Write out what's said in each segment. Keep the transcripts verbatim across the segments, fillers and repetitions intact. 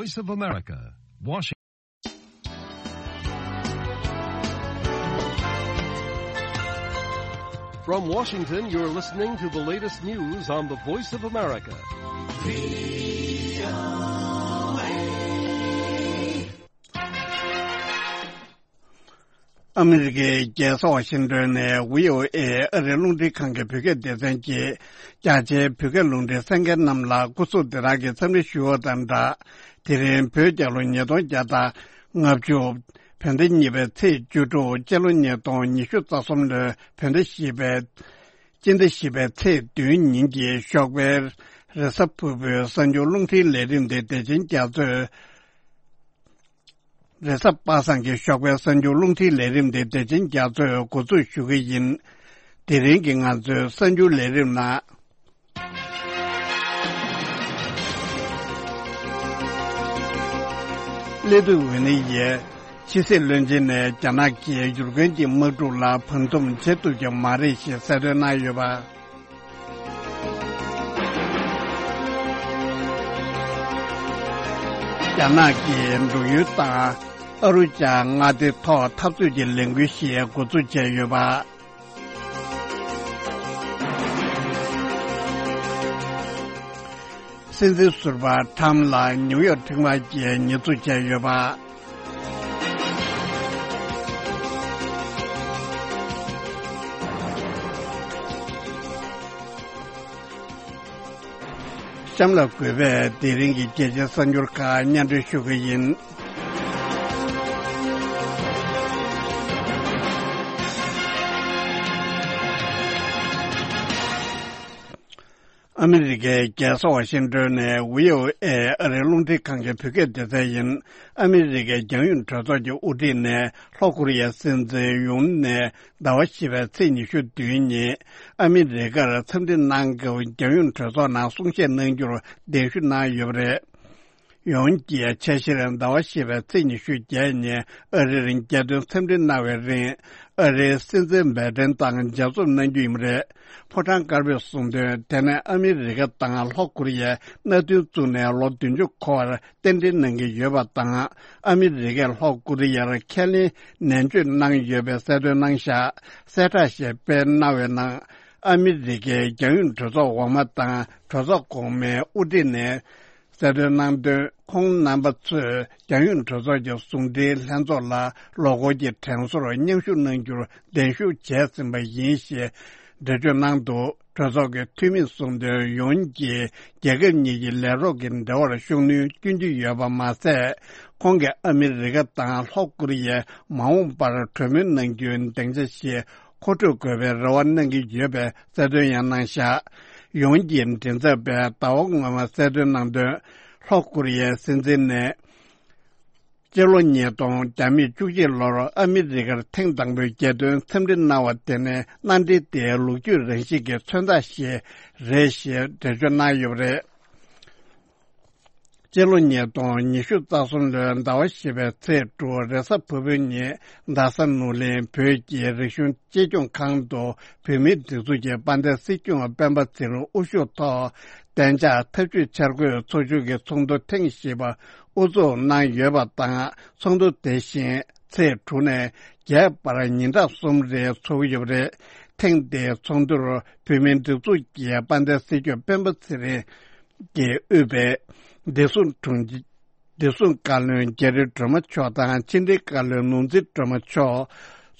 Voice of America, Washington. From Washington, you're listening to the latest news on the Voice of America. ཨ་མི་རི་ཀའི་རྒྱལ་ས་ཝ་ཤིང་ཏོན་ནས་ཝི་ཨོ་ཨེ་ཨ་རིའི་རླུང་འཕྲིན་ཁང་གི་བོད་སྐད་སྡེ་ཚན་གྱིས། རྒྱ་ཆེའི་བོད་སྐད་རླུང་འཕྲིན་གསན་མཁན་རྣམས་ལ་སྐུ་གཟུགས་བདེ་ཐང་གི་འཚམས་འདྲི་ཞུ་བ་དང་སྦྲགས། དེ་རིང་བོད་རྒྱལ་ལོ་ཉིས་སྟོང་བརྒྱ་དང་ལྔ་བཅུ། བོད་ཟླ་གཉིས་པའི་ཚེས་བཅུ་དྲུག་སྤྱི་ལོ་ཉིས་སྟོང་ཉི་ཤུ་རྩ་གསུམ་ལོའི་བོད་ཟླ་བཞི་པའི། སྤྱི་ཟླ་བཞི་པའི་ཚེས་བདུན་ཉིན་གྱི་ཞོགས་པའི་རེས་གཟའ་ཕུར་བུའི་གསར་འགྱུར་རླུང་འཕྲིན་ལས་རིམ་དེ་བདེ་ཆེན་རྒྱ་མཚོས། རེས་གཟའ་པ་སངས་ཀྱི་ཞོགས་པའི་གསར་འགྱུར་རླུང་འཕྲིན་ལས་རིམ་དེ་བདེ་ཆེན་རྒྱ་མཚོས་འགོ་འཛུགས་ཞུ་གི་ཡིན། དེ་རིང་གི་ང་ཚོའི་གསར་འགྱུར་ལས་རིམ་ནང་། སླེ་ཏུ་ཝེ་ནི་ཡའི་ཕྱི་སྲིད་བློན་ཆེན་ནས་རྒྱ་ནག་གིས་ཡུཀ་རེན་གྱི་དམག་འཁྲུག་ལ་བར་འདུམ་བྱེད་ཐུབ་ཀྱི་མ་རེད་ཞེས་གསལ་སྟོན་གནང་ཡོད་པ། རྒྱ་ནག་གིས་འབྲུག་ཡུལ་དང་ཨ་རུ་ཅཱ་མངའ་སྡེའི་ཐོག་འཐབ་རྩོད་ཀྱི་ལས་འགུལ་ཞིག་འགོ་འཛུགས་བྱས་ཡོད་པ། སྲིད་འཛིན་ཟུར་པ་ཁྲམ་ལ་ནིའུ་ཡོག་ཁྲིམས་ཁང་གིས་ཉེས་འཛུགས་བྱས་ཡོད་པ། གཤམ་ལ་གུས་པས་དེ་རིང་གི་རྒྱལ་སྤྱིའི་གསར་འགྱུར་ཁག་སྙན་སྒྲོན་ཞུ་གི་ཡིན། ཨ་མི་རི་ཀའི་རྒྱལ་ས་ཝ་ཤིང་ཏོན་ནས་ཝི་ཨོ་ཨེ་ཨ་རིའི་རླུང་འཕྲིན་ཁང་གི་བོད་སྐད་སྡེ་ཚན་ཡིན། ཨ་མི་རི་ཀའི་རྒྱང་ཡོལ་གྲོས་ཚོགས་ཀྱི་དབུ་ཁྲིད་ནས་ལྷོ་ཀོ་རི་ཡའི་སྲིད་འཛིན་ཡུན་ནས་ཟླ་བ་བཞི་པའི་ཚེས་ཉི་ཤུ་བདུན་ཉིན་ཨ་མི་རི་ཀར་འཚམས་འདྲི་གནང་སྐབས་རྒྱང་ཡོལ་གྲོས་ཚོགས་ནང་གསུང་བཤད་གནང་རྒྱུར་གདན་ཞུ་གནང་ཡོད་པ་རེད། ཡོན་གྱིས་ཆ་ཤས་རིང་ཟླ་བ་བཞི་པའི་ཚེས་ཉི་ཤུ་བརྒྱད་ཉིན་ཨ་རིར་རྒྱལ་དོན་འཚམས་འདྲི་གནང་བའི་རིང་ཨ་རིའི་སྲིད་འཛིན་བྷའི་ཏན་དང་མཇལ་འཛོམས་གནང་རྒྱུ་ཡིན་པ་རེད། ཕོ་བྲང་དཀར་པོས་གསུངས་དོན། དེ་ནས་ཨ་མི་རི་ཀ་དང་ལྷོ་ཀོ་རི་ཡས་མནའ་མཐུན་བཙུགས་ནས་ལོ་བདུན་ཅུ་འཁོར་བར་རྟེན་འབྲེལ་གནང་གི་ཡོད་པ་དང་། ཨ་མི་རི་ཀས་ལྷོ་ཀོ་རི་ཡར་ཁས་ལེན་ནན་བརྗོད་གནང་ཡོད་པའི་གསལ་སྟོན་གནང་བཞག་གསལ་བསྒྲགས་ཤིག་སྤེལ་གནང་བའི་ནང་། ཨ་མི་རི་ཀའི་རྒྱང་ཡོལ་གྲོས་ཚོགས་འོག་མ་དང་གྲོས་ཚོགས་གོང་མའི་དབུ་ཁྲིད་ནས་གསལ་སྟོན་གནང་དོན། ཁོང་རྣམ་པ་ཚོས་རྒྱང་ཡོལ་གྲོས་ཚོགས་ཀྱི་ཟུང་འབྲེལ་ལྷན་ཚོགས་ལ་ལོ་འཁོར་གྱི་དྲན་གསོར་མཉམ་ཞུགས་གནང་རྒྱུར་གདན་ཞུ་བྱས་ཟིན་པ་ཡིན་ཞེས་འགྲེལ་བརྗོད་གནང་འདུག་གྲོས་ཚོགས་ཀྱི་འཐུས་མིས་གསུངས་དོན། ཡོན་གྱིས་རྒྱལ་ཁབ་གཉིས་ཀྱི་ལས་རོགས་ཀྱི་འབྲེལ་བར་ཤུགས་སྣོན་སྐྱོན་གྱི་ཡོད་པ་མ་ཟད། ཁོང་གིས་ཨ་མི་རི་ཀ་དང་ལྷོ་ཀོ་རི་ཡས་མ་འོངས་པར་གྲོས་མོལ་གནང་རྒྱུའི་སྡིངས་ཆ་ཞིག་མཁོ་སྤྲོད་དགོས་པའི་རེ་བ་གནང་གི་ཡོད་པའི་གསལ་སྟོན་ཡང་གནང་བཞག་ཡོན་གྱི་མགྲིན་ཚབ་པས་ཟླ་བ་སྔོན་མ་གསལ་སྟོན་གནང་དོན། ལྷོ་ཀོ་རི་ཡའི་སྲིད་འཛིན་ནས། སྤྱི་ལོ་ཉིས་སྟོང་བརྒྱ་མེད་བཅུ་གཅིག་ལོར་ཨ་མི་རི་ཀར་ཐེངས་དང་པོའི་རྒྱལ་དོན་འཚམས་འདྲི་གནང་བ་དེ་ནི་མནའ་འབྲེལ་དེའི་ལོ་རྒྱུས་རང་བཞིན་གྱི་མཚོན་རྟགས་ཤིག་རེད་ཞེས་འགྲེལ་བརྗོད་གནང་ཡོད་པ་རེད། སྤྱི་ལོ་ཉིས་སྟོང་ཉི་ཤུ་རྩ་གསུམ་ལོའི་ཟླ་བ་བཞི་པའི་ཚེས་དྲུག་རེས་གཟའ་ཕུར་བུའི་ཉིན་རྡ་ས་ནོར་གླིང་བོད་ཀྱི་རིག་གཞུང་གཅེས་སྐྱོང་ཁང་དུ་བོད་མིའི་སྒྲིག་འཛུགས་ཀྱི་དཔལ་ལྡན་སྲིད་སྐྱོང་སྤེན་པ་ཚེ་རིང་དབུ་བཞུགས་ཐོག་གཏན་འཇགས་ཐབས་ཇུས་འཆར་འགོད་ཚོགས་ཆུང་གི་ཚོགས་འདུ་ཐེངས་བཞི་པ་དབུ་འཛུགས་གནང་ཡོད་པ་དང་། ཚོགས་འདུ་དེ་བཞིན་ཚེས་དྲུག་ནས་བརྒྱད་བར་ཉིན་གྲངས་གསུམ་རིང་འཚོགས་ཀྱི་ཡོད་པ་རེད། ཐེངས་འདིའི་ཚོགས་འདུར་བོད་མིའི་སྒྲིག་འཛུགས་ཀྱི་དཔལ་ལྡན་སྲིད་སྐྱོང་སྤེན་པ་ཚེ་རིང་གིས་དབུས་པའི་བདེ་སྲུང་དྲུང་ཆེ། བདེ་སྲུང་བཀའ་བློན་རྒྱ་རི་སྒྲོལ་མ་མཆོག་དང་ཕྱི་དྲིལ་བཀའ་བློན་ནོར་འཛིན་སྒྲོལ་མ་མཆོག་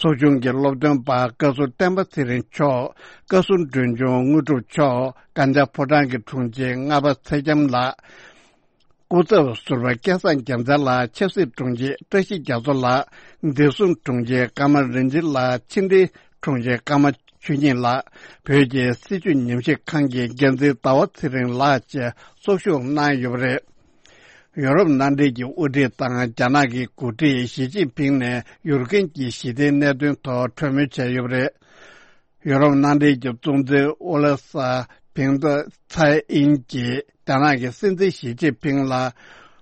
ཚོགས་ཆུང་གི་སློབ་སྟོན་པ་བཀའ་ཟུར་བསྟན་པ་ཚེ་རིང་མཆོག་བཀའ་ཟུར་མགྲོན་ཆུང་དངོས་གྲུབ་མཆོག་བཀའ་འཆང་ཕོ་བྲང་གི་དྲུང་ཆེ་ལྔ་པ་ཚེ་རྒྱམ་ལགས། སྐུ་ཚབ་ཟུར་པ་སྐལ་བཟང་རྒྱལ་མཚན་ལགས། ཆབ་སྲིད་དྲུང་ཆེ་བཀྲ་ཤིས་རྒྱ་མཚོ་ལགས། བདེ་སྲུང་དྲུང་ཆེ་ཀརྨ་རིན་ཆེན་ལགས། ཕྱི་དྲིལ་དྲུང་ཆེ་ཀརྨ་ཆོས་ཉིད་ལགས། བོད་ཀྱི་སྲིད་བྱུས་ཉམས་ཞིབ་ཁང་གི་འགན་འཛིན་ཟླ་བ་ཚེ་རིང་ལགས་བཅས་ཚོགས་ཞུགས་གནང་ཡོད་པ་རེད། ཡོ་རོབ་མནའ་འབྲེལ་གྱི་དབུ་ཁྲིད་དང་རྒྱ་ནག་གི་འགོ་ཁྲིད་ཞི་ཅིན་ཕིང་ནས་ཡུཀ་རེན་གྱི་ཞི་བདེའི་གནད་དོན་ཐོག་གྲོས་མོལ་བྱས་ཡོད་པ་རེད། ཡོ་རོབ་མནའ་འབྲེལ་གྱི་གཙོ་འཛིན་ཨོ་ལེ་སར་ཕིང་ཏོ་ཚའེ་ཨིན་གྱིས་རྒྱ་ནག་གི་སྲིད་འཛིན་ཞི་ཅིན་ཕིང་ལ་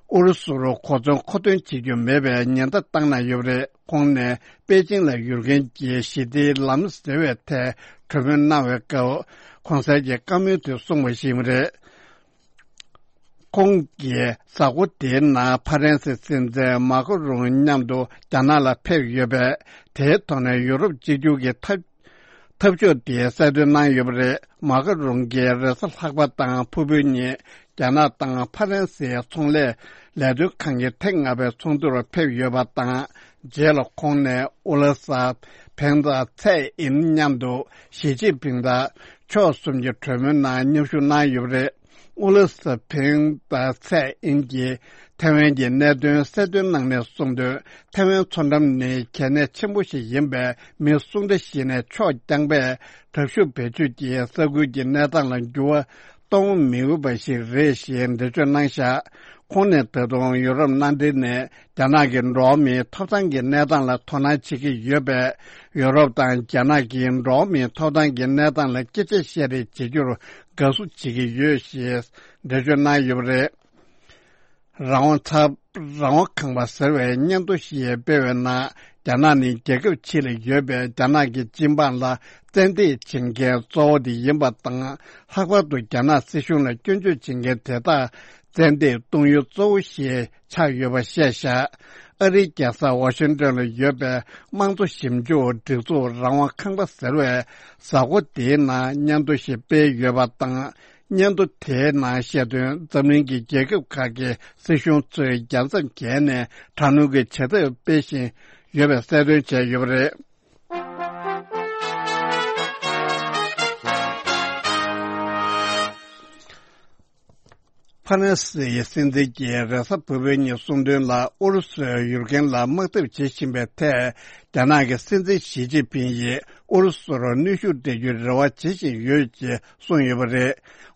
ཨུ་རུ་སུར་གོ་མཚོན་མཁོ་འདོན་བྱེད་རྒྱུ་མེད་པའི་ཉེན་བརྡ་བཏང་གནང་ཡོད་པ་རེད། ཁོང་ནས་པེ་ཅིང་ལ་ཡུཀ་རེན་གྱི་ཞི་བདེའི་ལམ་ཟེར་བའི་ཐད་གྲོས་མོལ་གནང་བའི་སྐབས་གོང་གསལ་གྱི་བཀའ་མོལ་དེ་གསུངས་པ་ཞིག་ཡིན་པ་རེད། ཁོང་གིས་གཟའ་འཁོར་དེའི་ནང་ཕ་རན་སིའི་སྲིད་འཛིན་མཱ་ཁོ་རུང་མཉམ་དུ་རྒྱ་ནག་ལ་ཕེབས་ཡོད་པས། དེའི་ཐོག་ནས་ཡུ་རོབ་གཅིག་གྱུར་གྱི་འཐབ་འཐབ་ཕྱོགས་དེ་གསལ་སྟོན་གནང་ཡོད་པ་རེད། མཱ་ཁོ་རུང་གིས་རེས་གཟའ་ལྷག་པ་དང་ཕུར་བུ་གཉིས་རྒྱ་ནག་དང་ཕ་རན་སིའི་ཚོང་ལས་ལས་དོན་ཁང་གི་ཐེངས་ལྔ་པའི་ཚོགས་འདུར་ཕེབས་ཡོད་པ་དང་། རྗེས་ལ་ཁོང་ནས་ཨུ་ལ་ས་བེང་དང་ཚའེ་ཨིན་མཉམ་དུ་ཞི་ཅིན་ཕིང་དང་ཕྱོགས་གསུམ་གྱི་གྲོས་མོལ་ནང་མཉམ་ཞུགས་གནང་ཡོད་པ་རེད། ཨུ་ལ་ས་བེང་དང་ཚའེ་ཨིན་གྱིས་ཐའེ་ཝན་གྱི་གནད་དོན་གསལ་སྟོན་གནང་ནས་གསུངས་དོན། ཐའེ་ཝན་མཚོ་འགྲམ་ནི་གལ་གནད་ཆེན་པོ་ཞིག་ཡིན་པས། མི་སུ་འདྲ་ཞིག་ནས་ཕྱོགས་རྐྱང་པས་དྲག་ཤུགས་བེད་སྤྱོད་ཀྱིས་ས་ཁུལ་གྱི་གནས་སྟངས་ལ་འགྱུར་བ་གཏོང་མི་འོས་པ་ཞིག་རེད་ཞེས་འགྲེལ་བརྗོད་གནང་བཞག་ཁོང་ནས་ད་དུང་ཡུ་རོབ་མནའ་འབྲེལ་ནས་རྒྱ་ནག་གི་འགྲོ་བ་མིའི་ཐོབ་ཐང་གི་གནས་སྟངས་ལ་དོ་སྣང་བྱེད་ཀྱི་ཡོད་པས། ཡུ་རོབ་དང་རྒྱ་ནག་གིས་འགྲོ་བ་མིའི་ཐོབ་ཐང་གི་གནས་སྟངས་ལ་སྐད་ཆ་བཤད་རེས་བྱེད་རྒྱུར་དགའ་བསུ་བྱེད་ཀྱི་ཡོད་ཞེས་འགྲེལ་བརྗོད་གནང་ཡོད་པ་རེད། རང་དབང་ཚབ་རང་དབང་ཁང་པ་ཟེར་བའི་སྙན་ཐོ་ཞིག་སྤེལ་བའི་ནང་། རྒྱ་ནག་ནི་རྒྱལ་ཁབ་ཕྱི་ལ་ཡོད་པའི་རྒྱ་ནག་གི་སྤྱི་འབངས་ལ་བཙན་འདེད་བྱེད་མཁན་གཙོ་བོ་དེ་ཡིན་པ་དང་། ལྷག་པར་དུ་རྒྱ་ནག་སྲིད་གཞུང་ལ་སྐྱོན་བརྗོད་བྱེད་མཁན་དེ་དག་བཙན་འདེད་གཏོང་ཡུལ་གཙོ་བོ་ཞིག་ཆགས་ཡོད་པ་བཤད་བཞག་ཨ་རིའི་རྒྱལ་ས་ཝ་ཤིང་ཏོན་ལ་ཡོད་པའི་དམངས་གཙོ་ཞིབ་འཇུག་སྒྲིག་འཛུགས་རང་དབང་ཁང་པ་ཟེར་བས། གཟའ་འཁོར་དེའི་ནང་སྙན་ཐོ་ཞིག་སྤེལ་ཡོད་པ་དང་། སྙན་ཐོ་དེའི་ནང་བཤད་དོན། འཛམ་གླིང་གི་རྒྱལ་ཁབ་ཁག་གི་སྲིད་གཞུང་ཚོས་རྒྱལ་མཚམས་བརྒལ་ནས་དྲག་གནོན་གྱི་བྱེད་ཐབས་སྤེལ་བཞིན་ཡོད་པའི་གསལ་སྟོན་བྱས་ཡོད་པ་རེད། ཕ་རན་སིའི་སྲིད་འཛིན་གྱིས་རེས་གཟའ་ཕུར་བུ་ཉིན་གསུངས་དོན་ལ། ཨུ་རུ་སུས་ཡུཀ་རེན་ལ་དམག་འཐབ་བྱེད་བཞིན་པའི་ཐད། རྒྱ་ནག་གི་སྲིད་འཛིན་ཞི་ཅིན་ཕིང་ཡིས་ཨུ་རུ་སུར་གནོན་ཤུགས་སྤྲད་རྒྱུའི་རེ་བ་བྱེད་བཞིན་ཡོད་ཅེས་གསུངས་ཡོད་པ་རེད།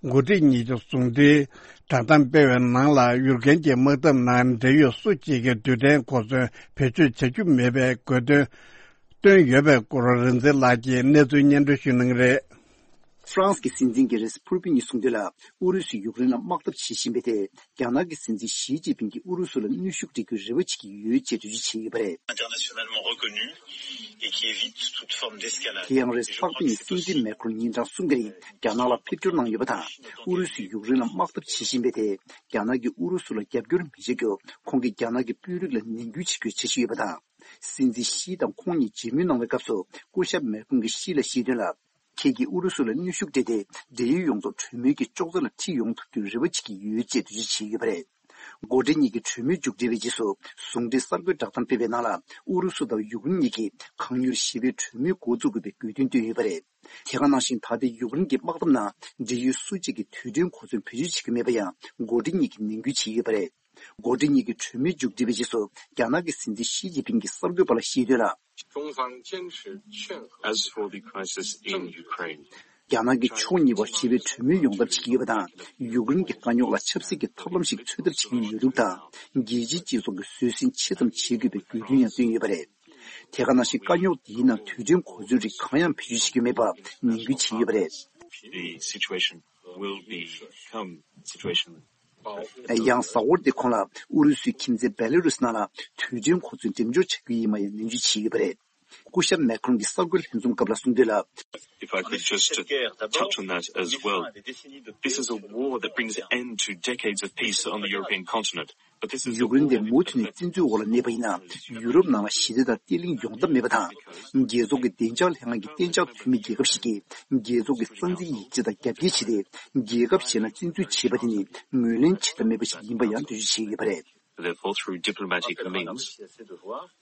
འགོ་ཁྲིད་གཉིས་ཀྱི་ཟུང་འབྲེལ་བསྒྲགས་གཏམ་སྤེལ་བའི་ནང་ལ། ཡུཀ་རེན་གྱི་དམག་འཐབ་ནང་འབྲེལ་ཡོད་སུ་གཅིག་གི་རྡུལ་ཕྲན་གོ་མཚོན་བེད་སྤྱོད་བྱ་རྒྱུ་མེད་པའི་དགོས་འདུན་བཏོན་ཡོད་པའི་སྐོར། རིག་འཛིན་ལགས་ཀྱིས་གནས་ཚུལ་སྙན་སྒྲོན་ཞུ་གནང་གི་རེད། ཧྥ་རན་སི་གི་སྲིད་འཛིན་གྱིས་རེས་གཟའ་ཕུར་བུ་ཉིན་གསུངས་དོན་ལ། ཨུ་རུ་སུས་ཡུཀ་རེན་ལ་དམག་འཐབ་བྱེད་བཞིན་པའི་ཐད། རྒྱ་ནག་གི་སྲིད་འཛིན་ཞི་ཅིན་ཕིང་གིས་ཨུ་རུ་སུ་ལ་གནོན་ཤུགས་སྤྲད་རྒྱུའི་རེ་བ་བྱེད་ཀྱི་ཡོད་ཅེས་འགྲེལ་བརྗོད་བྱས་ཡོད་པ་རེད། Internationalement reconnu et qui évite toute forme d'escalade. དེ་ཡང་རེས་གཟའ་ཕུར་བུ་ཉིན་སྲིད་འཛིན་མེ་ཁྲོན་ཉིན་གྲངས་གསུམ་གྱི་རིང་རྒྱ་ནག་ལ་ཕེབས་སྐྱོར་གནང་ཡོད་པ་དང་། ཨུ་རུ་སུས་ཡུཀ་རེན་ལ་དམག་འཐབ་བྱེད་བཞིན་པའི་ཐད། རྒྱ་ནག་གིས་ཨུ་རུ་སུ་ལ་རྒྱབ་སྐྱོར་མི་བྱེད་རྒྱུར། ཁོང་གིས་རྒྱ་ནག་གི་དཔོན་རིགས་ལ་ནན་སྐུལ་བྱེད་རྒྱུའི་འཆར་གཞི་ཡོད་པ་དང་། སྲིད་འཛིན་ཞི་དང་ཁོང་གཉིས་མཇལ་མོལ་གནང་བའི་སྐབས་སུ། སྐུ་ཞབས་མེ་ཁྲོན་གྱིས་ཞི་ལ་བཤད་དོན་ལ། ཁྱེད་ཀྱིས་ཨུ་རུ་སུ་ལ་གནོན་ཤུགས་སྤྲད་དེ། འབྲེལ་ཡོད་ཡོངས་རྫོགས་གྲོས་མོལ་གྱི་ཅོག་ཙེ་ལ་ཁྲིད་ཡོང་ཐུབ་རྒྱུའི་རེ་བ་བྱེད་ཀྱི་ཡོད་ཅེས་འགྲེལ་བརྗོད་བྱས་ཡོད་པ་རེད། འགོ་ཁྲིད་གཉིས་ཀྱི་གྲོས་མོལ་མཇུག་སྒྲིལ་བའི་རྗེས་སུ། ཟུང་འབྲེལ་གསར་འགོད་བསྒྲགས་གཏམ་སྤེལ་བའི་ནང་ལ། ཨུ་རུ་སུ་དང་ཡུཀ་རེན་གཉིས་ཀྱིས་གང་མྱུར་ཞི་བའི་གྲོས་མོལ་འགོ་བཙུགས་དགོས་པའི་དགོས་འདུན་བཏོན་ཡོད་པ་རེད། དེ་ག་ནང་བཞིན། ད་ལྟའི་ཡུཀ་རེན་གྱི་དམག་འཐབ་ནང་འབྲེལ་ཡོད་སུ་གཅིག་གིས་རྡུལ་ཕྲན་གོ་མཚོན་བེད་སྤྱོད་བྱེད་ཀྱི་མེད་པ་ཡང་། འགོ་ཁྲིད་གཉིས་ཀྱིས་ནན་སྐུལ་བྱས་ཡོད་པ་རེད། འགོ་ཁྲིད་གཉིས་ཀྱི་གྲོས་མོལ་མཇུག་སྒྲིལ་བའི་རྗེས་སུ། རྒྱ་ནག་གི་སྲིད་འཛིན་ཞི་ཅིན་ཕིང་གིས་གསར་འགོད་པ་ལ་བཤད་དོན་ལ། 中方坚持劝和。As for the crisis in Ukraine, རྒྱ་ནག་གིས་ཕྱོགས་གཉིས་བར་ཞི་བའི་གྲོས་མོལ་ཡོང་ཐབས་བྱེད་ཀྱི་ཡོད་པ་དང་། ཡུཀ་རེན་གྱི་དཀའ་རྙོག་ལ་ཆབ་སྲིད་ཀྱི་ཐབས་ལམ་ཞིག་འཚོལ་ཐབས་བྱེད་ཀྱི་ཡོད་ལུགས་དང་། རྒྱལ་སྤྱིའི་སྤྱི་ཚོགས་ཀྱིས་བཟོད་བསྲན་ཆེ་ཙམ་བྱེད་དགོས་པའི་དགོས་འདུན་ཡང་བཏོན་ཡོད་པ་རེད། དེ་ག་ནང་བཞིན། དཀའ་རྙོག་འདིའི་ནང་རྡུལ་ཕྲན་གོ་མཚོན་རིགས་གང་ཡང་བེད་སྤྱོད་བྱེད་ཀྱི་མེད་པར་ནན་སྐུལ་བྱས་ཡོད་པ་རེད། The situation will become situation. ཡང་གཟའ་འཁོར་འདིའི་གོང་ལ། ཨུ་རུ་སུའི་ཁྱིམ་མཚེས་བེ་ལ་རུས་ནང་ལ་རྡུལ་ཕྲན་གོ་མཚོན་འགྲེམས་འཇོག་བྱ་རྒྱུ་ཡིན་པ་ཡང་ནན་བརྗོད་བྱས་ཡོད་པ་རེད། སྐུ་ཞབས་མེ་ཁྲོན་གྱིས་གསར་འགོད་ལྷན་འཛོམས་སྐབས་ལ་གསུངས་དོན་ལ། If I could just touch on that as well. This is a war that brings an end to decades of peace on the European continent. But this is a war that ཡུཀ་རེན་དེ་མུ་མཐུད་ནས་བཙན་འཛུལ་འོག་ལ་གནས་པ་ཡིན་ན། ཡུ་རོབ་ནང་ལ་ཞི་བདེ་དང་བརྟན་ལྷིང་ཡོང་ཐབས་མེད་པ་དང་། རྒྱལ་ཚོགས་ཀྱི་བདེ་འཇགས་ལྷན་ཁང་གི་གཏན་འཇགས་འཐུས་མི་རྒྱལ་ཁབ་ཞིག་གིས། རྒྱལ་ཚོགས་ཀྱི་རྩ་འཛིན་ཡིག་ཆ་དང་རྒྱབ་འགལ་བྱས་ཏེ། རྒྱལ་ཁབ་གཞན་ལ་བཙན་འཛུལ་བྱས་པ་དེ་ནི་ངོས་ལེན་བྱེད་ཐབས་མེད་པ་ཞིག་ཡིན་པ་ཡང་འགྲེལ་བརྗོད་བྱས་ཡོད་པ་རེད། Therefore, through diplomatic means,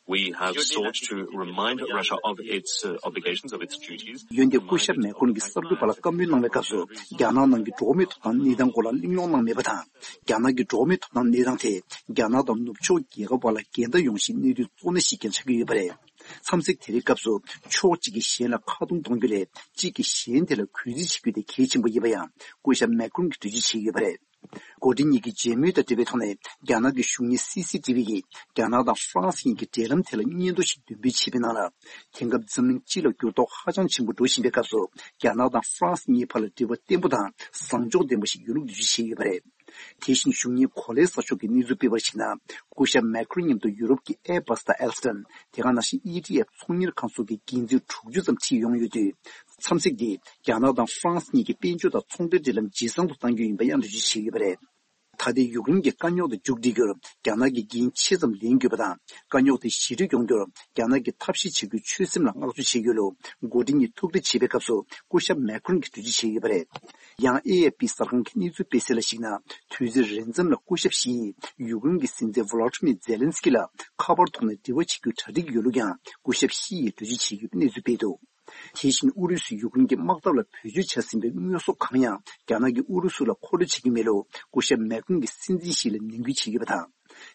we have sought to remind Russia of its, uh, obligations, of its duties. འོན་ཏེ་སྐུ་ཞབས་མེ་ཁྲོན་གྱིས་གསར་འགོད་པ་ལ་བཀའ་མོལ་གནང་བའི་སྐབས་སུ། རྒྱ་ནག་ནང་གི་འགྲོ་བ་མིའི་ཐོབ་ཐང་གནས་སྟངས་སྐོར་ལ་གླེང་སློང་གནང་མེད་པ་དང་། རྒྱ་ནག་གི་འགྲོ་བ་མིའི་ཐོབ་ཐང་གནས་སྟངས་དེ། རྒྱ་ནག་དང་ནུབ་ཕྱོགས་རྒྱལ་ཁབ་བར་ལ་འགལ་ཟླ་ཡོང་གཞིའི་གནད་དོན་གཙོ་གནད་ཞིག་ཀྱང་ཆགས་ཀྱི་ཡོད་པ་རེད། འཚམས་གཟིགས་དེ་རིང་སྐབས་སུ། ཕྱོགས་གཅིག་གིས་གཞན་ལ་ཁ་རྡུང་གཏོང་རྒྱུ་ལས། གཅིག་གིས་གཞན་དེ་ལ་གུས་བརྩི་བྱེད་རྒྱུ་དེ་གལ་ཆེན་པོ་ཡིན་པ་ཡང་། སྐུ་ཞབས་མེ་ཁྲོན་གྱིས་འགྲེལ་བརྗོད་བྱས་ཡོད་པ་རེད། འགོ་ཁྲིད་གཉིས་ཀྱི་མཇལ་མོལ་དང་འབྲེལ་བའི་ཐོག་ནས། རྒྱ་ནག་གི་གཞུང་གཉེར་སི་སི་ཏི་བི་ཡིས། རྒྱ་ནག་དང་ཧྥ་རན་སི་གཉིས་ཀྱི་འབྲེལ་ལམ་ཐད་ལ་སྙན་ཐོ་ཞིག་འདོན་སྤེལ་བྱས་པའི་ནང་ལ། དེང་སྐབས་འཛམ་གླིང་སྤྱི་ལ་འགྱུར་ལྡོག་ཧ་ཅང་ཆེན་པོ་འགྲོ་བཞིན་པའི་སྐབས་སུ། རྒྱ་ནག་དང་ཧྥ་རན་སི་གཉིས་བར་ལ་འབྲེལ་བ་བརྟན་པོ་དང་བཟང་ཕྱོགས་ལྡན་པ་ཞིག་ཡོད་ལུགས་འགྲེལ་བརྗོད་བྱས་ཡོད་པ་རེད། དེ་བཞིན་གཞུང་གཉེར་གོ་ལའི་གསར་ཤོག་གིས་གནས་ཚུལ་སྤེལ་བར་གཞིགས་ན། སྐུ་ཞབས་མེ་ཁྲོན་མཉམ་དུ་ཡུ་རོབ་ཀྱི་ཨེར་བྷ་སི་དང་ཨེལ་སི་ཊོན། དེ་ག་ནང་བཞིན་ཨི་ཊི་ཨེཕ་ཚོང་གཉེར་ཁང་སོགས་ཀྱི་འགན་འཛིན་དྲུག་ཅུ་ཙམ་ཁྲིད་ཡོང་ཡོད་དུས། འཚམས་གཟིགས་འདིས་རྒྱ་ནག་དང་ཧྥ་རན་སི་གཉིས་ཀྱི་དཔལ་འབྱོར་དང་ཚོང་འབྲེལ་འབྲེལ་ལམ་ཇེ་བཟང་དུ་གཏང་རྒྱུ་ཡིན་པ་ཡང་འགྲེལ་བརྗོད་བྱས་ཡོད་པ་རེད། ད་ལྟའི་ཡུཀ་རེན་གྱི་དཀའ་རྙོག་དེ་མཇུག་སྒྲིལ་རྒྱུར་རྒྱ་ནག་གིས་འགན་ཆེ་ཙམ་ལེན་དགོས་པ་དང་། དཀའ་རྙོག་དེ་ཞི་འགྲིག་ཡོང་རྒྱུར་རྒྱ་ནག་གིས་ཐབས་ཤེས་བྱེད་རྒྱུའི་ཆོད་སེམས་ལ་བསྔགས་བརྗོད་བྱེད་ཀྱི་ཡོད་ལུགས་འགོ་ཁྲིད་གཉིས་ཐུག་འཕྲད་བྱེད་པའི་སྐབས་སུ་སྐུ་ཞབས་མེ་ཁོན་གྱིས་འགྲེལ་བརྗོད་བྱས་ཡོད་པ་རེད། ཡང་། ཨེ་ཨེ་པི་གསར་ཁང་གི་གནས་ཚུལ་སྤེལ་གསལ་ལ་གཞིགས་ན། དུས་ཚོད་རན་མཚམས་ལ་སྐུ་ཞབས་ཞི་ཡིས་ཡུཀ་རེན་གྱི་སྲིད་འཛིན་ཝོ་ལོ་ཏི་མིར་ཛེ་ལན་སི་ཀི་ལ་ཁ་པར་ཐོག་ནས་འབྲེལ་བ་བྱེད་རྒྱུའི་གྲ་སྒྲིག་ཡོད་ལུགས་ཀྱང་སྐུ་ཞབས་ཞི་ཡིས་འགྲེལ་བརྗོད་བྱས་ཡོད་པའི་གནས་ཚུལ་སྤེལ་འདུག་དེ་བཞིན་ཨུ་རུ་སུས་ཡུཀ་རེན་གྱི་དམག་འཐབ་ལ་བེད་སྤྱོད་བྱ་ཟིན་པའི་དངོས་ཟོག་གང་ཡང་རྒྱ་ནག་གིས་ཨུ་རུ་སུ་ལ་མཁོ་སྤྲོད་བྱེད་ཀྱི་མེད་ལུགས་སྐུ་ཞབས་མེ་ཁོན་གྱིས་སྲིད་འཛིན་ཞི་ལ་ནན་སྐུལ་བྱས་ཡོད་པ་དང་།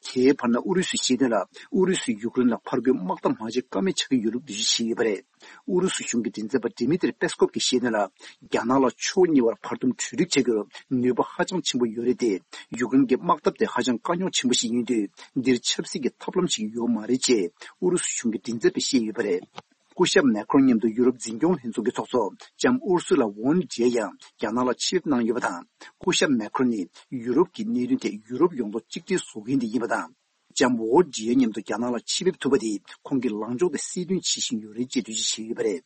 དེའི་བར་ན་ཨུ་རུ་སུའི་ཤེས་དོན་ལ་ཨུ་རུ་སུས་ཡུཀ་རེན་ལ་ཕར་རྒོལ་དམག་འཐབ་མ་བྱེད་ཀ་མེད་ཆགས་ཀྱི་ཡོད་ལུགས་འགྲེལ་བརྗོད་བྱས་ཡོད་པ་རེད། ཨུ་རུ་སུ་གཞུང་གི་མགྲིན་ཚབ་པ་ཌི་མི་ཏྲི་པེ་སི་ཀོབ་ཀྱིས་བཤད་དོན་ལ། རྒྱ་ནག་ལ་ཕྱོགས་གཉིས་བར་བར་འདུམ་གྲོས་འགྲིག་བྱ་རྒྱུར་ནུས་པ་ཧ་ཅང་ཆེན་པོ་ཡོད་རེད་དེ། ཡུཀ་རེན་གྱི་དམག་འཐབ་དེ་ཧ་ཅང་དཀའ་རྙོག་ཆེན་པོ་ཞིག་ཡིན་དུས། འདིར་ཆབ་སྲིད་ཀྱི་ཐབས་ལམ་ཞིག་ཡོད་མ་རེད་ཅེས་ཨུ་རུ་སུ་གཞུང་གི་མགྲིན་ཚབ་པས་བཤད་ཡོད་པ་རེད། སྐུ་ཞབས་མེ་ཁོན་མཉམ་དུ་ཡུ་རོབ་འཛིན་སྐྱོང་ལྷན་ཚོགས་ཀྱི་ཚོགས་གཙོ་ལྕམ་ཨུར་སུ་ལ་ཝོན་ཌི་ཡེ་ཡང་རྒྱ་ནག་ལ་ཆེད་ཕེབས་གནང་ཡོད་པ་དང་། སྐུ་ཞབས་མེ་ཁོན་ནི་ཡུ་རོབ་ཀྱི་གནད་དོན་ཐད་ཡུ་རོབ་ཡོངས་རྫོགས་གཅིག་སྒྲིལ་བཟོ་མཁན་དེ་ཡིན་པ་དང་། ལྕམ་ཝོན་ཌི་ཡེ་མཉམ་དུ་རྒྱ་ནག་ལ་ཆེད་ཕེབས་ཐུབ་པ་དེ་ཁོང་གི་ལངས་ཕྱོགས་དེ་གསལ་སྟོན་བྱེད་བཞིན་ཡོད་རེད་ཅེས་འགྲེལ་བརྗོད་བྱས་ཡོད་པ་རེད།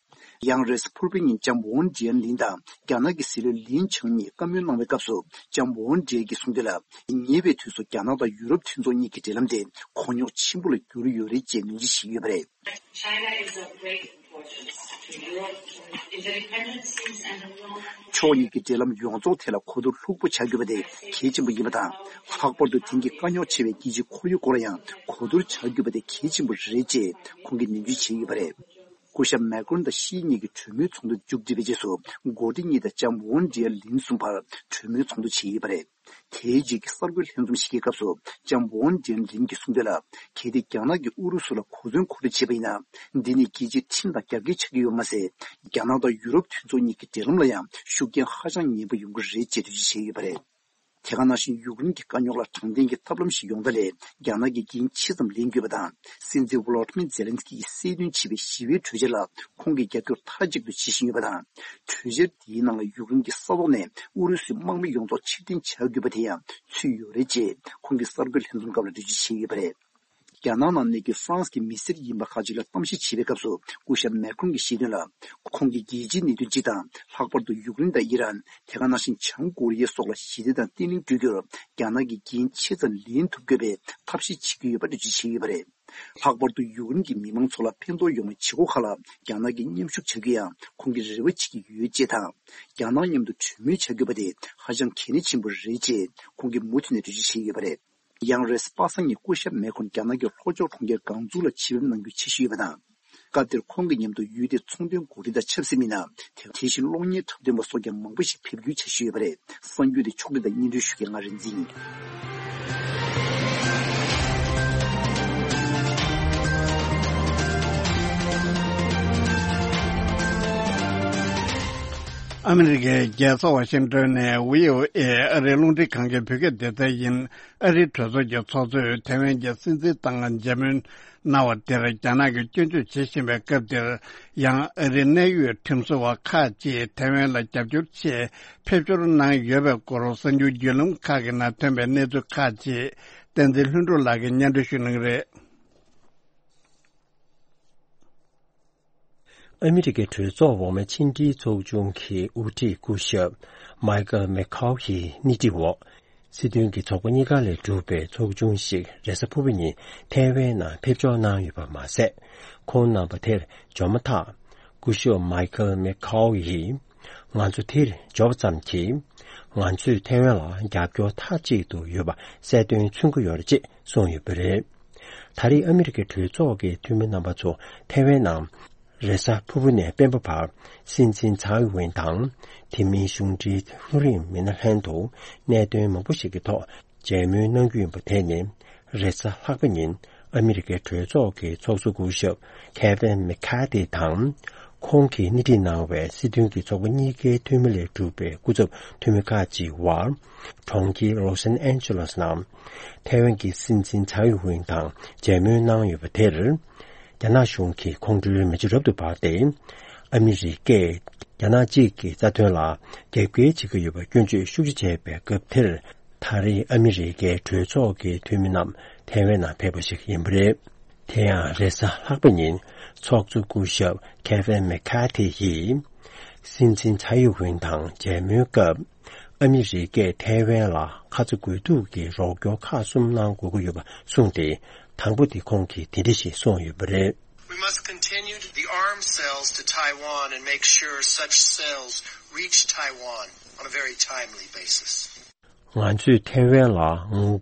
ཡང་རེས་གཟའ་ཕུར་བུའི་ཉིན་ལྕམ་ཝོན་ཌི་ཡེ་ལིན་དང་རྒྱ་ནག་གི་སྲིད་བློན་ལིན་ཆང་གཉིས་བཀའ་མོལ་གནང་བའི་སྐབས་སུ། ལྕམ་ཝོན་ཌི་ཡེ་གིས་གསུངས་དོན་ལ། ཉེ་བའི་དུས་སུ་རྒྱ་ནག་དང་ཡུ་རོབ་མཐུན་ཚོགས་གཉིས་ཀྱི་འབྲེལ་ལམ་དེ་གོ་རྙོག་ཆེན་པོ་ལ་གྱུར་ཡོད་རེད་ཅེས་ནན་བརྗོད་བྱས་ཡོད་པ་རེད། China is of great importance to Europe, to its independence and the world. ཕྱོགས་གཉིས་ཀྱི་འབྲེལ་ལམ་ཡོངས་རྫོགས་ཐད་ལ་གོ་བསྡུར་ལྷུག་པོ་བྱ་དགོས་པ་དེ་གལ་ཆེན་པོ་ཡིན་པ་དང་། ལྷག་པར་དུ་དེང་གི་དཀའ་རྙོག་ཆེ་བའི་རྒྱལ་སྤྱིའི་ཁོར་ཡུག་སྐོར་ལ་ཡང་གོ་བསྡུར་བྱ་དགོས་པ་དེ་གལ་ཆེན་པོ་རེད་ཅེས་ཁོང་གིས་ནན་བརྗོད་བྱས་ཡོད་པ་རེད། སྐུ་ཞབས་མེ་ཀོན་དང་ཞི་གཉིས་ཀྱི་གྲོས་མོལ་ཚོགས་འདུ་མཇུག་སྒྲིལ་བའི་རྗེས་སུ། འགོ་ཁྲིད་གཉིས་དང་ལྕམ་ཝོན་ཌི་ཡེ་ལིན་གསུམ་བར་གྲོས་མོལ་ཚོགས་འདུ་བྱས་ཡོད་པ་རེད། དེའི་རྗེས་ཀྱི་གསར་འགོད་ལྷན་འཛོམས་ཤིག་གི་སྐབས་སུ་ལྕམ་ཝོན་ཌི་ཡེ་ལིན་གྱིས་གསུངས་དོན་ལ། གལ་ཏེ་རྒྱ་ནག་གིས་ཨུ་རུ་སུ་ལ་གོ་མཚོན་མཁོ་སྤྲོད་བྱས་པ་ཡིན་ན། འདི་ནི་རྒྱལ་སྤྱིའི་ཁྲིམས་དང་རྒྱབ་འགལ་ཆགས་ཀྱི་ཡོད་མ་ཟད། རྒྱ་ནག་དང་ཡུ་རོབ་མཐུན་ཚོགས་གཉིས་ཀྱི་འབྲེལ་ལམ་ལ་ཡང་ཤུགས་རྐྱེན་ཧ་ཅང་ངན་པ་ཡོང་གི་རེད་ཅེས་འགྲེལ་བརྗོད་བྱས་ཡོད་པ་རེད། དེ་ག་ནང་བཞིན་ཡུཀ་རེན་གྱི་དཀའ་རྙོག་ལ་དྲང་བདེན་གྱི་ཐབས་ལམ་ཞིག་ཡོང་ཐབས་ལ་རྒྱ་ནག་གིས་འགན་ཆེ་ཙམ་ལེན་དགོས་པ་དང་། སྲིད་འཛིན་ཝོ་ལོ་ཏི་མིར་ཛེ་ལན་སི་ཀི་ཡིས་གསལ་སྟོན་བྱས་པའི་ཞི་བའི་གྲོས་འཆར་ལ་ཁོང་གིས་རྒྱབ་སྐྱོར་མཐའ་གཅིག་ཏུ་བྱེད་བཞིན་ཡོད་པ་དང་། གྲོས་འཆར་དེའི་ནང་ལ་ཡུཀ་རེན་གྱི་ས་ཐོག་ནས་ཨུ་རུ་སུའི་དམག་མི་ཡོངས་རྫོགས་ཕྱིར་འཐེན་བྱ་དགོས་པ་དེ་ཡང་ཚུད་ཡོད་རེད་ཅེས་ཁོང་གིས་གསར་འགོད་ལྷན་འཛོམས་སྐབས་ལ་འགྲེལ་བརྗོད་བྱས་ཡོད་པ་རེད། རྒྱ་ནག་ནང་གནས་ཀྱི་ཧྥ་རན་སི་གྱི་མི་སེར་ཡིན་པ་ཁག་ཅིག་ལ་གཏམ་བཤད་བྱེད་པའི་སྐབས་སུ། སྐུ་ཞབས་མེ་ཁོན་གྱིས་བཤད་དོན་ལ། ཁོང་གིས་རྒྱལ་སྤྱིའི་གནད་དོན་སྤྱི་དང་། ལྷག་པར་དུ་ཡུཀ་རེན་དང་ཨི་རན། དེ་ག་ནང་བཞིན་བྱང་ཀོ་རི་ཡ་སོགས་ལ་ཞི་བདེ་དང་བརྟན་ལྷིང་བསྐྲུན་རྒྱུར་རྒྱ་ནག་གིས་འགན་ཆེ་ཙམ་ལེན་ཐུབ་དགོས་པའི་ཐབས་ཤེས་བྱེད་ཀྱི་ཡོད་པ་འགྲེལ་བརྗོད་བྱས་ཡོད་པ་རེད། ལྷག་པར་དུ་ཡུཀ་རེན་གྱི་མི་མང་ཚོ་ལ་ཕན་ཐོགས་ཡོང་བའི་བྱེད་སྒོ་ཁག་ལ་རྒྱ་ནག་གིས་མཉམ་ཞུགས་བྱ་རྒྱུ་ཡང་ཁོང་གིས་རེ་བ་བྱེད་ཀྱི་ཡོད་ཅེས་དང་། རྒྱ་ནག་མཉམ་དུ་གྲོས་མོལ་བྱ་དགོས་པ་དེ་ཧ་ཅང་གལ་གནད་ཆེན་པོ་རེད་ཅེས་ཁོང་གིས་མུ་མཐུད་ནས་འགྲེལ་བརྗོད་བྱས་ཡོད་པ་རེད། ཡང་རེས་གཟའ་པ་སངས་ཉིན་སྐུ་ཞབས་མེ་ཁོན་རྒྱ་ནག་གི་ལྷོ་ཕྱོགས་གྲོང་ཁྱེར་ཀང་ཙུའུ་ལ་ཆེད་ཕེབས་གནང་རྒྱུའི་འཆར་གཞི་ཡོད་པ་དང་། སྐབས་དེར་ཁོང་གི་མཉམ་དུ་ཡུལ་དེའི་ཚོང་དོན་འགོ་ཁྲིད་དང་ཆབ་སྲིད་མི་སྣ། དེ་བཞིན་གློག་བརྙན་འཁྲབ་སྟོན་པ་སོགས་ཀྱང་མང་པོ་ཞིག་ཕེབས་རྒྱུའི་འཆར་གཞི་ཡོད་པ་རེད། གསར་འགྱུར་དེ་ཕྱོགས་སྒྲིག་དང་སྙན་སྒྲོན་ཞུ་མཁན་ང་རིག་འཛིན་ཡིན། ཨ་མི་རི་ཀའི་རྒྱལ་ས་ཝ་ཤིང་ཏོན་ནས་བྷི་ཨོ་ཨེ་ཨ་རིའི་རླུང་འཕྲིན་ཁང་གི་བོད་སྐད་སྡེ་ཚན་ཡིན། ཨ་རིའི་གྲོས་ཚོགས་ཀྱི་ཚོགས་གཙོས་ཐའེ་ཝན་གྱི་སྲིད་འཛིན་དང་མཇལ་མོལ་གནང་བ་དེར་རྒྱ་ནག་གིས་སྐྱོན་བརྗོད་བྱེད་བཞིན་པའི་སྐབས་འདིར། ཡང་ཨ་རིའི་གནད་ཡོད་ཁྲིམས་བཟོ་བ་ཁག་ཅིག་ཐའེ་ཝན་ལ་རྒྱབ་སྐྱོར་ཆེད་ཕེབས་འབྱོར་གནང་ཡོད་པའི་སྐོར་གསར་འགྱུར་བརྒྱུད་ལམ་ཁག་གི་ནང་ཐོན་པའི་གནས་ཚུལ་ཁག་ཅིག་བསྟན་འཛིན་ལྷུན་གྲུབ་ལགས་ཀྱིས་སྙན་སྒྲོན་ཞུ་གནང་གི་རེད། ཨ་མི་རི་ཀའི་གྲོས་ཚོགས་འོག་མའི་ཕྱི་འབྲེལ་ཚོགས་ཆུང་གི་དབུ་ཁྲིད་སྐུ་ཞབས་མའི་ཀལ་མེ་ཁའོ་ཡི་སྣེ་ཁྲིད་འོག་སྲིད་དོན་གྱི་ཚོགས་པ་གཉིས་ཀ་ལས་གྲུབ་པའི་ཚོགས་ཆུང་ཞིག་རེས་གཟའ་ཕུར་བུ་ཉིན་ཐའེ་ཝན་ནང་ཕེབས་འབྱོར་གནང་ཡོད་པ་མ་ཟད། ཁོང་རྣམ་པ་དེར་འབྱོར་མ་ཐག་སྐུ་ཞབས་མའི་ཀལ་མེ་ཁའོ་ཡིས། ང་ཚོ་དེར་འབྱོར་བ་ཙམ་གྱིས། ང་ཚོས་ཐའེ་ཝན་ལ་རྒྱབ་སྐྱོར་མཐའ་གཅིག་ཏུ་ཡོད་པ་གསལ་སྟོན་མཚོན་གྱི་ཡོད་རེད་ཅེས་གསུངས་ཡོད་པ་རེད། ད་རེས་ཨ་མི་རི་ཀའི་གྲོས་ཚོགས་ཀྱི་འཐུས་མི་རྣམ་པ་ཚོ་ཐའེ་ཝན་ནང་། རེས་གཟའ་ཕུར་བུ་ནས་སྤེན་པ་བར་སྲིད་འཛིན་ཚའེ་ཝེན་དང་། དེ་མིན་གཞུང་འབྲེལ་ལྷུ་རིང་མི་སྣ་ལྷན་དུ་གནད་དོན་མང་པོ་ཞིག་གི་ཐོག་མཇལ་མོལ་གནང་རྒྱུ་ཡིན་པ་དེ་ནི། རེས་གཟའ་ལྷག་པ་ཉིན་ཨ་མི་རི་ཀའི་གྲོས་ཚོགས་ཀྱི་ཚོགས་གཙོ་སྐུ་ཞབས་ཁེ་ཝིན་མེ་ཁ་ཐི་དང་། ཁོང་གིས་སྣེ་ཁྲིད་གནང་བའི་སྲིད་དོན་གྱི་ཚོགས་པ་གཉིས་ཀའི་འཐུས་མི་ལས་གྲུབ་པའི་སྐུ་ཚབ་འཐུས་མི་ཁག་ཅིག་བར། གྲོང་ཁྱེར་ལོ་སན་ཨན་ཇེ་ལོས་ནང་། ཐའེ་ཝན་གྱི་སྲིད་འཛིན་ཚའེ་ཝེན་དང་མཇལ་མོལ་གནང་ཡོད་པ་དེར། རྒྱ་ནག་གཞུང་གིས་ཁོང་ཁྲོའི་མེ་ལྕེ་རབ་ཏུ་འབར་ཏེ། ཨ་མི་རི་ཀས་རྒྱ་ནག་གཅིག་གི་རྩ་དོན་ལ་རྒྱབ་འགལ་བྱེད་ཀྱི་ཡོད་པའི་སྐྱོན་བརྗོད་ཤུགས་ཆེ་བྱས་པའི་སྐབས་དེར། ད་རེས་ཨ་མི་རི་ཀའི་གྲོས་ཚོགས་ཀྱི་འཐུས་མི་རྣམས་ཐའེ་ཝན་ནང་ཕེབས་པ་ཞིག་ཡིན་པ་རེད། དེ་ཡང་རེས་གཟའ་ལྷག་པ་ཉིན་ཚོགས་གཙོ་སྐུ་ཞབས་ཁེ་ཝིན་མེ་ཁ་ཐི་ཡིས། སྲིད་འཛིན་ཚའེ་ཝེན་དང་མཇལ་མོལ་སྐབས། ཨ་མི་རི་ཀས་ཐའེ་ཝན་ལ་ཁ་ཚ་དགོས་གཏུགས་ཀྱི་རོགས་སྐྱོར་ཁག་གསུམ་གནང་དགོས་ཀྱི་ཡོད་པ་གསུངས་ཏེ། དང་པོ་དེ་ཁོང་གིས་དེ་འདྲ་ཞིག་གསུངས་ཡོད་པ་རེད། We must continue the arms sales to Taiwan and make sure such sales reach Taiwan on a very timely basis. ང་ཚོས་ཐའེ་ཝན་ལ་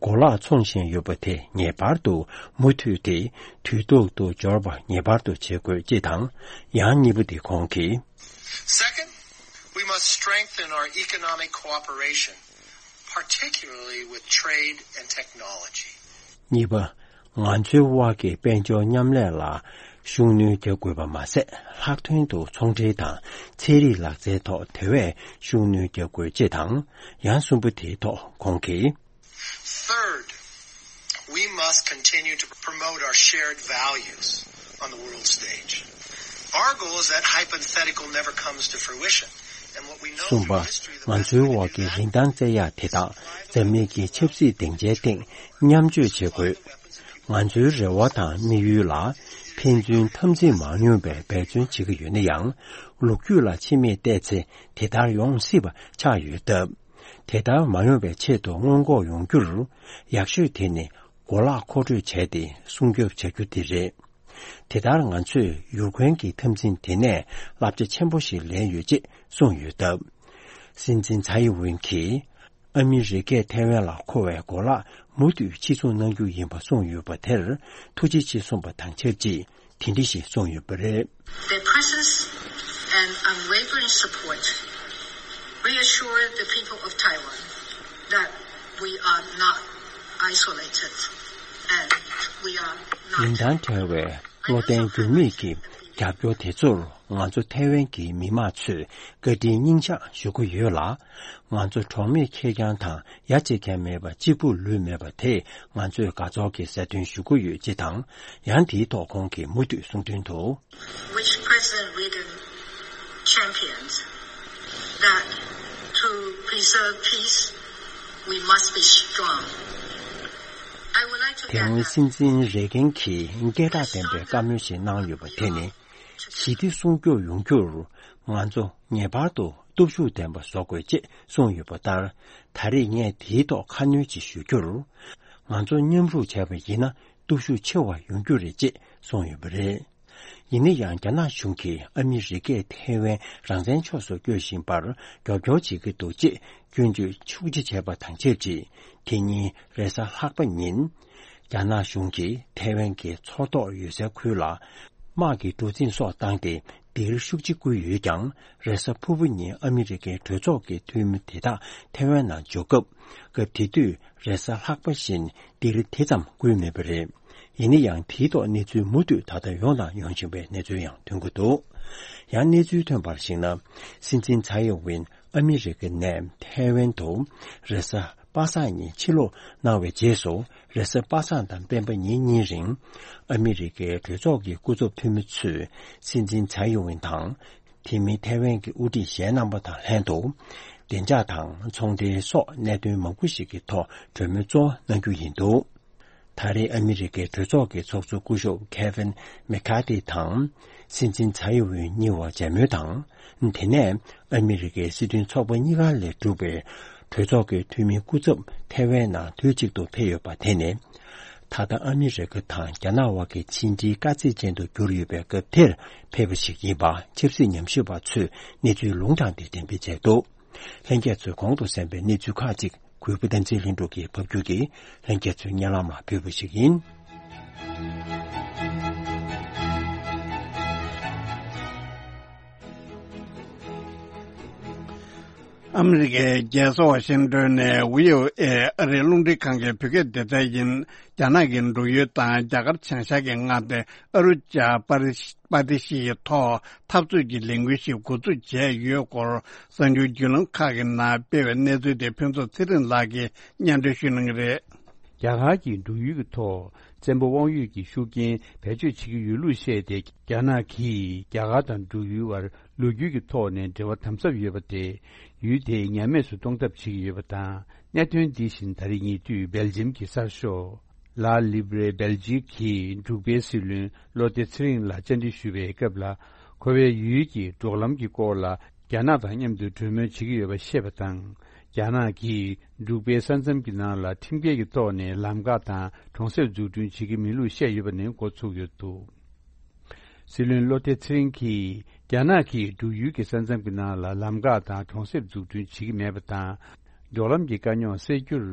གོ་ལག་འཚོང་བཞིན་ཡོད་པ་དེ་ངེས་པར་དུ་མུ་མཐུད་དེ་དུས་ཐོག་ཏུ་འབྱོར་བ་ངེས་པར་དུ་བྱེད་དགོས་ཅེས་དང་། ཡང་གཉིས་པ་དེ་ཁོང་གིས། Second, we must strengthen our economic cooperation, particularly with trade and technology. གཉིས་པ། ང་ཚོའི་དབར་གྱི་དཔལ་འབྱོར་མཉམ་ལས་ལ་ཤུགས་སྣོན་རྒྱག་དགོས་པ་མ་ཟད། ལྷག་དོན་དུ་ཚོང་འབྲེལ་དང་ཚན་རིག་ལག་རྩལ་ཐོག་དེ་བས་ཤུགས་སྣོན་རྒྱག་དགོས་ཅེས་དང་། ཡང་གསུམ་པ་དེའི་ཐོག་ཁོང་གིས། Third, we must continue to promote our shared values on the world stage. Our goal is that hypothetical never comes to fruition. And what we know གསུམ་པ། from history, the ང་ཚོའི་འོག་གི་རིན་ཐང་བཙལ་ཡག་དེ་དག་འཛམ་གླིང་གི་ཆབ་སྲིད་སྡིངས་ཆའི་སྟེང་མཉམ་སྤྱོད་བྱེད་དགོས། ང་ཚོའི་རེ་བ་དང་དམིགས་ཡུལ་ལ་ཕན་ཚུན་འཐབ་འཛིང་མ་ཡོང་བའི་འབད་བརྩོན་བྱེད་ཀྱི་ཡོད་ན་ཡང་། ལོ་རྒྱུས་ལ་ཕྱི་མིག་བལྟས་ཚེ་དེ་ལྟར་ཡོང་སྲིད་པ་ཆགས་ཡོད་སྟབས། དེ་ལྟར་མ་ཡོང་བའི་ཆེད་དུ་སྔོན་འགོག་ཡོང་རྒྱུར་ཡག་ཤོས་དེ་ནི་གོ་ལག་མཁོ་སྤྲོད་བྱས་ཏེ་སྲུང་སྐྱོབ་བྱ་རྒྱུ་དེ་རེད། དེ་ལྟར་ང་ཚོས་ཡུར་ཁོན་གྱི་འཐབ་འཛིང་དེ་ནས་བསླབ་བྱ་ཆེན་པོ་ཞིག་ལེན་ཡོད་ཅེས་གསུངས་ཡོད་སྟབས། སྲིད་འཛིན་ཚའེ་ཡིན་ཝིན་གྱིས་ཨ་མི་རི་ཀས་ཐའེ་ཝན་ལ་མཁོ་བའི་གོ་ལག་མུ་མཐུད་ཕྱིར་ཚོང་གནང་རྒྱུ་ཡིན་པ་གསུངས་ཡོད་པ་དེར་ཐུགས་རྗེ་ཆེ་གསུངས་པ་དང་ཆབས་ཅིག་དེ་འདྲ་ཞིག་གསུངས་ཡོད་པ་རེད། Their presence and unwavering support reassure the people of Taiwan that we are not isolated and we are not རིན་ཐང་བྲལ་བའི་བློ་བརྟན་འགྱུར་མེད་ཀྱི་རྒྱབ་སྐྱོར་དེ་ཚོར་ང་ཚོ་ཐའེ་ཝན་གྱི་མི་མང་ཚོས་བཀའ་དྲིན་སྙིང་ཐག་ཞུ་གི་ཡོད་ལ། ང་ཚོ་གྲོགས་མེད་ཁེར་རྐྱང་དང་ཡ་གཅིག་ཀྱང་མེད་པ་གཅིག་པུ་ལུས་མེད་པ་དེས་ང་ཚོས་དགའ་ཚོར་གྱི་སྲ་བརྟན་ཞུ་གི་ཡོད་ཅེས་དང་། ཡང་དེའི་ཐོག་ཁོང་གིས་མུ་མཐུད་གསུང་དོན་དུ། Which President Reagan champions, that to preserve peace, we must be strong. I would like to དེ་སྔོན་སྲིད་འཛིན་རེ་གན་གྱིས་སྐད་གྲགས་ལྡན་པའི་བཀའ་མོལ་ཞིག་གནང་ཡོད་པ་དེ་ནི། ཞི་བདེ་སྲུང་སྐྱོབ་ཡོང་རྒྱུར་ང་ཚོ་ངེས་པར་དུ་སྟོབས་ཤུགས་ལྡན་པ་བཟོ་དགོས་ཅེས་གསུངས་ཡོད་པ་ལྟར། ད་རེས་ངས་དེའི་ཐོག་ཁ་སྣོན་ཅིག་ཞུ་རྒྱུར། ང་ཚོ་མཉམ་རུབ་བྱས་པ་ཡིན་ན་སྟོབས་ཤུགས་ཆེ་བ་ཡོང་རྒྱུ་རེད་ཅེས་གསུངས་ཡོད་པ་རེད། ཡིན་ན་ཡང་རྒྱ་ནག་གཞུང་གིས་ཨ་མི་རི་ཀས་ཐའེ་ཝན་རང་བཙན་ཕྱོགས་སུ་སྐྱོད་བཞིན་པར་རྒྱབ་སྐྱོར་བྱེད་ཀྱི་འདུག་ཅེས་སྐྱོན་བརྗོད་ཤུགས་ཆེ་བྱས་པ་དང་ཆབས་ཅིག་དེ་ཉིན་རེས་གཟའ་ལྷག་པ་ཉིན། རྒྱ་ནག་གཞུང་གིས་ཐའེ་ཝན་གྱི་མཚོ་ཐོག་ཡོད་སའི་ཁུལ་ལ་དམག་གི་གྲུ་གཟིངས་སོགས་བཏང་སྟེ་འདིར་ཤུགས་ཆེ་བསྐུལ་ཡོད་ཀྱང་། རེས་གཟའ་ཕུར་བུ་ཉིན་ཨ་མི་རི་ཀའི་གྲོས་ཚོགས་ཀྱི་འཐུས་མི་དེ་དག་ཐའེ་ཝན་ནང་འབྱོར་སྐབས། སྐབས་དེ་དུས་རེས་གཟའ་ལྷག་པ་བཞིན་འདིར་དེ་ཙམ་བསྐུལ་མེད་པ་རེད། ཡིན་ན་ཡང་དེའི་ཐོག་གནས་ཚུལ་མུ་མཐུད་ད་ལྟ་ཡོང་དང་ཡོང་བཞིན་པའི་གནས་ཚུལ་ཡང་ཐོན་གྱི་འདུག་ཡང་གནས་ཚུལ་ཐོན་པར་གཞིགས་ན། སྲིད་འཛིན་ཚའེ་ཡིན་ཝིན་ཨ་མི་རི་ཀ་ནས་ཐའེ་ཝན་དུ་རེས་གཟའ་པ་སངས་ཉིན་ཕྱིར་ལོག་གནང་བའི་རྗེས་སུ། རེས་གཟའ་པ་སངས་དང་སྤེན་པ་ཉིན་གཉིས་རིང་ཨ་མི་རི་ཀའི་གྲོས་ཚོགས་ཀྱི་སྐུ་ཚབ་འཐུས་མི་ཚོས་སྲིད་འཛིན་ཚའེ་ཡིན་ཝིན་དང་། དེ་མིན་ཐའེ་ཝན་གྱི་དབུ་ཁྲིད་གཞན་རྣམ་པ་དང་ལྷན་དུ། བདེ་འཇགས་དང་ཚོང་འབྲེལ་སོགས་གནད་དོན་མང་པོ་ཞིག་གི་ཐོག་གྲོས་མོལ་གཙོ་བོ་གནང་རྒྱུ་ཡིན་འདུག་ད་རེས་ཨ་མི་རི་ཀའི་གྲོས་ཚོགས་ཀྱི་ཚོགས་གཙོ་སྐུ་ཞབས་ཁེ་ཝིན་མེ་ཁ་ཏི་དང་། སྲིད་འཛིན་ཚའེ་ཡིན་ཝིན་གཉིས་བར་མཇལ་མོལ་དང་། དེ་ནས་ཨ་མི་རི་ཀའི་སྲིད་དོན་ཚོགས་པ་གཉིས་ཀ་ལས་གྲུབ་པའི་གྲོས་ཚོགས་ཀྱི་འཐུས་མི་སྐུ་ཚབ་ཐའེ་ཝན་ནང་དུས་གཅིག་ཏུ་ཕེབས་ཡོད་པ་དེ་ནི། ད་ལྟ་ཨ་མི་རི་ཀ་དང་རྒྱ་ནག་དབར་གྱི་ཕྱི་འབྲེལ་དཀའ་ཚེགས་ཅན་དུ་གྱུར་ཡོད་པའི་སྐབས་དེར་ཕེབས་པ་ཞིག་ཡིན་པ་ཆབ་སྲིད་ཉམས་ཞིབ་པ་ཚོས་གནས་ཚུལ་ལུང་དྲངས་ཏེ་འགྲེམས་སྤེལ་བྱས་འདུག་ལྷན་རྒྱས་ཚོས་གོང་དུ་གསན་པའི་གནས་ཚུལ་ཁག་ཅིག་གུས་པ་བསྟན་འཛིན་ལྷུན་གྲུབ་ཀྱིས་ཕབ་སྒྱུར་གྱིས་ལྷན་རྒྱས་ཚོའི་སྙན་ལམ་ལ་ཕུལ་བ་ཞིག་ཡིན། ཨ་མི་རི་ཀའི་རྒྱལ་ས་ཝ་ཤིང་ཏོན་ནས་བྷི་ཨོ་ཨེ་ཨ་རིའི་རླུང་འཕྲིན་ཁང་གི་བོད་སྐད་སྡེ་ཚན་ཡིན། རྒྱ་ནག་གི་འབྲུག་ཡུལ་དང་རྒྱ་གར་བྱང་ཤར་གྱི་མངའ་སྡེ་ཨ་རུ་ཅཱ་པ་རི་པ་ཏི་ཤི་ཡི་ཐོག་འཐབ་རྩོད་ཀྱི་ལས་འགུལ་ཞིག་འགོ་འཛུགས་བྱས་ཡོད་སྐོར། གསར་འགྱུར་བརྒྱུད་ལམ་ཁག་གི་ནང་སྤེལ་བའི་གནས་ཚུལ་དེ་ཕུན་ཚོགས་ཚེ་རིང་ལགས་ཀྱིས་སྙན་སྒྲོན་ཞུ་གནང་གི་རེད། རྒྱ་གར་གྱི་འབྲུག་ཡུལ་གྱི་ཐོག་བཙན་པོ་དབང་ཡོད་ཀྱི་ཤུགས་རྐྱེན་བེད་སྤྱོད་བྱེད་ཀྱི་ཡོད་ལུགས་བཤད་དེ། རྒྱ་ནག་གིས་རྒྱ་གར་དང་འབྲུག་ཡུལ་བར་ལོ་རྒྱུས་ཀྱི་ཐོག་ནས་འབྲེལ་བ་དམ་ཟབ་ཡོད་པ་དེ། ཡུལ་དེ་ཉམས་དམས་སུ་གཏོང་ཐབས་བྱེད་ཀྱི་ཡོད་པ་དང་། གནད་དོན་འདི་བཞིན་ད་རེས་ཉེ་དུས་སྦེལ་ཇམ་གྱི་གསར་ཤོག་ལ་ལི་བྷེ་རེ་སྦེལ་ཇིག་གིས་འབྲུག་པའི་སྲིད་བློན་བློ་བདེ་ཚེ་རིང་ལ་བཅར་འདྲི་ཞུ་བའི་སྐབས་ལ། ཁོ་བས་ཡུལ་གྱི་འབྲོག་ལམ་གྱི་སྐོར་ལ་རྒྱ་ནག་དང་མཉམ་དུ་གྲོས་མོལ་བྱེད་ཀྱི་ཡོད་པ་བཤད་པ་དང་། རྒྱ་ནག་གིས་འབྲུག་པའི་ས་མཚམས་ཀྱི་ནང་ལ་ཁྲིམས་འགལ་གྱི་ཐོག་ནས་ལམ་ཁ་དང་གྲོང་གསེབ་འཛུགས་སྐྲུན་བྱེད་ཀྱི་མིན་ལུགས་བཤད་ཡོད་པ་ནས་འགོ་ཚུགས་ཡོད་འདུག། སྲིད་བློན་བློ་བདེ་ཚེ་རིང་གིས་རྒྱ་ནག་གིས་འབྲུག་ཡུལ་གྱི་ས་མཚམས་ཀྱི་ནང་ལ་ལམ་ཁ་དང་གྲོང་གསེབ་འཛུགས་སྐྲུན་བྱེད་ཀྱི་མེད་པ་དང་། འབྲོག་ལམ་གྱི་དཀའ་རྙོག་སེལ་རྒྱུར་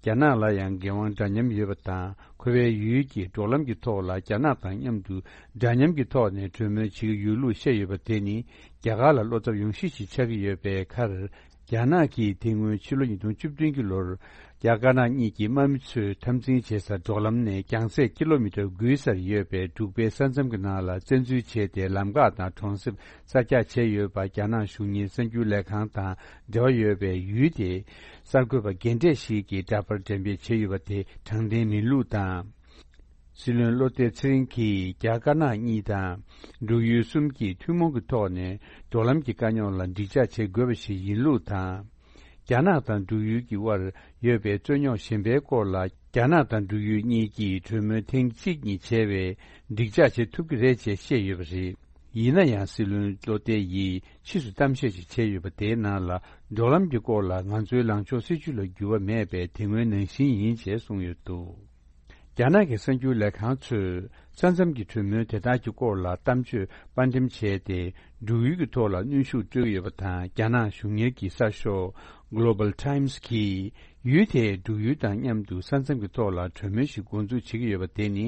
རྒྱ་ནག་ལ་ཡང་འགན་དབང་འདྲ་མཉམ་ཡོད་པ་དང་། ཁོ་པའི་ཡུལ་གྱི་འབྲོག་ལམ་གྱི་ཐོག་ལ་རྒྱ་ནག་དང་མཉམ་དུ་འདྲ་མཉམ་གྱི་ཐོག་ནས་གྲོས་མོལ་བྱེད་ཀྱི་ཡོད་ལུགས་བཤད་ཡོད་པ་དེ་ནི་རྒྱ་གར་ལ་བློ་འཚབ་ཡོང་གཞི་ཞིག་ཆགས་ཀྱི་ཡོད་པའི་ཁར། རྒྱ་ནག་གིས་དེ་སྔོན་ཕྱི་ལོ་ཉིས་སྟོང་བཅུ་བདུན་གྱི་ལོར། རྒྱ་དཀར་ནག་གཉིས་ཀྱི་དམག་མི་ཚོས་འཐབ་འཛིང་བྱེད་ས་འབྲོག་ལམ་ནས་རྒྱང་ཚད་ཀི་ལོ་མི་ཊར་དགུའི་སར་ཡོད་པའི་འབྲུག་པའི་ས་མཚམས་ཀྱི་ནང་ལ་བཙན་འཛུལ་བྱས་ཏེ། ལམ་ཁ་དང་གྲོང་གསེབ་གསར་རྒྱག་བྱས་ཡོད་པ། རྒྱ་ནག་གཞུང་གཉེར་གསར་འགྱུར་ལས་ཁང་དང་འབྲེལ་བ་ཡོད་པའི་ཡུལ་དེའི་གསར་འགོད་པ་རྒན་གྲས་ཤིག་གིས་འདྲ་པར་འགྲེམས་སྤེལ་བྱས་ཡོད་པ་དེ་དྲང་བདེན་མིན་ལུགས་དང་། སྲིད་བློན་བློ་བདེ་ཚེ་རིང་གིས་རྒྱ་དཀར་ནག་གཉིས་དང་འབྲུག་ཡུལ་གསུམ་གྱིས་ཐུན་མོང་གི་ཐོག་ནས་འབྲོག་ལམ་གྱི་དཀའ་རྙོག་ལ་འགྲིག་འཇགས་བྱེད་དགོས་པ་ཞིག་ཡིན་ལུགས་དང་། རྒྱ་ནག་དང་འབྲུག་ཡུལ་གྱི་དབར་ཡོད་པའི་རྩོད་རྙོག་གཞན་པའི་སྐོར་ལ་རྒྱ་ནག་དང་འབྲུག་ཡུལ་གཉིས་ཀྱིས་གྲོས་མོལ་ཐེངས་གཅིག་གཉིས་བྱས་པས་འགྲིག་འཇགས་བྱེད་ཐུབ་ཀྱི་རེད་ཅེས་བཤད་ཡོད་པ་རེད། ཡིན་ན་ཡང་སྲིད་བློན་བློ་བདེ་ཡིས་ཕྱིས་སུ་གཏམ་བཤད་ཅིག་བྱས་ཡོད་པ་དེའི་ནང་ལ། འབྲོག་ལམ་གྱི་སྐོར་ལ་ང་ཚོའི་ལངས་ཕྱོགས་སྲིད་བྱུས་ལ་འགྱུར་བ་མེད་པས་དེ་སྔོན་ནང་བཞིན་ཡིན་ཅེས་གསུངས་ཡོད་འདུག། རྒྱ་ནག་གི་གསར་འགྱུར་ལས་ཁང་ཚོས་ས་མཚམས་ཀྱི་གྲོས་མོལ་དེ་དག་གི་སྐོར་ལ་གཏམ་བརྗོད་དཔར་འགྲེམས་བྱས་ཏེ། འབྲུག་ཡུལ་གྱི་ཐོག་ལ་གནོན་ཤུགས་སྤྲོད་ཀྱི་ཡོད་པ་དང་། རྒྱ་ནག་གཞུང་གཉེར་གྱི་གསར་ཤོག་Global Times གིས་ཡུལ་དེས་འབྲུག་ཡུལ་དང་མཉམ་དུ་ས་མཚམས་ཀྱི་ཐོག་ལ་གྲོས་མོལ་ཞིག་འགོ་འཛུགས་བྱེད་ཀྱི་ཡོད་པ་དེ་ནི།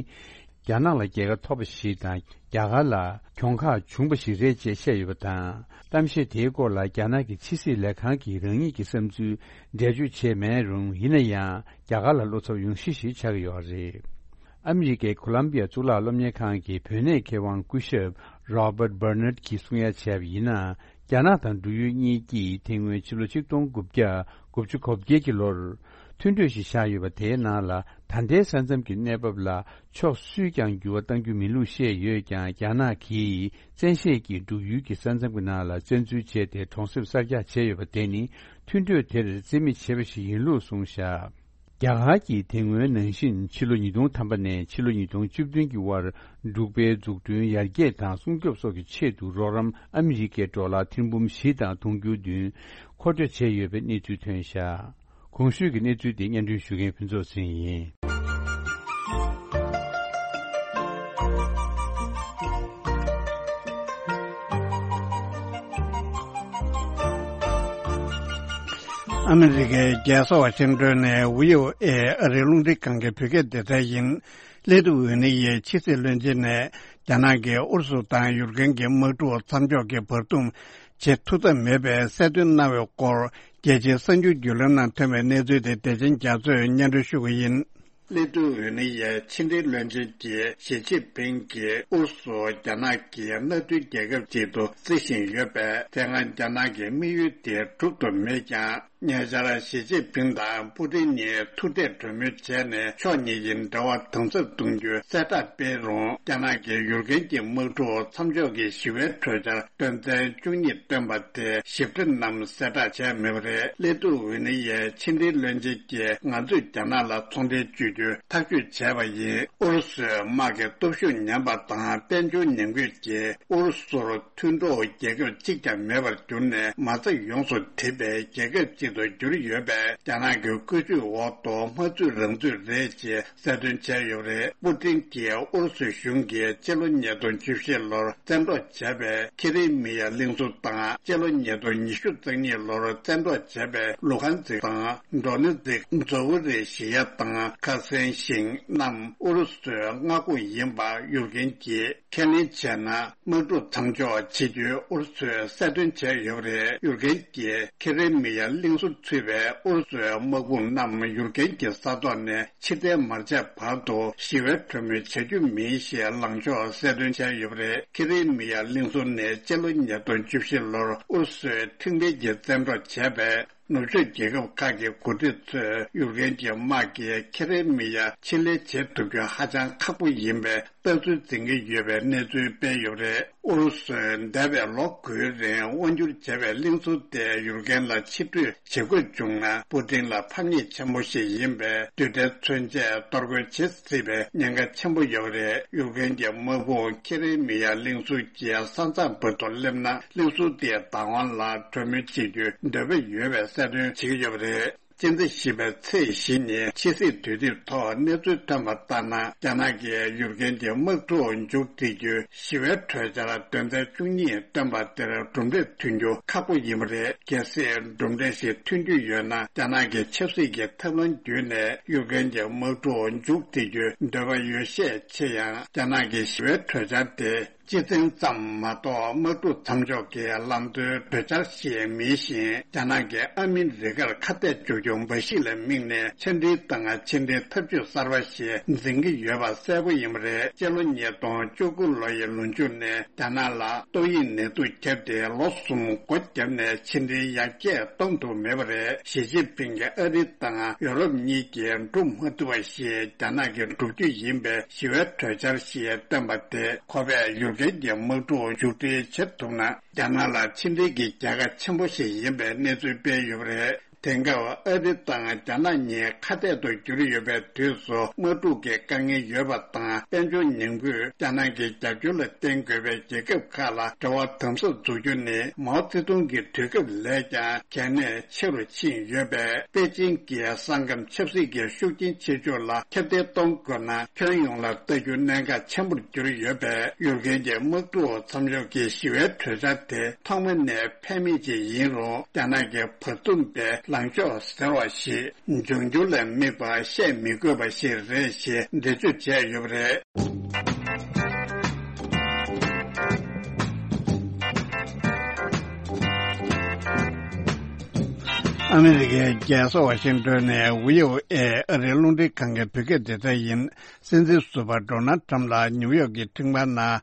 རྒྱ་ནག་ལ་རྒྱལ་ཁ་ཐོབ་པ་ཞིག་དང་། རྒྱ་གར་ལ་གྱོང་ཁ་བྱུང་བ་ཞིག་རེད་ཅེས་བཤད་ཡོད་པ་དང་། གཏམ་བཤད་དེའི་སྐོར་ལ་རྒྱ་ནག་གི་ཕྱི་སྲིད་ལས་ཁང་གིས་རང་ཉིད་ཀྱི་བསམ་ཚུལ་འགྲེལ་བརྗོད་བྱས་མེད་རུང་། ཡིན་ན་ཡང་རྒྱ་གར་ལ་བློ་འཚབ་ཡོང་གཞི་ཞིག་ཆགས་ཀྱི་ཡོད་རེད། ཨ་མི་རི་ཀའི་ཁོ་ལམ་བི་ཡ་གཙུག་ལག་སློབ་གཉེར་ཁང་གི་བོད་གནས་མཁས་དབང་སྐུ་ཞབས་Robert Bernard གྱིས་གསུང་ཡ་བྱས་པ་ཡིན་ན། རྒྱ་ནག་དང་འབྲུག་ཡུལ་གཉིས་ཀྱིས་དེ་སྔོན་ཕྱི་ལོ་ཆིག་སྟོང་དགུ་བརྒྱ་དགུ་བཅུ་གོ་བརྒྱད་ཀྱི་ལོར་མཐུན་གྲོས་ཤིག་བཞག་ཡོད་པ། དེའི་ནང་ལ་ད་ལྟའི་ས་མཚམས་ཀྱི་གནས་བབ་ལ་ཕྱོགས་སུས་ཀྱང་འགྱུར་བ་གཏང་རྒྱུ་མིན་ལུགས་བཤད་ཡོད་ཀྱང་། རྒྱ་ནག་གིས་བཙན་ཤེད་ཀྱིས་འབྲུག་ཡུལ་གྱི་ས་མཚམས་ཀྱི་ནང་ལ་བཙན་འཛུལ་བྱས་ཏེ་གྲོང་གསེབ་གསར་རྒྱག་བྱས་ཡོད་པ་དེ་ནི་མཐུན་གྲོས་དེར་རྩིས་མེད་བྱས་པ་ཞིག་ཡིན་ལུགས་གསུངས་བཞག། རྒྱ་གར་གྱིས་དེ་སྔོན་ནང་བཞིན་ཕྱི་ལོ་ཉིས་སྟོང་ཐམ་པ་ནས་ཕྱི་ལོ་ཉིས་སྟོང་བཅུ་བདུན་གྱི་བར་འབྲུག་པའི་འཛུགས་སྐྲུན་ཡར་རྒྱས་དང་སྲུང་སྐྱོབ་སོགས་ཀྱི་ཆེད་དུ་རོགས་རམ་ཨ་མི་རི་ཀའི་ཌོ་ལར་ཐེར་འབུམ་བཞི་དང་དུང་ཕྱུར་བདུན་མཁོ་སྤྲོད་བྱས་ཡོད་པའི་གནས་ཚུལ་ཐོན་བཞག། གོང་ཞུས་ཀྱི་གནས་ཚུལ་དེ་སྙན་སྒྲོན་ཞུ་མཁན་ཕུན་ཚོགས་ཚེ་རིང་ཡིན། ཨ་མི་རི་ཀའི་རྒྱལ་ས་ཝ་ཤིང་ཏོན་ནས་བྷི་ཨོ་ཨེ་ཨ་རིའི་རླུང་འཕྲིན་ཁང་གི་བོད་སྐད་སྡེ་ཚན་ཡིན། སླེ་ཏུ་ཝེ་ནི་ཡའི་ཕྱི་སྲིད་བློན་ཆེན་ནས་རྒྱ་ནག་གིས་ཨུ་རུ་སུ་དང་ཡུཀ་རེན་གྱི་དམག་འཁྲུག་མཚམས་འཇོག་གི་བར་འདུམ་བྱེད་ཐུབ་ཐབས་མེད་པའི་གསལ་སྟོན་གནང་བའི་སྐོར། རྒྱལ་སྤྱིའི་གསར་འགྱུར་བརྒྱུད་ལམ་ནང་ཐོན་པའི་གནས་ཚུལ་དེ་བདེ་ཆེན་རྒྱ་མཚོས་སྙན་སྒྲོན་ཞུ་གི་ཡིན། སླེ་ཏུ་ཝེ་ནི་ཡའི་ཕྱི་འབྲེལ་བློན་ཆེན་གྱིས་ཞི་ཅིན་ཕིང་གིས་ཨུ་རུ་སུ་རྒྱ་ནག་གི་མནའ་མཐུན་རྒྱལ་ཁབ་ཅིག་ཏུ་བརྩི་བཞིན་ཡོད་པས། དེ་སྔ་རྒྱ་ནག་གི་དམིགས་ཡུལ་དེ་འགྲུབ་ཐུབ་མེད་ཀྱང་། ཉེ་ཆར་ཞི་ཅིན་ཕིང་དང་པུ་ཏིན་གཉིས་ཐུག་འཕྲད་གྲོས་མོལ་བྱས་ནས། ཕྱོགས་གཉིས་ཀྱི་འབྲེལ་བ་དམ་ཟབ་གཏོང་རྒྱུའི་གསལ་བསྒྲགས་སྤེལ་རུང་། རྒྱ་ནག་གིས་ཡུཀ་རེན་གྱི་དམག་འཁྲུག་མཚམས་འཇོག་གི་ཞི་བའི་གྲོས་འཆར་དོན་ཚན་བཅུ་གཉིས་བཏོན་པ་དེ་ཞིབ་ཕྲ་རྣམས་གསལ་བསྒྲགས་བྱས་མེད་པ་རེད། སླེ་ཏུ་ཝེ་ནི་ཡའི་ཕྱི་འབྲེལ་བློན་ཆེན་གྱིས། ང་ཚོས་རྒྱ་ནག་ལ་ཚོང་འབྲེལ་གཅོད་རྒྱུའི་ཐག་གཅོད་བྱས་པ་ཡིན། ཨུ་རུ་སུའི་དམག་གི་སྟོབས་ཤུགས་ཉམས་པ་དང་། དཔལ་འབྱོར་ཉམས་རྒུད་ཀྱིས་ཨུ་རུ་སུར་མཐུན་གྲོགས་རྒྱལ་ཁབ་གཅིག་ཀྱང་མེད་པར་གྱུར་ནས། མ་རྩ་ཡོངས་སུ་འགྲིབ་པའི་རྒྱལ་ཁབ་ཅིག་ཏུ་གྱུར་ཡོད་པས། རྒྱ་ནག་གི་བཀོད་ཇུས་འོག་ཏུ་མ་ཚུད་རང་ཚུད་རེད་ཅེས་གསལ་སྟོན་བྱས་ཡོད་པ་རེད། པུ་ཏིན་གྱིས་ཨུ་རུ་སུ་གཞུང་གིས་སྤྱི་ལོ་ཉིས་སྟོང་བཅུ་བཞི་ལོར་བཙན་འཕྲོག་བྱས་པའི་ཁེ་རེ་མི་ཡ་གླིང་ཟུར་དང་། སྤྱི་ལོ་ཉིས་སྟོང་ཉི་ཤུ་རྩ་གཉིས་ལོར་བཙན་འཕྲོག་བྱས་པའི་ལུ་ཧན་ཛིག་དང་། ཌོ་ནེ་ཛིག། ཛོ་ཝི་རི་ཞི་ཡ་དང་། ཁ་སན་ཞིང་རྣམས་ཨུ་རུ་སུའི་མངའ་ཁོངས་ཡིན་པ་ཡུཀ་རེན་གྱིས་ཁས་ལེན་བྱས་ན། དམག་འཁྲུག་མཚམས་འཇོག་བྱེད་རྒྱུའི་ཨུ་རུ་སུས་གསལ་སྟོན་བྱས་ཡོད་པ་རེད། ཡུཀ་རེན་གྱིས་ཁེ་རེ་མི་ཡ་གླིང་ཟུར་ཚུད་པའི་ཨུ་རུ་སུའི་དམག་དཔུང་རྣམས་ཡུཀ་རེན་གྱི་ས་ཐོག་ནས་ཕྱིར་འཐེན་མ་བྱས་བར་དུ་ཞི་བའི་གྲོས་མོལ་བྱ་རྒྱུ་མིན་ཞེས་ལངས་ཕྱོགས་གསལ་སྟོན་བྱས་ཡོད་པ་རེད། ཁེ་རེ་མི་ཡ་གླིང་ཟུར་ནས་སྤྱི་ལོ་ཉིས་སྟོང་བཅུ་བཞི་ལོར་ཨུ་རུ་སུའི་ཁྲིམས་འགལ་གྱིས་བཙན་འཕྲོག་བྱས་པའི། ནུབ་ཕྱོགས་རྒྱལ་ཁབ་ཁག་གི་འགོ་ཁྲིད་ཚོས་ཡུཀ་རེན་གྱི་དམག་གིས་ཁེ་རེ་མི་ཡ་ཕྱིར་ལེན་བྱེད་ཐུབ་རྒྱུ་ཧ་ཅང་ཁག་པོ་ཡིན་པའི་ལྟ་ཚུལ་འཛིན་གྱི་ཡོད་པའི་གནས་ཚུལ་སྤེལ་ཡོད་པ་རེད། ཨུ་རུ་སུས་འདས་པའི་ལོ་དགུའི་རིང་དབང་བསྒྱུར་བྱས་པའི་གླིང་ཟུར་དེ་ཡུཀ་རེན་ལ་ཕྱིར་སྤྲོད་བྱེད་དགོས་བྱུང་ན། པུ་ཏིན་ལ་ཕམ་ཉེས་ཆེན་པོ་ཞིག་ཡིན་པས། རྡུལ་ཕྲན་མཚོན་ཆས་གཏོར་རྒོལ་བྱེད་སྲིད་པའི་ཉེན་ཁ་ཆེན་པོ་ཡོད་པ་རེད། ཡུཀ་རེན་གྱི་དམག་དཔུང་ཁེ་རེ་མི་ཡ་གླིང་ཟུར་གྱི་ས་མཚམས་བར་དུ་སླེབས་ན། གླིང་ཟུར་དེའི་བདག་དབང་ལ་གྲོས་མོལ་བྱེད་རྒྱུའི་འདོད་པ་ཡོད་པའི་ གསལ་སྟོན་བྱེད་ཀྱི་ཡོད་པ་རེད། སྤྱི་ཟླ་བཞི་པའི་ཚེས་བཞི་ཉིན་ཕྱི་སྲིད་དུས་དེབ་ཐོག་གནས་ཚུལ་ཐོན་པ་ལྟར་ན། རྒྱ་ནག་གིས་ཡུཀ་རེན་གྱི་དམག་འཁྲུག་མཇུག་སྒྲིལ་རྒྱུའི་ཞི་བའི་གྲོས་འཆར་དོན་ཚན་བཅུ་གཉིས་བཏོན་པ་དེར་གྲུབ་འབྲས་ཐོན་རྒྱུ་ཁག་པོ་ཡིན་པ་རེད། གལ་སྲིད་གྲུབ་འབྲས་ཤིག་ཐོན་རྒྱུ་ཡོད་ན། རྒྱ་ནག་གི་ཆབ་སྲིད་ཀྱི་ཐབས་ལམ་བརྒྱུད་ནས་ཡུཀ་རེན་གྱི་དམག་འཁྲུག་མཇུག་སྒྲིལ་རྒྱུའི་འདོད་པ་ཡོད་ཤས་ཆེ་ཡང་། རྒྱ་ནག་གི་ཞི་བའི་གྲོས་འཆར་དེ། སྤྱི་མཚན་ཙམ་མ་གཏོགས་དམག་འཁྲུག་མཚམས་འཇོག་གི་ལམ་སྟོན་གྲོས་འཆར་ཞིག་མིན་ཞིང་། རྒྱ་ནག་གིས་ཨ་མི་རི་ཀར་ཁ་གཏད་གཅོག་རྒྱུ་འབའ་ཞིག་ལ་དམིགས་ནས་ཕྱི་འབྲེལ་དང་ཕྱི་འབྲེལ་ཐབས་ཇུས་གསར་པ་ཞིག་འཛིན་གྱི་ཡོད་པ་གསལ་པོ་ཡིན་པ་རེད། སྤྱི་ལོ་ཉིས་སྟོང་བཅུ་དགུ་ལོ་ཡི་ལོ་མཇུག་ནས་རྒྱ་ནག་ལ་ཏོག་དབྱིབས་ནད་དུག་བརྒྱབ་སྟེ་ལོ་གསུམ་སྒོ་བརྒྱབ་ནས་ཕྱི་འབྲེལ་ཡར་རྒྱས་གཏོང་ཐུབ་མེད་པ་རེད། ཞི་ཅིན་ཕིང་གིས་ཨ་རི་དང་ཡོ་རོབ་གཉིས་ཀྱིས་འགྲོ་མ་ཐུབ་པ་ཞིག་རྒྱ་ནག་གིས་བསྒྲུབ་རྒྱུ་ཡིན་པའི་ཞི་བའི་གྲོས་འཆར་ཞིག་བཏོན་པ་དེ། ཁོ་པས་ཡུཀ་རེན་གྱི་དམག་འཁྲུག་མཇུག་སྒྲིལ་བྱེད་ཐུབ་ན། རྒྱ་ནག་ལ་ཕྱི་འབྲེལ་གྱི་རྒྱལ་ཁ་ཆེན་པོ་ཞིག་ཡིན་པའི་གནས་ཚུལ་སྤེལ་ཡོད་པ་རེད། དེང་སྐབས་ཨ་རི་དང་རྒྱ་ནག་གཉིས་ཁ་གཏད་དུ་གྱུར་ཡོད་པའི་དུས་སུ། དམག་འཁྲུག་གི་དཀའ་ངལ་ཡོད་པ་དང་། དཔལ་འབྱོར་ཉམས་རྒུད། རྒྱ་ནག་གི་རྒྱབ་སྐྱོར་ལ་བརྟེན་དགོས་པའི་རྒྱལ་ཁབ་ཁག་ལ་འབྲེལ་བ་དམ་ཟབ་འཛུགས་རྒྱུ་ནི། མའོ་ཙེ་ཏུང་གི་དུས་སྐབས་ལས་ཀྱང་གལ་གནད་ཆེ་རུ་ཕྱིན་ཡོད་པས། པེ་ཅིང་གིས་ས་ཁམས་ཆབ་སྲིད་ཀྱི་ཤུགས་རྐྱེན་ཆེ་ཕྱོགས་ལ་ཁྱབ་གདལ་གཏོང་དགོས་ན། ཁྱོན་ཡོངས་ལ་ལྟ་རྒྱུ་གནད་འགག་ཆེན་པོར་གྱུར་ཡོད་པས། ཡུཀ་རེན་གྱི་དམག་འཁྲུག་མཚམས་འཇོག་གི་ཞི་བའི་གྲོས་འཆར་དེ་ཐོག་མ་ནས་ཕན་མེད་ཅིག་ཡིན་རུང་། རྒྱ་ནག་གི་བར་འདུམ་པའི་ལངས་ཕྱོགས་ཟེར་བ་ཞིག་འབྱུང་འགྱུར་ལ་དམིགས་པ་བཤད་མི་དགོས་པ་ཞིག་རེད་ཞེས་འགྲེལ་བརྗོད་བྱས་ཡོད་པ་རེད། ཨ་མི་རི་ཀའི་རྒྱལ་ས་ཝ་ཤིང་ཏོན་ནས་བྷི་ཨོ་ཨེ་ཨ་རིའི་རླུང་འཕྲིན་ཁང་གི་བོད་སྐད་སྡེ་ཚན་ཡིན། སྲིད་འཛིན་ཟུར་པ་ཌོ་ནལ་ཁྲམ་ལགས་ནིའུ་ཡོག་གི་ཁྲིམས་ཁང་ནང་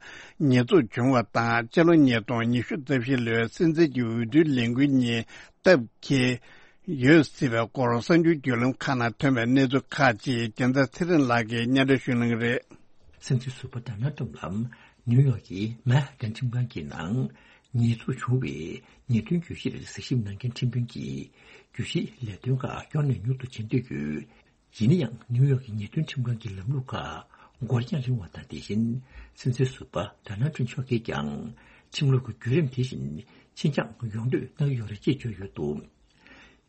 ཉེས་འཛུགས་བྱུང་བ་དང་། སྤྱི་ལོ་ཉིས་སྟོང་ཉི་ཤུ་རྩ་བཞི་ལོའི་སྲིད་འཛིན་གྱི་འོས་བསྡུའི་ལས་འགུལ་གཉིས་སྟབས་འཁེལ་ཡོད་སྲིད་པའི་སྐོར་གསར་འགྱུར་བརྒྱུད་ལམ་ཁག་ནང་ཐོན་པའི་གནས་ཚུལ་ཁག་ཅིག་རྒྱལ་མཚན་ཚེ་རིང་ལགས་ཀྱིས་སྙན་སྒྲོན་ཞུ་གནང་གི་རེད། སྲིད་འཛིན་ཟུར་པ་ཌོ་ནལ་ཁྲམ་ལགས་ནིའུ་ཡོག་གི་མན་ཧ་ཊན་ཁྲིམས་ཁང་གི་ནང་ཉེས་འཛུགས་བྱུང་བའི་ཉེས་དོན་གྱོད་གཞིར་གཟིགས་ཞིབ་གནང་མཁན་ཁྲིམས་དཔོན་གྱིས། གྱོད་གཞིའི་ལས་དོན་ཁག་སྐྱོ་ནས་མྱུར་དུ་བྱེད་འདོད་ཡོད། ཡིན་ན་ཡང་། ནིའུ་ཡོག་གི་ཉེས་དོན་ཁྲིམས་ཁང་གི་ལམ་ལུགས་ཁག་འགོར་འགྱངས་རིང་བ་དང་། དེ་བཞིན་སྲིད་འཛིན་ཟུར་པ་ཌོ་ནལ་ཁྲམ་མཆོག་གིས་ཀྱང་ཁྲིམས་ལུགས་ཀྱི་བརྒྱུད་རིམ་དེ་བཞིན་ཕྱིར་འགྱངས་ཡོང་འདོད་གནང་གི་ཡོད་རེད་ཅེས་བརྗོད་ཡོད་འདུག་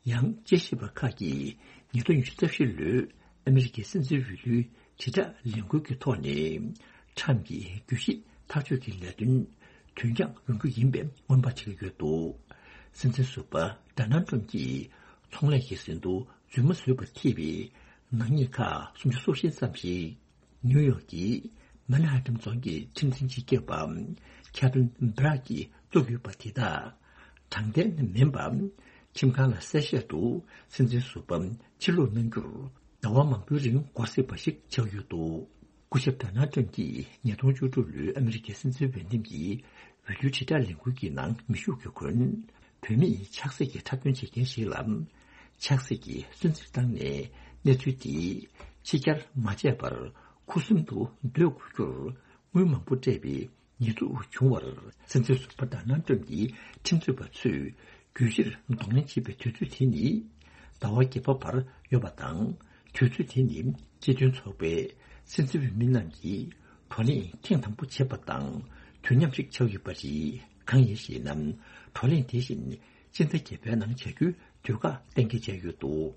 ཡང་། དཔྱད་ཞིབ་པ་ཁག་གིས་ཉིས་སྟོང་ཉི་ཤུ་རྩ་བཞི་ལོའི་ཨ་མི་རི་ཀའི་སྲིད་འཛིན་འོས་བསྡུའི་དྲིལ་བསྒྲགས་ལས་འགུལ་གྱི་ཐོག་ནས། ཁྲམ་གྱི་གྱོད་གཞི་ཐག་གཅོད་ཀྱི་ལས་དོན་དོན་འཁྱོངས་ཡོང་རྒྱུ་ཡིན་པའི་སྔོན་དཔག་བྱེད་ཀྱི་ཡོད་འདུག་སྲིད་འཛིན་ཟུར་པ་ཌོ་ནལ་ཁྲམ་གྱིས་ཚོང་ལས་ཀྱི་ཟིན་ཐོ་རྫུན་མ་བཟོས་པར་ཐེ་བའི་ནག་ཉེས་ཁག་སུམ་ཅུ་སོ་བཞི་ཙམ་ཞིག་ནིའུ་ཡོག་གི་མན་ཧ་ཊན་རྫོང་གི་ཁྲིམས་འཛིན་སྤྱི་ཁྱབ་པ་ཁེ་བྷིན་སྦྲག་གིས་བཙུགས་ཡོད་པ་དེ་དག་དྲང་བདེན་མིན་པ། ཁྲིམས་ཁང་ལ་གསལ་བཤད་དུ་སྲིད་འཛིན་ཟུར་པ་ཕྱིར་ལོག་གནང་རྒྱུར་ཟླ་བ་མང་པོའི་རིང་འགོར་སྲིད་པ་ཞིག་ཆགས་ཡོད་འདུག་སྐུ་ཞབས་ཌོ་ནལ་ཁྲམ་གྱིས་ཉིས་སྟོང་བཅུ་དྲུག་ལོའི་ཨ་མི་རི་ཀའི་སྲིད་འཛིན་འོས་འདེམས་ཀྱི་འོས་བསྡུའི་དྲིལ་བསྒྲགས་ལས་འགུལ་གྱི་ནང་མི་ཤོག་གིས་འཁོན། བུད་མེད་ཆགས་སྲེད་ཀྱི་འཁྲབ་སྟོན་བྱེད་མཁན་ཞིག་ལ་ཆགས་སྲེད་ཀྱི་སུན་གཙེར་བཏང་ནས། གནས་ཚུལ་དེ་ཕྱི་གྱར་མ་བྱས་པར་ཁུ་སིམ་དུ་སྡོད་དགོས་རྒྱུར་དངུལ་མང་པོ་སྤྲད་པའི་ཉེས་འཛུགས་བྱུང་བར། སྲིད་འཛིན་ཟུར་པ་ཌོ་ནལ་ཁྲམ་གྱི་ཁྲིམས་རྩོད་པ་ཚོས་གྱོད་གཞིར་གདོང་ལེན་བྱེད་པའི་དུས་ཚོད་དེ་ནི་ཟླ་བ་བརྒྱད་པ་བར་ཡོད་པ་དང་། དུས་ཚོད་དེ་ནི་སྤྱི་མཐུན་ཚོགས་པའི་སྲིད་འཛིན་འོས་མི་རྣམས་ཀྱིས་བགྲོ་གླེང་ཐེངས་དང་པོ་བྱེད་པ་དང་དུས་མཉམ་ཞིག་ཆགས་ཡོད་པ་རེད། གང་ཡིན་ཞེ་ན། བགྲོ་གླེང་དེ་བཞིན་སྤྱི་ཟླ་བརྒྱད་པའི་ནང་བྱ་རྒྱུའི་དུས་བཀག་གཏན་འཁེལ་བྱས་ཡོད་འདུག་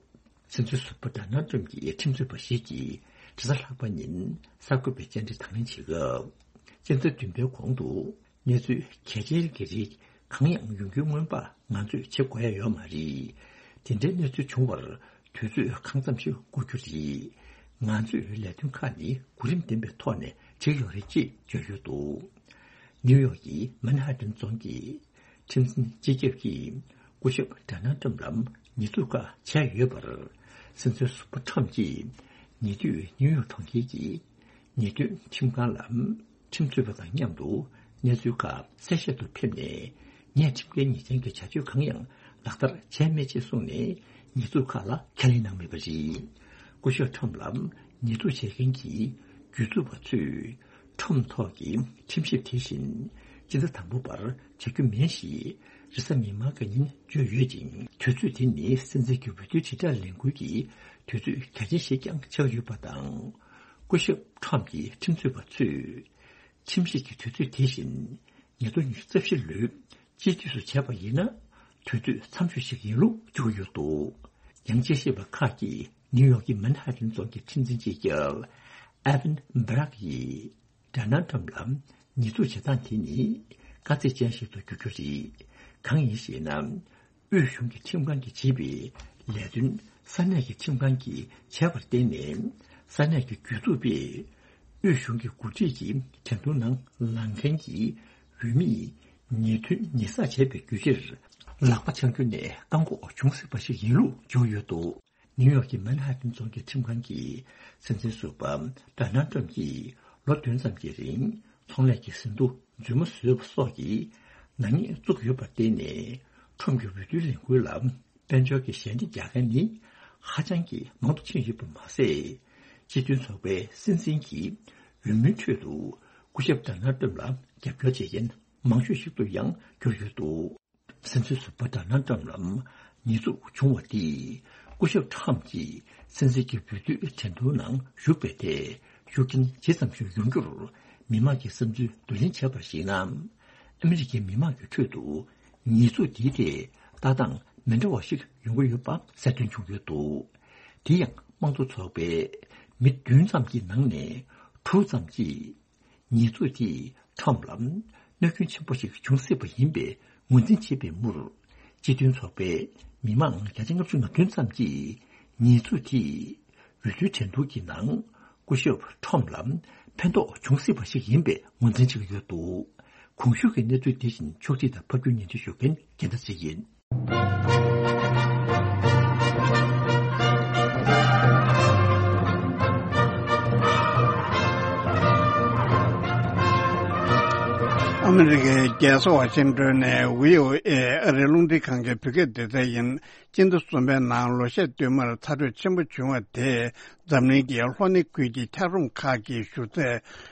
སྲིད་འཛིན་ཟུར་པ་ཌོ་ནལ་ཁྲམ་གྱི་ཁྲིམས་རྩོད་པ་ཞིག་གིས་དྲི་ཟ་ལྷག་པ་ཉིན་གསར་འགོད་པའི་བཅར་འདྲི་དང་ལེན་བྱེད་སྐབས། སྤྱི་ཟླ་བདུན་པའི་གོང་དུ་གནས་ཚུལ་གལ་ཆེན་གྱི་རིགས་གང་ཡང་ཡོང་རྒྱུའི་སྔོན་དཔག་ང་ཚོས་བྱེད་དགོས་ཡ་ཡོད་མ་རེད། དེ་འདྲའི་གནས་ཚུལ་བྱུང་བར་དུས་ཚོད་གང་ཙམ་ཞིག་འགོར་རྒྱུ་རེད། ང་ཚོས་ལས་དོན་ཁག་ནི་གོ་རིམ་ལྡན་པའི་ཐོག་ནས་བྱེད་ཀྱི་ཡོད་རེད་ཅེས་བརྗོད་ཡོད་འདུག་ནིའུ་ཡོག་གི་མན་ཧ་ཏན་རྫོང་གི་ཁྲིམས་འཛིན་སྤྱི་ཁྱབ་ཀྱིས་སྐུ་ཞབས་ཌོ་ནལ་ཏྲམ་ལ་ཉེས་འཛུགས་ཁག་བྱས་ཡོད་པར། སྲིད་འཛིན་ཟུར་པ་ཏྲམ་གྱིས་ཉེ་དུས་ནིའུ་ཡོག་གྲོང་ཁྱེར་གྱི་ཉེས་དོན་ཁྲིམས་ཁང་ལ་ཁྲིམས་རྩོད་པ་དང་མཉམ་དུ་གནས་ཚུལ་ཁག་གསལ་བཤད་དུ་ཕེབས་ནས། ངས་ཁྲིམས་འགལ་ཉེས་ཅན་གྱི་བྱ་སྤྱོད་གང་ཡང་ལག་བསྟར་བྱས་མེད་ཅེས་གསུངས་ནས། ཉེས་འཛུགས་ཁག་ལ་ཁས་ལེན་གནང་མེད་པ་རེད། སྐུ་ཞབས་ཏྲམ་ལ་ཉེས་འཛུགས་བྱེད་མཁན་གྱི་སྒྱུར་འཛུགས་པ་ཚོས། ཁྲོམ་ཐོག་གི་ཁྲིམས་ཞིབ་དེ་བཞིན་སྤྱི་ཟླ་དང་པོ་བར་བྱ་རྒྱུ་མིན་ཞེས་རེས་གཟའ་མིག་དམར་གྱི་ཉིན་བརྗོད་ཡོད་ཅིང་། དུས་ཚོད་དེ་ནི་སྲིད་འཛིན་གྱི་འོས་བསྡུའི་དྲིལ་བསྒྲགས་ལས་འགུལ་གྱི་དུས་ཚོད་གལ་ཆེན་ཞིག་ཀྱང་ཆགས་ཡོད་པ་དང་། སྐུ་ཞབས་ཁྲོམ་གྱི་ཁྲིམས་རྩོད་པ་ཚོས་ཁྲིམས་ཞིབ་ཀྱི་དུས་ཚོད་དེ་བཞིན་ཉིས་སྟོང་ཉི་ཤུ་རྩ་བཞི་ལོའི་དཔྱིད་དུས་སུ་བྱས་པ་ཡིན་ན། དུས་ཚོད་འཚམ་ཤོས་ཤིག་ཡིན་ལུགས་བརྗོད་ཡོད་འདུག། ཡང་དཔྱད་ཞིབ་པ་ཁག་གིས་ནིའུ་ཡོག་གི་མན་ཧ་ཏན་རྫོང་གི་ཁྲིམས་འཛིན་སྤྱི་ཁྱབ་ཨེ་ཝན་སྦ་རག་ཡིས། ཌོ་ནལ་ཏྲམ་ལ་ཉེས་འཛུགས་བྱེད་སྟངས་དེ་ནི་དཀའ་ཚེགས་ཅན་ཞིག་ཏུ་འགྱུར་རྒྱུ་རེད། གང་ཡིན་ཞེ་ན། དབུས་གཞུང་གི་ཁྲིམས་ཁང་གིས་བྱེད་པའི་ལས་དོན་ས་གནས་ཀྱི་ཁྲིམས་ཁང་གིས་བྱས་པར་བརྟེན་ནས། ས་གནས་ཀྱི་རྒྱུ་ཚོགས་པས་དབུས་གཞུང་གི་འགོ་ཁྲིད་ཀྱི་འགྲན་བསྡུར་ནང་ལངས་མཁན་གྱི་འོས་མིས་ཉེས་དོན་ཉེས་བསགས་བྱས་པའི་རྒྱུ་ཆར་ལག་པ་འཆང་རྒྱུ་ནས་བཀག་འགོག་བྱུང་སྲིད་པ་ཞིག་ཡིན་ལུགས་བརྗོད་ཡོད་འདུག། ནིའུ་ཡོག་གི་མན་ཧ་ཏན་རྫོང་གི་ཁྲིམས་ཁང་གིས་སྲིད་འཛིན་ཟུར་པ་ཌོ་ནལ་ཏྲམ་གྱིས་ལོ་བདུན་ཙམ་གྱི་རིང་ཚོང་ལས་ཀྱི་ཟིན་ཐོ་རྫུན་མ་བཟོས་པ་སོགས་ཀྱི་ནག་ཉེས་བཙུགས་ཡོད་པར་བརྟེན་ནས། ཁྲོམ་གྱི་འོས་བསྡུའི་ལས་འགུལ་ལ་དཔལ་འབྱོར་གྱི་ཞལ་འདེབས་རྒྱག་མཁན་ནི་ཧ་ཅང་གི་མང་དུ་ཕྱིན་ཡོད་པ་མ་ཟད། སྤྱི་མཐུན་ཚོགས་པའི་སྲིད་འཛིན་གྱི་འོས་མིའི་ཁྲོད་དུ་སྐུ་ཞབས་ཌོ་ནལ་ཏྲམ་ལ་རྒྱབ་སྐྱོར་བྱེད་མཁན་མང་ཤོས་ཤིག་ཏུ་ཡང་གྱུར་ཡོད་འདུག། སྲིད་འཛིན་ཟུར་པ་ཌོ་ནལ་ཏྲམ་ལ་ཉེས་འཛུགས་བྱུང་བ་དེས། སྐུ་ཞབས་ཏྲམ་གྱིས་སྲིད་འཛིན་གྱི་འོས་བསྡུའི་འགྲན་བསྡུར་ནང་ཞུགས་པའི་ཐད་ཤུགས་རྐྱེན་ཇི་ཙམ་ཞིག་ཡོང་རྒྱུར། མི་མང་གི་བསམ་ཚུལ་བསྡུ་ལེན་བྱས་པར་གཞིགས་ན། ཨ་མི་རི་ཀའི་མི་མང་གི་ཁྲོད་དུ་ཉེས་འཛུགས་འདིའི་ཐད་ལྟ་སྟངས་མི་འདྲ་བ་ཞིག་ཡོང་གི་ཡོད་པ་གསལ་སྟོན་བྱུང་ཡོད་འདུག། དེ་ཡང་དམངས་གཙོ་ཚོགས་པའི་མི་བདུན་ཙམ་གྱི་ནང་ནས་དྲུག་ཙམ་གྱིས། ཉེས་འཛུགས་དེས་ཁྲོམ་ལ་གནོད་སྐྱོན་ཆེན་པོ་ཞིག་འབྱུང་སྲིད་པ་ཡིན་པའི་ངོས་འཛིན་བྱས་པའི་མུར། སྤྱི་མཐུན་ཚོགས་པའི་མི་མང་བརྒྱ་ཆ་ལྔ་བཅུ་ང་བདུན་ཙམ་གྱིས་ཉེས་འཛུགས་དེས་འོས་བསྡུའི་འགྲན་བསྡུར་གྱི་ནང་སྐུ་ཞབས་ཁྲོམ་ལ་ཕན་ཐོགས་འབྱུང་སྲིད་པ་ཞིག་ཡིན་པའི་ངོས་འཛིན་བྱེད་ཀྱི་ཡོད་འདུག། གོང་ཞུས་ཀྱི་གནས་ཚུལ་འདི་བཞིན་ཕྱོགས་སྒྲིག་དང་ཕབ་སྒྱུར་སྙན་སྒྲོན་ཞུ་མཁན་རྒྱལ་མཚན་ཚེ་ཡིན། ཨ་མི་རི་ཀའི་རྒྱལ་ས་ཝ་ཤིང་ཏོན་ནས་བྷི་ཨོ་ཨེ་ཨ་རིའི་རླུང་འཕྲིན་ཁང་གི་བོད་སྐད་སྡེ་ཚན་ཡིན། སྤྱི་ཟླ་གསུམ་པའི་ནང་ལོ་ཤས་བསྟུད་མར་ཚ་དྲོད་ཆེན་པོ་བྱུང་བ་དེས་འཛམ་གླིང་གི་ལྷོ་སྣེ་ཁུལ་གྱི་འཁྱགས་རོམ་ཁག་གི་བཞུར་རྫས་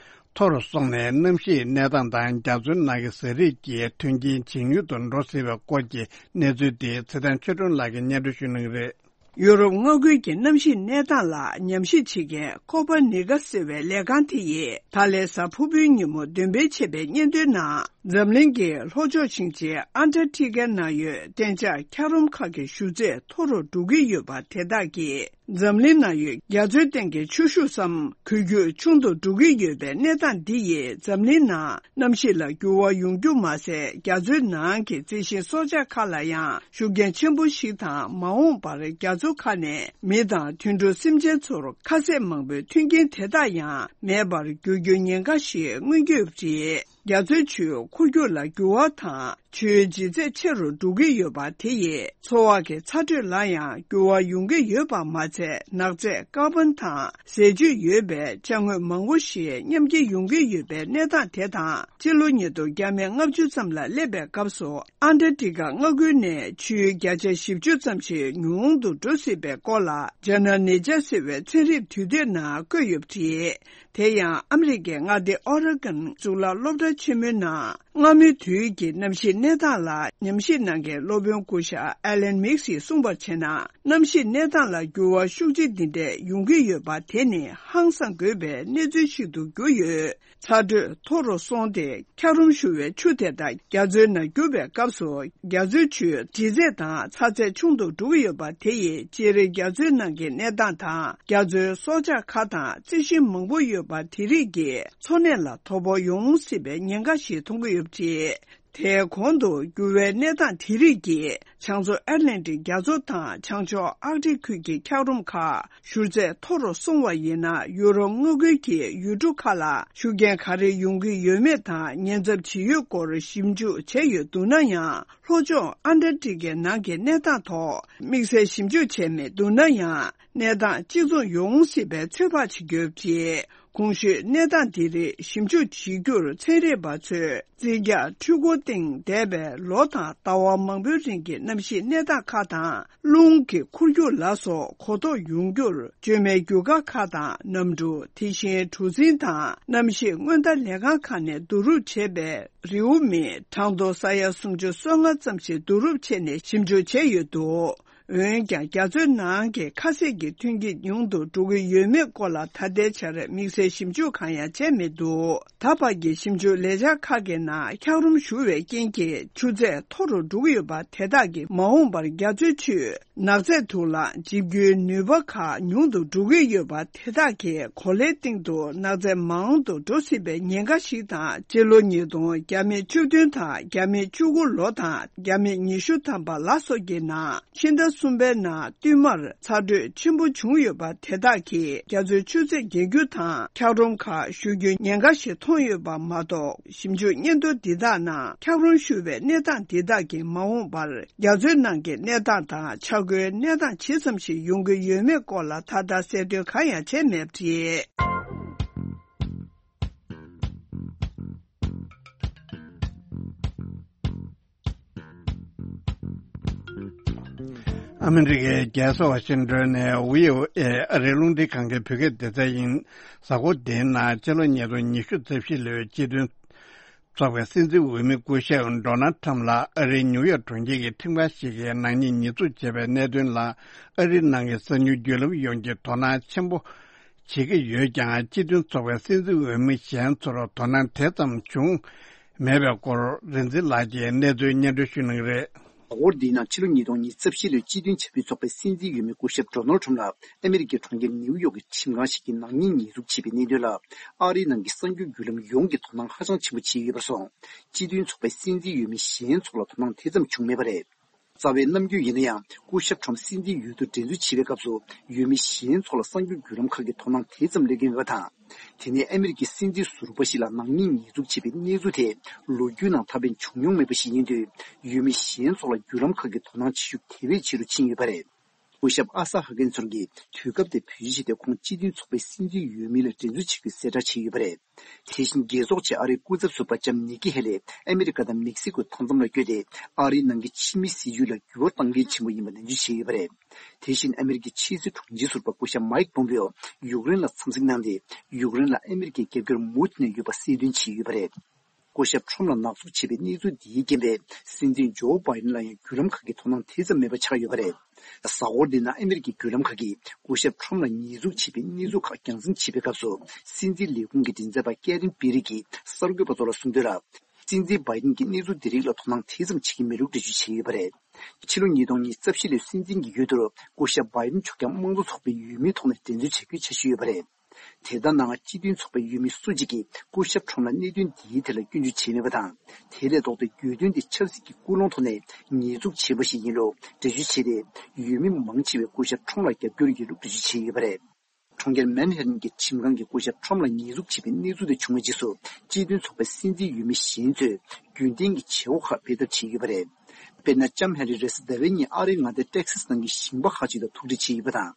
མཐོ་རུ་སོང་ནས། གནམ་གཤིས་གནས་སྟངས་དང་རྒྱ་མཚོའི་ནང་གི་ཟས་རིགས་ཀྱི་མཐུན་རྐྱེན་ཇེ་ཉུང་དུ་འགྲོ་སྲིད་པའི་སྐོར་གྱི་གནས་ཚུལ་དེ་ཚེ་བརྟན་ཆོས་སྒྲོན་ལགས་ཀྱིས་སྙན་སྒྲོན་ཞུ་གནང་གི་རེད། ཡུ་རོབ་མངའ་ཁུལ་གྱི་གནམ་གཤིས་གནས་སྟངས་ལ་ཉམས་ཞིབ་བྱེད་མཁན་ཀོ་པར་ནི་ཀ་ཟེར་བའི་ལས་ཁང་དེ་ཡིས་ད་ལན་གཟའ་ཕུར་བུའི་ཉིན་མོ་འདོན་སྤེལ་བྱས་པའི་སྙན་ཐོའི་ནང་། འཛམ་གླིང་གི་ལྷོ་ཕྱོགས་ཆིངས་ཆེན་ཨན་ཊར་ཊི་ཀའི་ནང་ཡོད་གཏན་འཇགས་འཁྱགས་རོམ་ཁག་གི་བཞུར་རྫས་མཐོ་རུ་འགྲོ་གི་ཡོད་པ་དེ་དག་གིས། འཛམ་གླིང་ནང་ཡོད་རྒྱ་མཚོའི་སྟེང་གི་ཆུ་ཤུགས་སམ་གོས་རྒྱུག་ཆུང་དུ་འགྲོ་གི་ཡོད་པའི་གནས་སྟངས་འདི་ཡིས་འཛམ་གླིང་ནང་གནམ་གཤིས་ལ་འགྱུར་བ་ཡོང་རྒྱུ་མ་ཟད། རྒྱ་མཚོའི་ནང་གི་རྩི་ཤིང་སྲོག་ཆགས་ཁག་ལ་ཡང་ཤུགས་རྐྱེན་ཆེན་པོ་ཞིག་དང་། མ་འོངས་པར་རྒྱ་མཚོ་ཁག་ནས་མི་དང་དུད་འགྲོ་སེམས་ཅན་ཚོར་ཁ་ཟས་མང་པོའི་མཐུན་རྐྱེན་དེ་དག་ཡང་མེད་པར་འགྱུར་རྒྱུའི་ཉེན་ཁ་ཞིག་མངོན་གྱི་ཡོད་པ་རེད། རྒྱ་མཚོའི་ཆུའི་འཁོར་རྒྱུག་ལ་འགྱུར་བ་དང་། ཆུའི་ལྗིད་ཚད་ཆེ་རུ་འགྲོ་གི་ཡོད་པ་དེ་ཡིས་འཚོ་བ་གི་ཚ་དྲོད་ལ་ཡང་འགྱུར་བ་ཡོང་གི་ཡོད་པ་མ་ཚད། ནག་རྫས་ཀར་བོན་དང་ཟས་བཅུད་ཡོད་པའི་ཅ་དངོས་མང་པོ་ཞིག་ཉམས་ཀྱི་ཡོང་གི་ཡོད་པའི་གནས་སྟངས་དེ་དང་། སྤྱི་ལོ་ཉིས་སྟོང་བརྒྱ་མེད་ལྔ་བཅུ་ཙམ་ལ་སླེབས་པའི་སྐབས་སུ། ཨན་ཊར་ཊི་ཀ་མངའ་ཁུལ་ནས་ཆུའི་བརྒྱ་ཆ་བཞི་བཅུ་ཙམ་ཞིག་ཉུང་དུ་འགྲོ་སྲིད་པའི་སྐོར་ལ། ཇཱ་ན་ནེ་ཅར་ཟེར་བའི་ཚན་རིག་དུས་དེབ་ནང་བཀོད་ཡོད་པ་རེད། དེ་ཡང་ཨ་མི་རི་ཀའི་མངའ་སྡེ་ཨོ་རེ་གོན་གཙུག་ལག་སློབ་གྲྭ་ཆེན་མོའི་ནང་སྔ་མོའི་དུས་ཀྱི་གནམ་གཤིས་གནས་སྟངས་ལ་ཉམས་ཞིབ་གནང་མཁན་སློབ་དཔོན་སྐུ་ཞབས་ཨེ་ལན་མིག་སིས་གསུངས་པར་བྱས་ན། གནམ་གཤིས་གནས་སྟངས་ལ་འགྱུར་བ་ཤུགས་ཆེ་འདི་འདྲས་ཡོང་གི་ཡོད་པ་དེ་ནི་ཧང་སང་དགོས་པའི་གནས་ཚུལ་ཞིག་ཏུ་གྱུར་ཡོད། ཚ་དྲོད་མཐོ་རུ་སོང་སྟེ། འཁྱགས་རོམ་བཞུར་བའི་ཆུ་དེ་དག་རྒྱ་མཚོའི་ནང་རྒྱུག་པའི་སྐབས་སུ། རྒྱ་མཚོའི་ཆུའི་ལྗིད་ཚད་དང་ཚ་ཚད་ཆུང་དུ་འགྲོ་གི་ཡོད་པ་དེ་ཡིས་སྤྱིར་རྒྱ་མཚོའི་ནང་གི་གནས་སྟངས་དང་། རྒྱ་མཚོའི་སྲོག་ཆགས་ཁག་དང་རྩི་ཤིང་མང་པོ་ཡོད་པ་དེ་རིགས་ཀྱི་འཚོ་གནས་ལ་དོ་ཕོག་ཡོང་སྲིད་པའི་ཉེན་ཁ་ཞིག་མཐོང་གི་ཡོད་པ་རེད། དེའི་གོང་དུ་འགྱུར་བའི་གནས་སྟངས་དེ་རིགས་ཀྱིས་བྱང་མཚོ་ཨེཊ་ལན་ཊིག་རྒྱ་མཚོ་དང་། བྱང་ཕྱོགས་ཨར་ཀ་ཊིག་ཁུལ་གྱི་འཁྱགས་རོམ་ཁག་བཞུར་ཚད་མཐོ་རུ་སོང་བ་ཡིན་ན། ཡུ་རོབ་མངའ་ཁུལ་གྱི་ཡུལ་གྲུ་ཁག་ལ་ཤུགས་རྐྱེན་ག་རེ་ཡོང་གི་ཡོད་མེད་དང་། ཉེན་ཚབས་ཇི་ཡོད་སྐོར་ཞིབ་འཇུག་བྱས་ཡོད་འདུག་ན་ཡང་། ལྷོ་ཕྱོགས་ཨན་ཊར་ཀ་ཊི་ཀའི་ནང་གི་གནས་སྟངས་ཐོག་དམིགས་བསལ་ཞིབ་འཇུག་བྱས་མེད་འདུག་ན་ཡང་། གནས་སྟངས་གཅིག་མཚུངས་ཡོང་སྲིད་པའི་ཚོད་དཔག་བྱེད་ཀྱི་ཡོད་པ་རེད། གོང་ཞུས་གནས་སྟངས་འདི་རིགས་ཞིབ་འཇུག་བྱེད་རྒྱུར་ཚན་རིག་པ་ཚོས་རྩིས་རྒྱག་འཕྲུལ་འཁོར་སྟེང་འདས་པའི་ལོ་དང་ཟླ་བ་མང་པོའི་རིང་གི་གནམ་གཤིས་གནས་སྟངས་ཁག་དང་། རླུང་གི་འཁོར་རྒྱུག་ལ་སོགས་གོ་རྟོགས་ཡོང་རྒྱུར། བཅོས་མའི་རྒྱུ་སྐར་ཁག་དང་གནམ་གྲུ། དེ་བཞིན་གྲུ་གཟིངས་དང་གནམ་གཤིས་སྔོན་བརྡ་ལས་ཁང་ཁག་ནས་བསྡུ་རུབ་བྱས་པའི་རེའུ་མིག་གྲངས་ཐོ་ས་ཡ་སུམ་ཅུ་སོ་ལྔ་ཙམ་ཞིག་བསྡུ་རུབ་བྱས་ནས་ཞིབ་འཇུག་བྱས་ཡོད་འདུག། འོན་ཀྱང་རྒྱ་མཚོའི་ནང་གི་ཁ་ཟས་ཀྱི་ཐོན་སྐྱེད་ཉུང་དུ་འགྲོ་གི་ཡོད་མེད་སྐོར་ལ་ད་ལྟའི་ཆར་དམིགས་བསལ་ཞིབ་འཇུག་གང་ཡང་བྱས་མི་འདུག་ད་བར་གྱི་ཞིབ་འཇུག་ལས་འཆར་ཁག་གི་ནང་འཁྱགས་རོམ་ཞུ་བའི་རྐྱེན་གྱིས་ཆུ་ཚད་མཐོ་རུ་འགྲོ་གི་ཡོད་པ་དེ་དག་གིས་མ་འོངས་པར་རྒྱ་མཚོའི་ཆུས་ནགས་ཚལ་དུ་ལ་འཇིབ་རྒྱུའི་ནུས་པ་ཁག་ཉུང་དུ་འགྲོ་གི་ཡོད་པ་དེ་དག་གིས་གོ་ལའི་སྟེང་དུ་ནགས་ཚལ་མང་དུ་འགྲོ་སྲིད་པའི་ཉེན་ཁ་ཞིག་དང་། སྤྱི་ལོ་ཉིས་སྟོང་བརྒྱ་མེད་བཅུ་བདུན་དང་བརྒྱ་མེད་བཅུ་དགུ་ལོ་དང་བརྒྱ་མེད་ཉི་ཤུ་ཐམ་པ་ལ་སོགས་ཀྱི་ནང་ཕྱི་ཟླ་གསུམ་པའི་ནང་བསྟུད་མར་ཚ་དྲོད་ཆེན་པོ་བྱུང་ཡོད་པ་དེ་དག་གིས་རྒྱ་མཚོའི་ཆུ་ཚད་བརྒལ་རྒྱུ་དང་འཁྱགས་རོམ་ཁག་ཞུ་རྒྱུའི་ཉེན་ཁ་ཞིག་མཐོང་ཡོད་པ་མ་གཏོགས། ཞིབ་འཇུག་སྙན་ཐོ་འདི་དག་ནང་འཁྱགས་རོམ་ཞུ་བའི་གནས་སྟངས་འདི་དག་གིས་མ་འོངས་པར་རྒྱ་མཚོའི་ནང་གི་གནས་སྟངས་དང་ཆག་སྒོའི་གནས་སྟངས་ཇི་ཙམ་ཞིག་ཡོང་གི་ཡོད་མེད་སྐོར་ལ་ད་ལྟ་གསལ་སྟོན་གང་ཡང་བྱས་མེད་པ་རེད། ཨ་མི་རི་ཀའི་རྒྱལ་ས་ཝ་ཤིང་ཏོན་ནས་བྷི་ཨོ་ཨེ་ཨ་རིའི་རླུང་འཕྲིན་ཁང་གི་བོད་སྐད་སྡེ་ཚན་ཡིན། གཟའ་འཁོར་འདིའི་ནང་ཕྱི་ལོ་ཉིས་སྟོང་ཉི་ཤུ་རྩ་བཞི་ལོའི་སྤྱི་མཐུན་ཚོགས་པའི་སྲིད་འཛིན་འོས་མི་སྐུ་ཞབས་ཌོ་ནལ་ཁྲམ་ལ་ཨ་རིའི་ནིའུ་ཡོག་གྲོང་ཁྱེར་གྱི་ཁྲིམས་ཁང་ཞིག་གིས་ནག་ཉེས་ཉེས་འཛུགས་བྱས་པའི་གནད་དོན་ལ། ཨ་རིའི་ནང་གི་གསར་འགྱུར་བརྒྱུད་ལམ་ཡོངས་ཀྱིས་དོ་སྣང་ཆེན་པོ་བྱེད་ཀྱི་ཡོད་ཀྱང་། སྤྱི་མཐུན་ཚོགས་པའི་སྲིད་འཛིན་འོས་མི་གཞན་ཚོར་དོ་སྣང་དེ་ཙམ་བྱུང་མེད་པའི་སྐོར་རིག་འཛིན་ལགས་ཀྱིས་གནས་ཚུལ་སྙན་སྒྲོན་ཞུ་གནང་གི་རེད། གཟའ་འཁོར་འདིའི་ནང་ཕྱི་ལོ་ཉིས་སྟོང་ཉི་ཤུ་རྩ་བཞི་ལོའི་སྤྱི་མཐུན་བྱ་འགུལ་ཚོགས་པའི་སྲིད་འཛིན་འོས་མི་སྐུ་ཞབས་ཌོ་ནལ་ཁྲམ་ལ་ཨ་མི་རི་ཀའི་གྲོང་ཁྱེར་ནིའུ་ཡོག་གི་ཁྲིམས་ཁང་ཞིག་གིས་ནག་ཉེས་ཉེས་འཛུགས་བྱས་པའི་གནད་དོན་ལ། ཨ་རིའི་ནང་གི་གསར་འགྱུར་བརྒྱུད་ལམ་ཡོངས་ཀྱིས་དོ་སྣང་ཧ་ཅང་ཆེན་པོ་བྱས་ཡོད་པར་སོང་། སྤྱི་མཐུན་ཚོགས་པའི་སྲིད་འཛིན་འོས་མི་གཞན་ཚོ་ལ་དོ་སྣང་དེ་ཙམ་བྱུང་མེད་པ་རེད། རྩ་བའི་རྣམ་འགྱུར་ཡིན་ན་ཡང་། སྐུ་ཞབས་ཁྲོམ་སྲིད་འཛིན་འོས་བསྡུ་འགྲན་རྩོད་བྱེད་པའི་སྐབས་སུ། འོས་མི་གཞན་ཚོ་ལ་གསར་འགྱུར་བརྒྱུད་ལམ་ཁག་གིས་དོ་སྣང་དེ་ཙམ་སླེབས་ཀྱི་མེད་པ་དང་། དེ་ནས་ཨ་མི་རི་ཀའི་སྲིད་འཛིན་ཟུར་པ་ཞིག་ལ་ནག་ཉེས་ཉེས་འཛུགས་བྱས་པའི་གནས་ཚུལ་དེ། ལོ་རྒྱུས་ནང་ད་ཕན་བྱུང་མྱོང་མེད་པ་ཞིག་ཡིན་དུས། འོས་མི་གཞན་ཚོ་ལ་བརྒྱུད་ལམ་ཁག་གིས་དོ་སྣང་བྱེད་ཤུགས་དེ་བས་ཆེ་རུ་ཕྱིན་ཡོད་པ་རེད། སྐུ་ཞབས་ཨ་ས་ཧ་ཀན་ཚོར་གྱིས་དུས་སྐབས་དེ་བེད་སྤྱོད་བྱས་ཏེ། ཁོང་སྤྱི་མཐུན་ཚོགས་པའི་སྲིད་འཛིན་འོས་མི་ལ་འགྲན་རྩོད་བྱེད་རྒྱུའི་གསལ་བསྒྲགས་བྱས་ཡོད་པ་རེད། དེ་བཞིན་རྒྱལ་ཚོགས་ཆེད་ཨ་རིའི་སྐུ་ཚབ་ཟུར་པ་ལྕམ་ནི་ཀི་ཧེ་ལི་ཨ་མི་རི་ཀ་དང་མེག་སི་ཀོའི་མཐའ་མཚམས་ལ་བསྐྱོད་དེ། ཨ་རིའི་ནང་གི་ཕྱི་མི་སྲིད་བྱུས་ལ་འགྱུར་བ་གཏང་མཁན་ཆེན་པོ་ཡིན་པ་ནན་བརྗོད་བྱས་ཡོད་པ་རེད། དེ་བཞིན་ཨ་མི་རི་ཀའི་ཕྱི་སྲིད་དྲུང་ཆེ་ཟུར་པ་སྐུ་ཞབས་མའིག་པོམ་པེའོ་ཡུཀ་རེན་ལ་འཚམས་གཟིགས་གནང་སྟེ། ཡུཀ་རེན་ལ་ཨ་མི་རི་ཀའི་རྒྱབ་སྐྱོར་མུ་མཐུད་ནས་ཡོད་པ་གསལ་སྟོན་བྱས་ཡོད་པ་རེད། སྐུ་ཞབས་ཁྲོམ་ལ་ནག་འཛུགས་བྱས་པའི་གནས་ཚུལ་འདིའི་རྐྱེན་པས། སྲིད་འཛིན་ཇོ་བྷའི་ཌེན་ལ་ཡང་བརྒྱུད་ལམ་ཁག་གིས་དོ་སྣང་དེ་ཙམ་མེད་པ་ཆགས་ཡོད་པ་རེད། གཟའ་འཁོར་འདིའི་ནང་ཨ་མི་རི་ཀའི་བརྒྱུད་ལམ་ཁག་གིས་སྐུ་ཞབས་ཁྲོམ་ལ་ཉེས་འཛུགས་བྱས་པའི་གནས་ཚུལ་ཁག་རྒྱང་སྲིང་བྱེད་པའི་སྐབས་སུ། སྲིད་འཛིན་ལས་ཁུངས་ཀྱི་མགྲིན་ཚབ་པ་ཀེ་རིན་པི་རི་གིས་གསར་འགོད་པ་ཚོ་ལ་གསུངས་དོན་ལ། སྲིད་འཛིན་བྷའི་ཌེན་གྱིས་གནས་ཚུལ་འདི་རིགས་ལ་དོ་སྣང་དེ་ཙམ་བྱེད་ཀྱི་མེད་ལུགས་འགྲེལ་བརྗོད་བྱས་ཡོད་པ་རེད། ཕྱི་ལོ་ཉིས་སྟོང་ཉི་ཤུ་རྩ་བཞི་ལོའི་སྲིད་འཛིན་གྱི་འོས་བསྡུར་སྐུ་ཞབས་བྷའི་ཌེན་མཆོག་ཀྱང་དམངས་གཙོ་ཚོགས་པའི་འོས་མིའི་ཐོག་ནས་འགྲན་རྩོད་བྱ་རྒྱུའི་འཆར་གཞི་ཡོད་པ་རེད། དེ་ལྟར་ན། སྤྱི་མཐུན་ཚོགས་པའི་འོས་མི་སུ་གཅིག་གིས་སྐུ་ཞབས་ཁྲོམ་ལ་གནད་དོན་འདིའི་ཐད་ལ་སྐྱོན་བརྗོད་བྱས་མེད་པ་དང་། དེ་ལས་ལྡོག་སྟེ་གྱོད་དོན་འདི་ཆབ་སྲིད་ཀྱི་ཀུན་སློང་ཐོག་ནས་ཉེས་འཛུགས་བྱས་པ་ཞིག་ཡིན་ལུགས་འགྲེལ་བརྗོད་བྱས་ཏེ། འོས་མི་མང་ཆེ་བས་སྐུ་ཞབས་ཁྲོམ་ལ་རྒྱབ་སྐྱོར་ཡོད་ལུགས་འགྲེལ་བརྗོད་བྱས་ཡོད་པ་རེད། གྲོང་ཁྱེར་མན་ཧ་ཏན་གྱི་ཁྲིམས་ཁང་གིས་སྐུ་ཞབས་ཁྲོམ་ལ་ཉེས་འཛུགས་བྱས་པའི་གནས་ཚུལ་དེ་བྱུང་བའི་རྗེས་སུ། སྤྱི་མཐུན་ཚོགས་པའི་སྲིད་འཛིན་འོས་མི་གཞན་ཚོས་རྒྱུན་ལྡན་གྱི་བྱེད་སྒོ་ཁག་སྤེལ་ཐབས་བྱས་ཡོད་པ་རེད། དཔེར་ན། ལྕམ་ཧེ་རི་རེས་ཟླ་བའི་ཉིན་ཨ་རིའི་མངའ་སྡེ་ཏེག་སཱས་ནང་གི་ཞིང་པ་ཁག་ཅིག་དང་ཐུག་འཕྲད་བྱས་ཡོད་པ་དང་།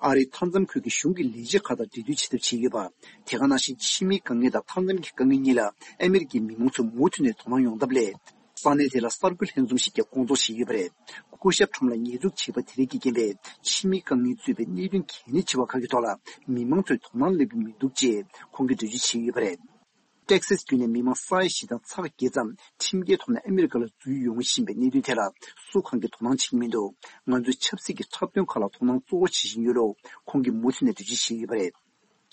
ཨ་རིའི་མཐའ་མཚམས་ཁུལ་གྱི་གཞུང་གི་ལས་བྱེད་ཁག་དང་འབྲེལ་མཐུད་བྱེད་ཐབས་བྱས་ཡོད་པ། དེ་ག་ནང་བཞིན། ཕྱི་མིའི་དཀའ་ངལ་དང་མཐའ་མཚམས་ཀྱི་དཀའ་ངལ་གཉིས་ལ་ཨ་མི་རི་ཀའི་མི་མང་ཚོས་མུ་མཐུད་ནས་དོ་སྣང་ཡོང་ཐབས་སླད། ས་གནས་དེ་ལ་གསར་འགོད་ལྷན་འཛོམས་ཤིག་ཀྱང་སྐོང་ཚོགས་བྱས་ཡོད་པ་རེད། སྐུ་ཞབས་ཁྲོམ་ལ་ཉེས་འཛུགས་བྱས་པ་དེ་རིགས་ཀྱི་རྐྱེན་པས། ཕྱི་མིའི་དཀའ་ངལ་གཙོས་པའི་གནད་དོན་གལ་གནད་ཆེ་བ་ཁག་གི་ཐོག་ལ་མི་མང་ཚོས་དོ་སྣང་སླེབས་ཀྱི་མི་འདུག་ཅེས་ཁོང་གིས་འགྲེལ་བརྗོད་བྱས་ཡོད་པ་རེད། ཏེག་སཱས་ཁུལ་ནས་མི་མང་ས་ཡ་བཞི་དང་ཚེག་བརྒྱད་ཙམ་ཁྲིམས་འགལ་ཐོག་ནས་ཨ་མི་རི་ཀ་ལ་འཛུལ་ཡོང་བཞིན་པའི་གནད་དོན་ཐད་ལ་སུ་གང་གིས་དོ་སྣང་བྱེད་ཀྱི་མི་འདུག་ང་ཚོས་ཆབ་སྲིད་ཀྱི་འཁྲབ་སྟོན་ཁག་ལ་དོ་སྣང་གཙོ་བོ་བྱེད་བཞིན་ཡོད་ལུགས་ཁོང་གིས་མུ་མཐུད་ནས་འགྲེལ་བརྗོད་བྱས་ཡོད་པ་རེད།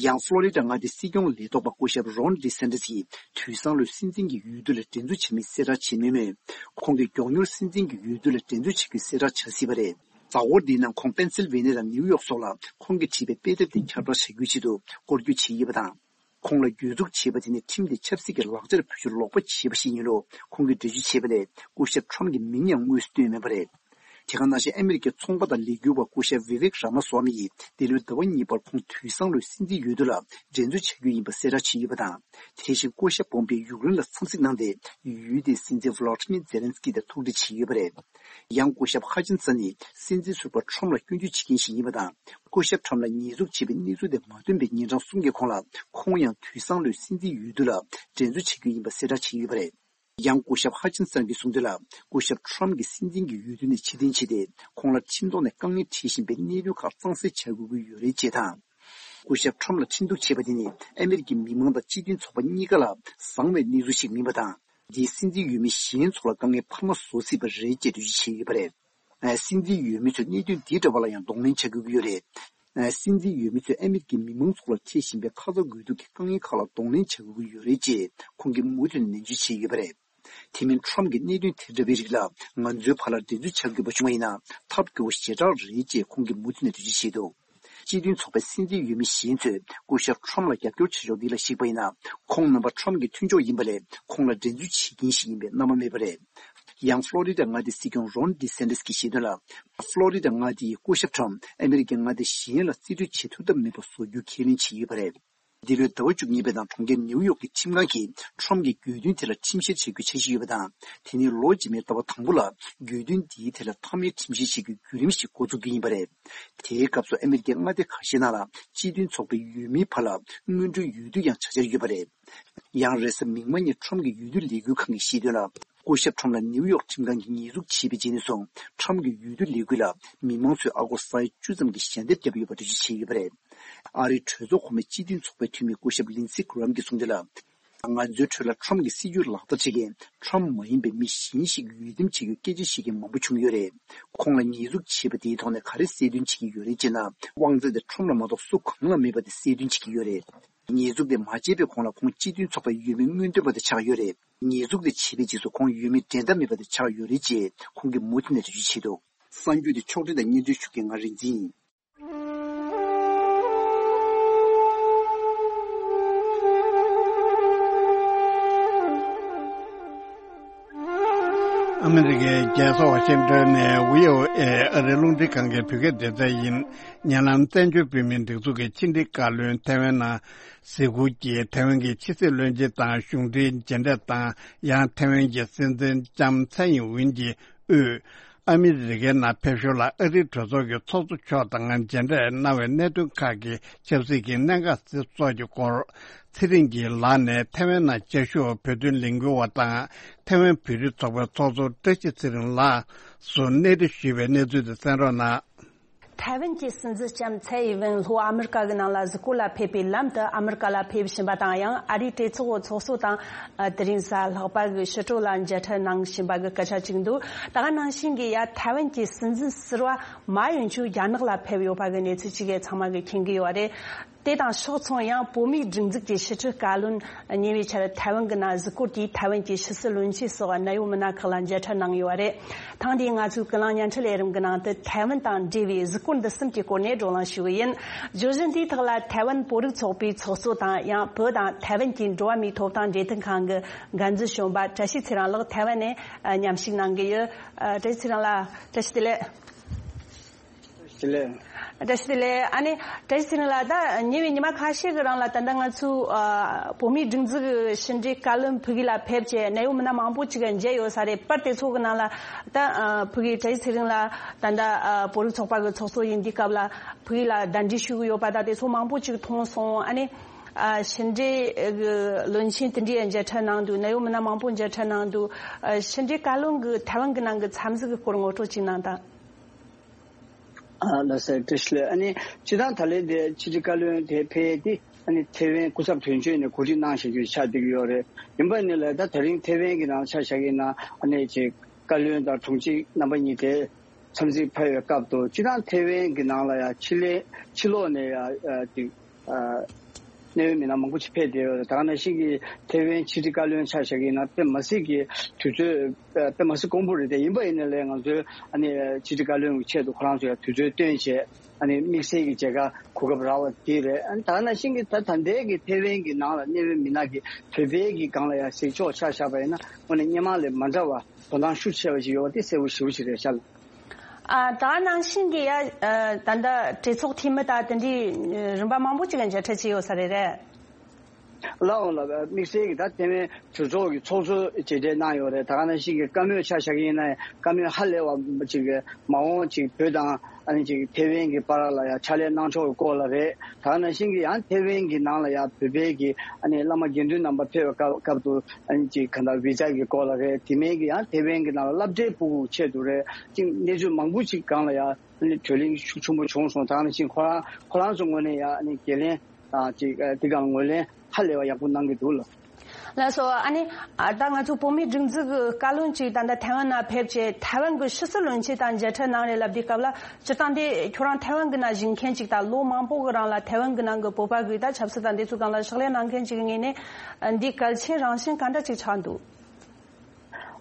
ཡང་ཕློ་རི་ཌ་མངའ་སྡེའི་སྲིད་སྐྱོང་ལས་ཐོག་པ་སྐུ་ཞབས་རོན་ཌི་སན་ཏི་སི་ཡིས་དུས་སང་ལོའི་སྲིད་འཛིན་གྱི་འོས་བསྡུ་ལ་འགྲན་རྩོད་བྱེད་མིན་གསལ་བསྒྲགས་བྱས་མེད་མོད། ཁོང་གིས་མགྱོགས་མྱུར་སྲིད་འཛིན་གྱི་འོས་བསྡུ་ལ་འགྲན་རྩོད་བྱེད་རྒྱུའི་གསལ་བསྒྲགས་བྱ་སྲིད་པ་རེད། གཟའ་འཁོར་འདིའི་ནང་ཁོང་པེན་སིལ་ཝེ་ནི་ཡ་དང་ནིའུ་ཡོག་སོགས་ལ་ཁོང་གིས་བྲིས་པའི་དཔེ་དེབ་དེ་ཁྱབ་བསྒྲགས་བྱ་རྒྱུའི་ཆེད་དུ་སྐོར་སྐྱོད་བྱས་ཡོད་པ་དང་། ཁོང་ལ་གྱོད་འཛུགས་བྱས་པ་དེ་ནི་ཁྲིམས་དེ་ཆབ་སྲིད་ཀྱི་ལག་ཆར་བེད་སྤྱོད་ལོག་པ་བྱས་པ་ཞིག་ཡིན་ལུགས་ཁོང་གིས་འགྲེལ་བརྗོད་བྱས་པ་ལས། སྐུ་ཞབས་ཁྲོམ་གྱི་མིང་ཡང་དངོས་སུ་བཏོན་མེད་པ་རེད། དེ་ག་ནང་བཞིན། ཨ་མི་རི་ཀའི་ཚོང་པ་དང་ལས་འགུལ་བ་སྐུ་ཞབས་བི་ཝེག་རཱ་མ་སྭ་མི་ཡིས་འདི་ལོའི་ཟླ་བ་གཉིས་པར་ཁོང་དུས་སང་ལོའི་སྲིད་འཛིན་འོས་བསྡུ་ལ་འགྲན་རྩོད་བྱ་རྒྱུ་ཡིན་པ་གསལ་བསྒྲགས་བྱས་ཡོད་པ་དང་། དེ་བཞིན་སྐུ་ཞབས་པོམ་པེ་ཡུཀ་རེན་ལ་འཚམས་གཟིགས་གནང་སྟེ། ཡུལ་དེའི་སྲིད་འཛིན་ཝི་ལོ་ཏི་མིར་ཛེ་ལན་སི་ཀི་དང་ཐུག་འཕྲད་བྱས་ཡོད་པ་རེད། ཡང་སྐུ་ཞབས་ཧ་ཅིན་སན་ནི་སྲིད་འཛིན་ཟུར་པ་ཁྲོམ་ལ་སྐྱོན་བརྗོད་བྱེད་མཁན་ཞིག་ཡིན་པ་དང་། སྐུ་ཞབས་ཁྲོམ་ལ་ཉེས་འཛུགས་བྱས་པའི་གནས་ཚུལ་དེ་མ་ཐོན་པའི་ཉིན་གྲངས་གསུམ་གྱི་གོང་ལ། ཁོང་ཡང་དུས་སང་ལོའི་སྲིད་འཛིན་འོས་བསྡུ་ལ་འགྲན་རྩོད་བྱ་རྒྱུ་ཡིན་པ་གསལ་བསྒྲགས་བྱས་ཡོད་པ་རེད། ཡང་སྐུ་ཞབས་ཧ་ཅིན་སན་གྱིས་གསུངས་དོན་ལ། སྐུ་ཞབས་ཁྲོམ་གྱིས་སྲིད་འཛིན་གྱི་འོས་བསྡུ་ནས་ཕྱིར་འཐེན་བྱས་ཏེ། ཁོང་ལ་ཁྲིམས་ཐོག་ནས་དཀའ་ངལ་འཕྲད་བཞིན་པའི་གནད་དོན་ཁག་གཙང་སེལ་བྱ་དགོས་ཀྱི་ཡོད་རེད་ཅེས་དང་། སྐུ་ཞབས་ཁྲོམ་ལ་ཁྲིམས་གཏུག་བྱས་པ་དེ་ནི་ཨ་མི་རི་ཀའི་མི་མང་དང་སྤྱི་མཐུན་ཚོགས་པ་གཉིས་ཀ་ལ་བཟང་བའི་གནས་ཚུལ་ཞིག་མིན་པ་དང་། འདིས་སྲིད་འཛིན་འོས་མི་གཞན་ཚོ་ལ་དཀའ་ངལ་འཕར་མ་བཟོ་སྲིད་པ་རེད་ཅེས་འགྲེལ་བརྗོད་བྱས་ཡོད་པ་རེད། སྲིད་འཛིན་འོས་མི་ཚོས་གནད་དོན་འདིའི་འབྲེལ་བ་ལ་ཡང་གདོང་ལེན་བྱ་དགོས་ཀྱི་ཡོད་རེད། སྲིད་འཛིན་འོས་མི་ཚོས་ཨ་མི་རི་ཀའི་མི་མང་ཚོགས་ལ་འཕྲད་བཞིན་པའི་ཁ་ཚ་དགོས་གཏུག་གི་དཀའ་ངལ་ཁག་ལ་གདོང་ལེན་བྱ་དགོས་ཀྱི་ཡོད་རེད་ཅེས་ཁོང་གིས་མུ་མཐུད་ནས་ནན་བརྗོད་བྱས་ཡོད་པ་རེད། དེ་མིན་ཁྲོམ་གྱི་གནད་དོན་དེ་འདྲ་བའི་རིགས་ལ་ང་ཚོའི་བར་ལ་འགྲན་རྩོད་བྱ་དགོས་པ་བྱུང་བ་ཡིན་ན་ཐབས་སྐྱོ་བོ་ཞེ་དྲག་རེད་ཅེས་ཁོང་གིས་མུ་མཐུད་ནས་འགྲེལ་བརྗོད་བྱས་འདུག་སྤྱི་མཐུན་ཚོགས་པའི་སྲིད་འཛིན་འོས་མི་གཞན་ཚོས་སྐུ་ཞབས་ཁྲོམ་ལ་རྒྱབ་སྐྱོར་བྱེད་ཕྱོགས་འདི་ལ་གཞིགས་པ་ཡིན་ན། ཁོང་རྣམ་པ་ཁྲོམ་གྱི་མཐུན་ཕྱོགས་ཡིན་པ་ལས་ཁོང་ལ་འགྲན་རྩོད་བྱེད་མཁན་ཞིག་ཡིན་པའི་རྣམ་པ་མེད་པ་རེད། ཡང་ཕློ་རི་ཌ་མངའ་སྡེའི་སྲིད་སྐྱོང་རོན་ཌི་སན་ཏི་སི་གྱིས་བཤད་དོན་ལ། ཕློ་རི་ཌ་མངའ་སྡེ་ཡིས་སྐུ་ཞབས་ཁྲོམ་ཨ་མི་རི་ཀའི་མངའ་སྡེ་གཞན་ལ་རྩིས་སྤྲོད་བྱེད་ཐུབ་ཐབས་མེད་པ་བཟོ་རྒྱུ་ཁས་ལེན་བྱས་ཡོད་པ་རེད། འདི་ལོའི་ཟླ་བ་བཅུ་གཉིས་པའི་ནང་གྲོང་ཁྱེར་ནེའུ་ཡོག་གི་ཁྲིམས་ཁང་གིས་ཁྲོམ་གྱི་དགོས་འདུན་དེ་ལ་ཁྲིམས་བཤེར་བྱེད་རྒྱུའི་འཆར་གཞི་ཡོད་པ་དང་། དེ་ནི་ལོ་རྗེས་མའི་ཟླ་བ་དང་པོ་ལ་དགོས་འདུན་འདིའི་ཐད་ལ་མཐའ་མའི་ཁྲིམས་བཤེར་བྱེད་རྒྱུའི་བརྒྱུད་རིམ་ཞིག་འགོ་འཛུགས་རྒྱུ་ཡིན་པ་རེད། དེའི་སྐབས་སུ་ཨ་མི་རི་ཀའི་མངའ་སྡེ་ཁ་ཤས་ནང་ལ་སྤྱི་མཐུན་ཚོགས་པའི་འོས་མིའི་བར་ལ་སྔོན་འགྲོའི་འོས་བསྡུ་ཡང་བྱ་འཆར་ཡོད་པ་རེད། ཡང་རེས་གཟའ་མིག་དམར་ཉིན་ཁྲོམ་གྱི་འོས་བསྡུ་ལས་འགུལ་ཁང་གིས་བཤད་དོན་ལ། སྐུ་ཞབས་ཁྲོམ་ལ་ནེའུ་ཡོག་ཁྲིམས་ཁང་གིས་ཉེས་འཛུགས་བྱས་པའི་རྗེས་ནས་བཟུང་ཁྲོམ་གྱི་འོས་བསྡུ་ལས་འགུལ་ལ་མི་མང་ཚོས་ཨ་སྒོར་ས་ཡ་བཅུ་ཙམ་གྱི་ཞལ་འདེབས་བརྒྱབ་ཡོད་པ་འགྲེལ་བརྗོད་བྱས་ཡོད་པ་རེད། ཨ་རིའི་གྲོས་ཚོགས་གོང་མའི་སྤྱི་མཐུན་ཚོགས་པའི་འཐུས་མི་སྐུ་ཞབས་ལིན་སི་གྷི་རམ་གྱིས་གསུངས་དོན་ལ། ང་ཚོའི་ཁྲོད་ལ་ཁྲོམ་གྱི་སྲིད་ཇུས་ལག་བསྟར་བྱེད་མཁན་ཁྲོམ་མ་ཡིན་པའི་མི་གཞན་ཞིག་འོས་འདེམས་བྱེད་རྒྱུའི་སྐད་ཆ་བཤད་མཁན་མང་པོ་བྱུང་ཡོད་རེད། ཁོང་ལ་ཉེས་འཛུགས་བྱས་པ་དེའི་ཐོག་ནས་ག་རེ་གསལ་སྟོན་བྱེད་ཀྱི་ཡོད་རེད་ཅེ་ན། དབང་ཚད་དེ་ཁྲོམ་ལ་མ་གཏོགས་སུ་གང་ལ་མེད་པ་དེ་གསལ་སྟོན་བྱེད་ཀྱི་ཡོད་རེད། ཉེས་འཛུགས་དེ་མ་བྱས་པའི་གོང་ལ་ཁོང་སྤྱི་མཐུན་ཚོགས་པའི་འོས་མི་སྔོན་ཐོན་པ་དེ་ཆགས་ཡོད་རེད། ཉེས་འཛུགས་དེ་བྱས་པའི་རྗེས་སུ་ཁོང་འོས་མི་འགྲན་ཟླ་མེད་པ་དེ་ཆགས་ཡོད་རེད་ཅེས་ཁོང་གིས་མུ་མཐུད་ནས་འགྲེལ་བརྗོད་བྱས་འདུག་གསར་འགྱུར་དེ་ཕྱོགས་སྒྲིག་དང་སྙན་སྒྲོན་ཞུ་མཁན་ང་རིག་འཛིན་ཡིན། ཨ་མི་རི་ཀའི་རྒྱལ་ས་ཝ་ཤིང་ཏོན་ནས་བྷི་ཨོ་ཨེ་ཨ་རིའི་རླུང་འཕྲིན་ཁང་གི་བོད་སྐད་སྡེ་ཚན་ཡིན། ཉེ་ལམ་བཙན་བྱོལ་བོད་མིའི་སྒྲིག་འཛུགས་ཀྱི་ཕྱི་འབྲེལ་བཀའ་བློན་ཐའེ་ཝན་ནང་གཟིགས་སྐོར་གྱིས་ཐའེ་ཝན་གྱི་ཕྱི་སྲིད་བློན་ཆེན་དང་གཞུང་འབྲེལ་མཇལ་འཕྲད་དང་། ཡང་ཐའེ་ཝན་གྱི་སྲིད་འཛིན་ལྕམ་ཚའེ་ཡིན་ཝིན་གྱིས་དབུས་ཨ་མི་རི་ཀའི་ནང་ཕེབས་ཞོར་ལ་ཨ་རིའི་གྲོས་ཚོགས་ཀྱི་ཚོགས་གཙོ་མཆོག་དང་མཇལ་འཕྲད་གནང་བའི་གནད་དོན་ཁག་གི་ཆབ་སྲིད་ཀྱི་གནད་འགག་སོགས་ཀྱི་སྐོར། ཚེ་རིང་གི་ལག་ནས་ཐའེ་ཝན་ནང་བཅའ་བཞུགས་བོད་དོན་ལས་འགུལ་བ་དང་ཐའེ་ཝན་བོད་རིགས་ཚོགས་པའི་ཚོགས་གཙོ་བཀྲ་ཤིས་ཚེ་རིང་ལགས་སུ་གནས་འདྲི་ཞུས་པའི་གནས་ཚུལ་དེ་གསན་རོགས་གནང་། ཐའེ་ཝན་གྱི་སྲིད་འཛིན་ལྕམ་ཚའེ་ཡིན་ཝེན་ལྷོ་ཨ་མི་རི་ཀ་གི་ནང་ལ་གཟིགས་སྐོར་ལ་ཕེབས་པའི་ལམ་དུ་ཨ་མི་རི་ཀ་ལ་ཕེབས་བཞིན་པ་དང་། ཡང་ཨ་རིའི་གྲོས་ཚོགས་ཚོགས་གཙོ་དང་དེ་རིང་གཟའ་ལྷག་པ་གི་ཕྱི་དྲོ་ལ་མཇལ་འཕྲད་གནང་བཞིན་པ་གི་སྐད་ཆ་ཅིག་འདུག་ད་ག་ནང་བཞིན་གྱི་ཡ་ཐའེ་ཝན་གྱི་སྲིད་འཛིན་ཟུར་པ་མཱ་ཡུན་ཆུ་རྒྱ་ནག་ལ་ཕེབས་ཡོད་པ་གི་གནས་ཚུལ་ཅིག་གི་ཚང་མ་གི་མཁྱེན་གི་ཡོད་རེད། དེ་དང་ཕྱོགས་མཚུངས་ཡང་བོད་མིའི་སྒྲིག་འཛུགས་ཀྱི་ཕྱི་དྲིལ་བཀའ་བློན་ཉེ་བའི་ཆར་ཐའེ་ཝན་གྱི་ནང་གཟིགས་སྐོར་དེས་ཐའེ་ཝན་གྱི་ཕྱི་སྲིད་བློན་ཆེན་སོགས་གནད་ཡོད་མི་སྣ་ཁག་ལ་མཇལ་འཕྲད་གནང་ཡོད་པ་རེད། ཐེངས་འདིའི་ང་ཚོའི་ཀུན་གླེང་བརྙན་འཕྲིན་ལས་རིམ་གྱི་ནང་དུ་ཐའེ་ཝན་དང་འབྲེལ་བའི་གཟིགས་སྐོར་འདི་གསུམ་གྱི་སྐོར་ནས་བགྲོ་གླེང་ཞུ་གི་ཡིན། བརྗོད་གཞི་འདིའི་ཐོག་ལ་ཐའེ་ཝན་བོད་རིགས་ཚོགས་པའི་ཚོགས་གཙོ་དང་། ཡང་བོད་དང་ཐའེ་ཝན་གྱི་འགྲོ་བ་མིའི་ཐོབ་ཐང་འབྲེལ་མཐུད་ཁང་གི་འགན་འཛིན་གཞོན་པ་བཀྲ་ཤིས་ཚེ་རིང་ལགས་ཐའེ་ཝན་ནས་མཉམ་ཞུགས་གནང་གི་ཡོད། བཀྲ་ཤིས་ཚེ་རིང་ལགས། བཀྲ་ཤིས་བདེ་ལེགས། བདེ་ལེགས། བཀྲ་ཤིས་བདེ་ལེགས། ཨ་ནི་བཀྲ་ཤིས་ཚེ་རིང་ལགས། ད་ཉེ་བའི་ཉི་མ་ཁ་ཤས་ཀྱི་རིང་ལ་ད་ལྟ་ང་ཚོའི་ཨ་བོད་མིའི་སྒྲིག་འཛུགས་ཕྱི་འབྲེལ་བཀའ་བློན་ཕ་གི་ལ་ཕེབས་བྱས་གནད་ཡོད་མི་སྣ་མང་པོ་ཅིག་མཇལ་ཡོད་ས་རེད། པར་དེ་ཚོ་གི་ནང་ལ་ད་ཨ་ཕ་གི་བཀྲ་ཤིས་ཚེ་རིང་ལགས་ད་ལྟ་ཨ་བོད་རིགས་ཚོགས་པ་གི་ཚོགས་གཙོ་ཡིན་དུས་སྐབས་ལ་ཕ་གི་ལ་གདན་འདྲེན་ཞུ་གི་ཡོད་པ་དང་། དེ་ཚོ་མང་པོ་ཅིག་མཐོང་སོང་། ཨ་ནི་ཨ་ཕྱི་འབྲེལ་གི་བློན་ཆེན་དེ་འདྲའི་མཇལ་འཕྲད་གནང་འདུག་གནད་ཡོད་མི་སྣ་མང་པོ་མཇལ་འཕྲད་གནང་འདུག་ཨ་ཕྱི་འབྲེལ་བཀའ་བློན་གི་ཐའེ་ཝན་གི་ནང་གི་འཚམས་གཟིགས་གི་སྐོར་ངོ་སྤྲོད་ཅིག་གནང་དང་། ཨ་ལགས་སོ། བཀྲ་ཤིས་བདེ་ལེགས། ཨ་ནི་སྤྱིར་བཏང་ད་ལན་དེ་ཕྱི་དྲིལ་བཀའ་བློན་དེ་ཕེབས་ཏེ་ཨ་ནི་ཐའེ་ཝན་སྐུ་ཚབ་དོན་གཅོད་ནས་གོ་སྒྲིག་གནང་བཞིན་པའི་ཆ་བསྡད་ཀྱི་ཡོད་རེད། ཡིན་པ་ནི་ལ་ད་དེ་རིང་ཐའེ་ཝན་གྱི་ནང་ཆ་བཞག་གི་ཡིན་ན་ཨ་ནི་ཅིག་བཀའ་བློན་དང་དྲུང་ཆེ་རྣམ་པ་གཉིས་དེ་འཚམས་གཟིགས་ཕེབས་པའི་སྐབས་དུ་སྤྱིར་བཏང་ཐའེ་ཝན་གྱི་ནང་ལ་ཡང་ཕྱི་ལས་ཕྱི་ལོགས་ནས་ཡང་ཨ་ཅིག་ཨ་གནད་ཡོད་མི་སྣ་མང་པོ་ཅིག་ཕེབས་བསྡད་ཡོད་རེད། ད་ག་ནང་བཞིན་གྱི་ཐའེ་ཝན་ཕྱི་དྲིལ་བཀའ་བློན་ཆ་བཞག་གི་ཡིན་ན་དཔེ་མ་སྲིད་ཀྱི་དུས་ཚོད་དཔེ་མ་སྲིད་དཀོན་པོ་རེད་དེ། ཡིན་པ་ཡིན་ནའི་ལས་ང་ཚོའི་ཨ་ནི་ཕྱི་དྲིལ་བཀའ་བློན་གྱི་ཆེད་དུ་ཁོ་རང་ཚོ་ཡང་དུས་ཚོད་བཏོན་བྱས་ཨ་ནི་དམིགས་བསལ་གྱི་མཇལ་ཁ་གོ་སྐབས་རག་པ་དེ་རེད། ཨ་ནི་ད་ག་ནང་བཞིན་གྱི་ད་ད་ལྟའི་གི་ཐའེ་ཝན་གྱི་ནང་ལ་གནད་ཡོད་མི་སྣ་གི་བོད་པའི་གི་སྒང་ལ་ཡང་གཟིགས་ཕྱོགས་ཆ་བཞག་པ་ཡིན་ན་དངོས་གནས་སྔོན་མ་ལས་མ་འདྲ་བ་དོ་སྣང་ཤུགས་ཆེ་བ་ཞིག་ཡོད་པ་དེ་གསལ་པོ་ཞེ་པོ་ཅིག་རེད་ཤག་ལ། ཨ་ད་ག་ནང་བཞིན་གྱི་ཡ་ཨ་ད་ལྟ་གྲོས་ཚོགས་འཐུས་མི་དང་དེ་འདྲའི་རིམ་པ་མང་པོ་ཅིག་ལ་མཇལ་འཕྲད་བྱས་ཡོད་ས་རེད། རེད། ལགས་འོང་ལགས། དམིགས་བསལ་གྱི་ད་ཐའེ་ཝན་གྲོས་ཚོགས་ཀྱི་ཚོགས་གཙོ་མཇལ་འཕྲད་གནང་ཡོད་རེད། ད་ག་ནང་བཞིན་གྱི་བཀའ་མོལ་ཆ་བཞག་གི་ཡིན་ན་ཡང་བཀའ་མོལ་ཧ་ལས་པ་ཅིག་གི་མ་འོངས་ཅིག་བོད་དང་ཨ་ནི་ཅིག་ཐའེ་ཝན་གྱི་བར་ལ་ཡང་ཕྱག་ལས་གནང་ཕྱོགས་ཀྱི་སྐོར་ལ་རེད། ད་ག་ནང་བཞིན་གྱི་ཡང་ཐའེ་ཝན་གྱི་ནང་ལ་ཡང་བོད་པའི་གི་ཨ་ནི་བླ་མ་དགེ་འདུན་རྣམ་པ་ཕེབས་པའི་སྐབས་སྐབས་སུ་ཨ་ནི་ཅིག་ག་འདྲ་བི་ཛ་གི་སྐོར་ལ་རེད། དེ་མིན་གྱི་ཡང་ཐའེ་ཝན་གྱི་ནང་ལ་སློབ་གྲྭའི་ཕྲུ་གུ་ཆེད་དུ་རེད། ཅིག་གནས་ཚུལ་མང་པོ་ཅིག་སྒང་ལ་ཡང་ཨ་ནི་བགྲོ་གླེང་ཤུགས་ཆེན་པོ་བྱུང་སོང་། ད་ག་ནང་བཞིན་ཁོ་རང་ཁོ་རང་ཚོ་ངོས་ནས་ཡང་ཨ་ནི་འགན་ལེན་ཨ་ཅིག་ཨ་དེ་སྒང་ངོས་ལེན་ ཧ་ལས་པ་ཡག་པོ་གནང་གི་འདུག་ལ། ལགས་སོ། ཨ་ནི་ཨ་ད་ང་ཚོ་བོད་མིའི་སྒྲིག་འཛུགས་ཀྱི་བཀའ་བློན་གཅིག་ད་ལྟ་ཐའེ་ཝན་ནང་ཕེབས་བྱས་ཐའེ་ཝན་གྱི་ཕྱི་སྲིད་བློན་ཆེན་དང་མཇལ་འཕྲད་གནང་རེད་ལབ་དུས་སྐབས་ལ་སྤྱིར་བཏང་དེ་ཁྱོད་རང་ཐའེ་ཝན་གྱི་ནང་བཞུགས་མཁན་གཅིག་དང་ལོ་མང་པོ་གི་རིང་ལ་ཐའེ་ཝན་གྱི་ནང་གི་བོད་པ་གི་ད་ཆབ་སྲིད་དང་འདི་ཚོའི་སྒང་ལ་ཕྱག་ལས་གནང་མཁན་གཅིག་གི་ངོས་ནས་འདི་གལ་ཆེན་རང་བཞིན་ག་འདྲ་ཅིག་ཆགས་འདུག་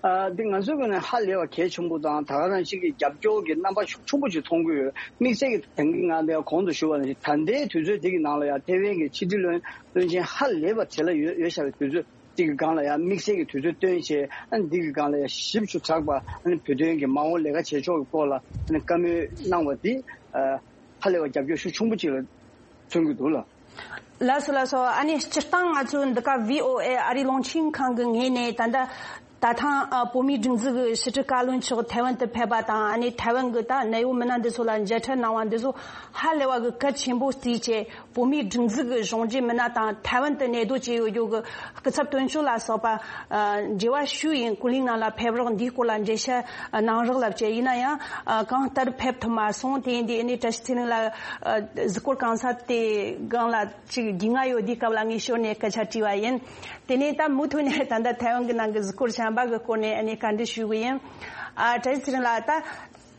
ཨ། འདི་ང་ཚོའི་ངོས་ནས་ཧ་ལས་པ་གལ་ཆེན་པོ་དང་ད་ག་ནང་བཞིན་གྱི་རྒྱབ་སྐྱོར་གྱི་རྣམ་པ་ཤུགས་ཆེན་པོ་ཅིག་མཐོང་གི་ཡོད། དམིགས་བསལ་གྱི་ད་གིན་ང་འདིར་གོང་དུ་ཞུས་པ་ནང་བཞིན་ད་ལྟའི་དུས་ཚོད་འདི་གི་ནང་ལ་ཡང་ཐའེ་ཝན་གྱི་ཕྱི་དྲིལ་བློན་བློན་ཆེན་ཧ་ལས་པ་བྱེད་ལ་ཡོད་ཡོད་བཞག་པའི་དུས་ཚོད་འདི་གི་སྒང་ལ་ཡང་དམིགས་བསལ་གྱི་དུས་ཚོད་བཏོན་བྱས། ཨ་ནི་འདི་གི་སྒང་ལ་ཡང་ཞིབ་ཏུ་དྲགས་པ། ཨ་ནི་བོད་དོན་གྱི་མ་འོངས་ལས་ཀ་བྱེད་ཕྱོགས་ཀྱི་སྐོར་ལ་ཨ་ནི་བཀའ་མོལ་གནང་བ་འདི་ཨ་ཧ་ལས་པ་རྒྱབ་སྐྱོར་ཤུགས་ཆེན་པོ་ཅིག་ལ་མཚོན་གྱི་འདུག་ལ། ལགས་སོ་ལགས་སོ། ཨ་ནི་སྤྱིར་བཏང་ང་ཚོའི་འདི་ག་བྷི་ཨོ་ཨེ་ཨ་རིའི་རླུང་འཕྲིན་ཁང་གི་ངོས་ནས་ད་ལྟ་ད་ཐེངས་ཨ་བོད་མིའི་སྒྲིག་འཛུགས་ཀྱི་ཕྱི་དྲིལ་བཀའ་བློན་མཆོག་ཐའེ་ཝན་དུ་ཕེབས་པ་དང་ཨ་ནི་ཐའེ་ཝན་གྱི་ད་གནད་ཡོད་མི་སྣ་འདི་ཚོ་ལ་མཇལ་འཕྲད་གནང་བ་འདི་ཚོ་ཧ་ལས་པ་གི་གལ་ཆེན་པོ་བརྩིས་བྱས་བོད་མིའི་སྒྲིག་འཛུགས་ཀྱི་གཞུང་འབྲེལ་མི་སྣ་དང་ཐའེ་ཝན་དུ་གནས་སྡོད་བྱས་ཡོད་རྒྱུ་གི་སྐུ་ཚབ་དོན་གཅོད་ལ་སོགས་པ་ཨ་འབྲེལ་བ་ཞུས་ཡིན། ཀུན་གླེང་ནང་ལ་ཕེབས་རོགས་འདིའི་སྐོར་ལ་འགྲེལ་བཤད་གནང་རོགས་ལབ་བྱས། ཡིན་ན་ཡང་ཨ་གང་ལྟར་ཕེབས་ཐུབ་མ་སོང་། དེ་ཡིན་དུས་ཨ་ནི་བཀྲ་ཤིས་ཚེ་རིང་ལགས་ཨ་གཟིགས་སྐོར་གང་ས་དེ་སྒང་ལ་ཅིག་རྒྱུས་མངའ་ཡོད་དུས་སྐབས་ལ་ངས་ཞོར་ནས་སྐད་ཆ་དྲིས་པ་ཡིན། དེ་ནས་ད་མུ་མཐུད་ནས་ད་ལྟ་ཐའེ་ཝན་གྱི་ནང་གི་གཟིགས་སྐོར་གཞན་པ་གི་སྐོར་ནས་ཨ་ནི་བཀའ་འདྲི་ཞུ་གི་ཡིན། ཨ་བཀྲ་ཤིས་ཚེ་རིང་ལགས། ད་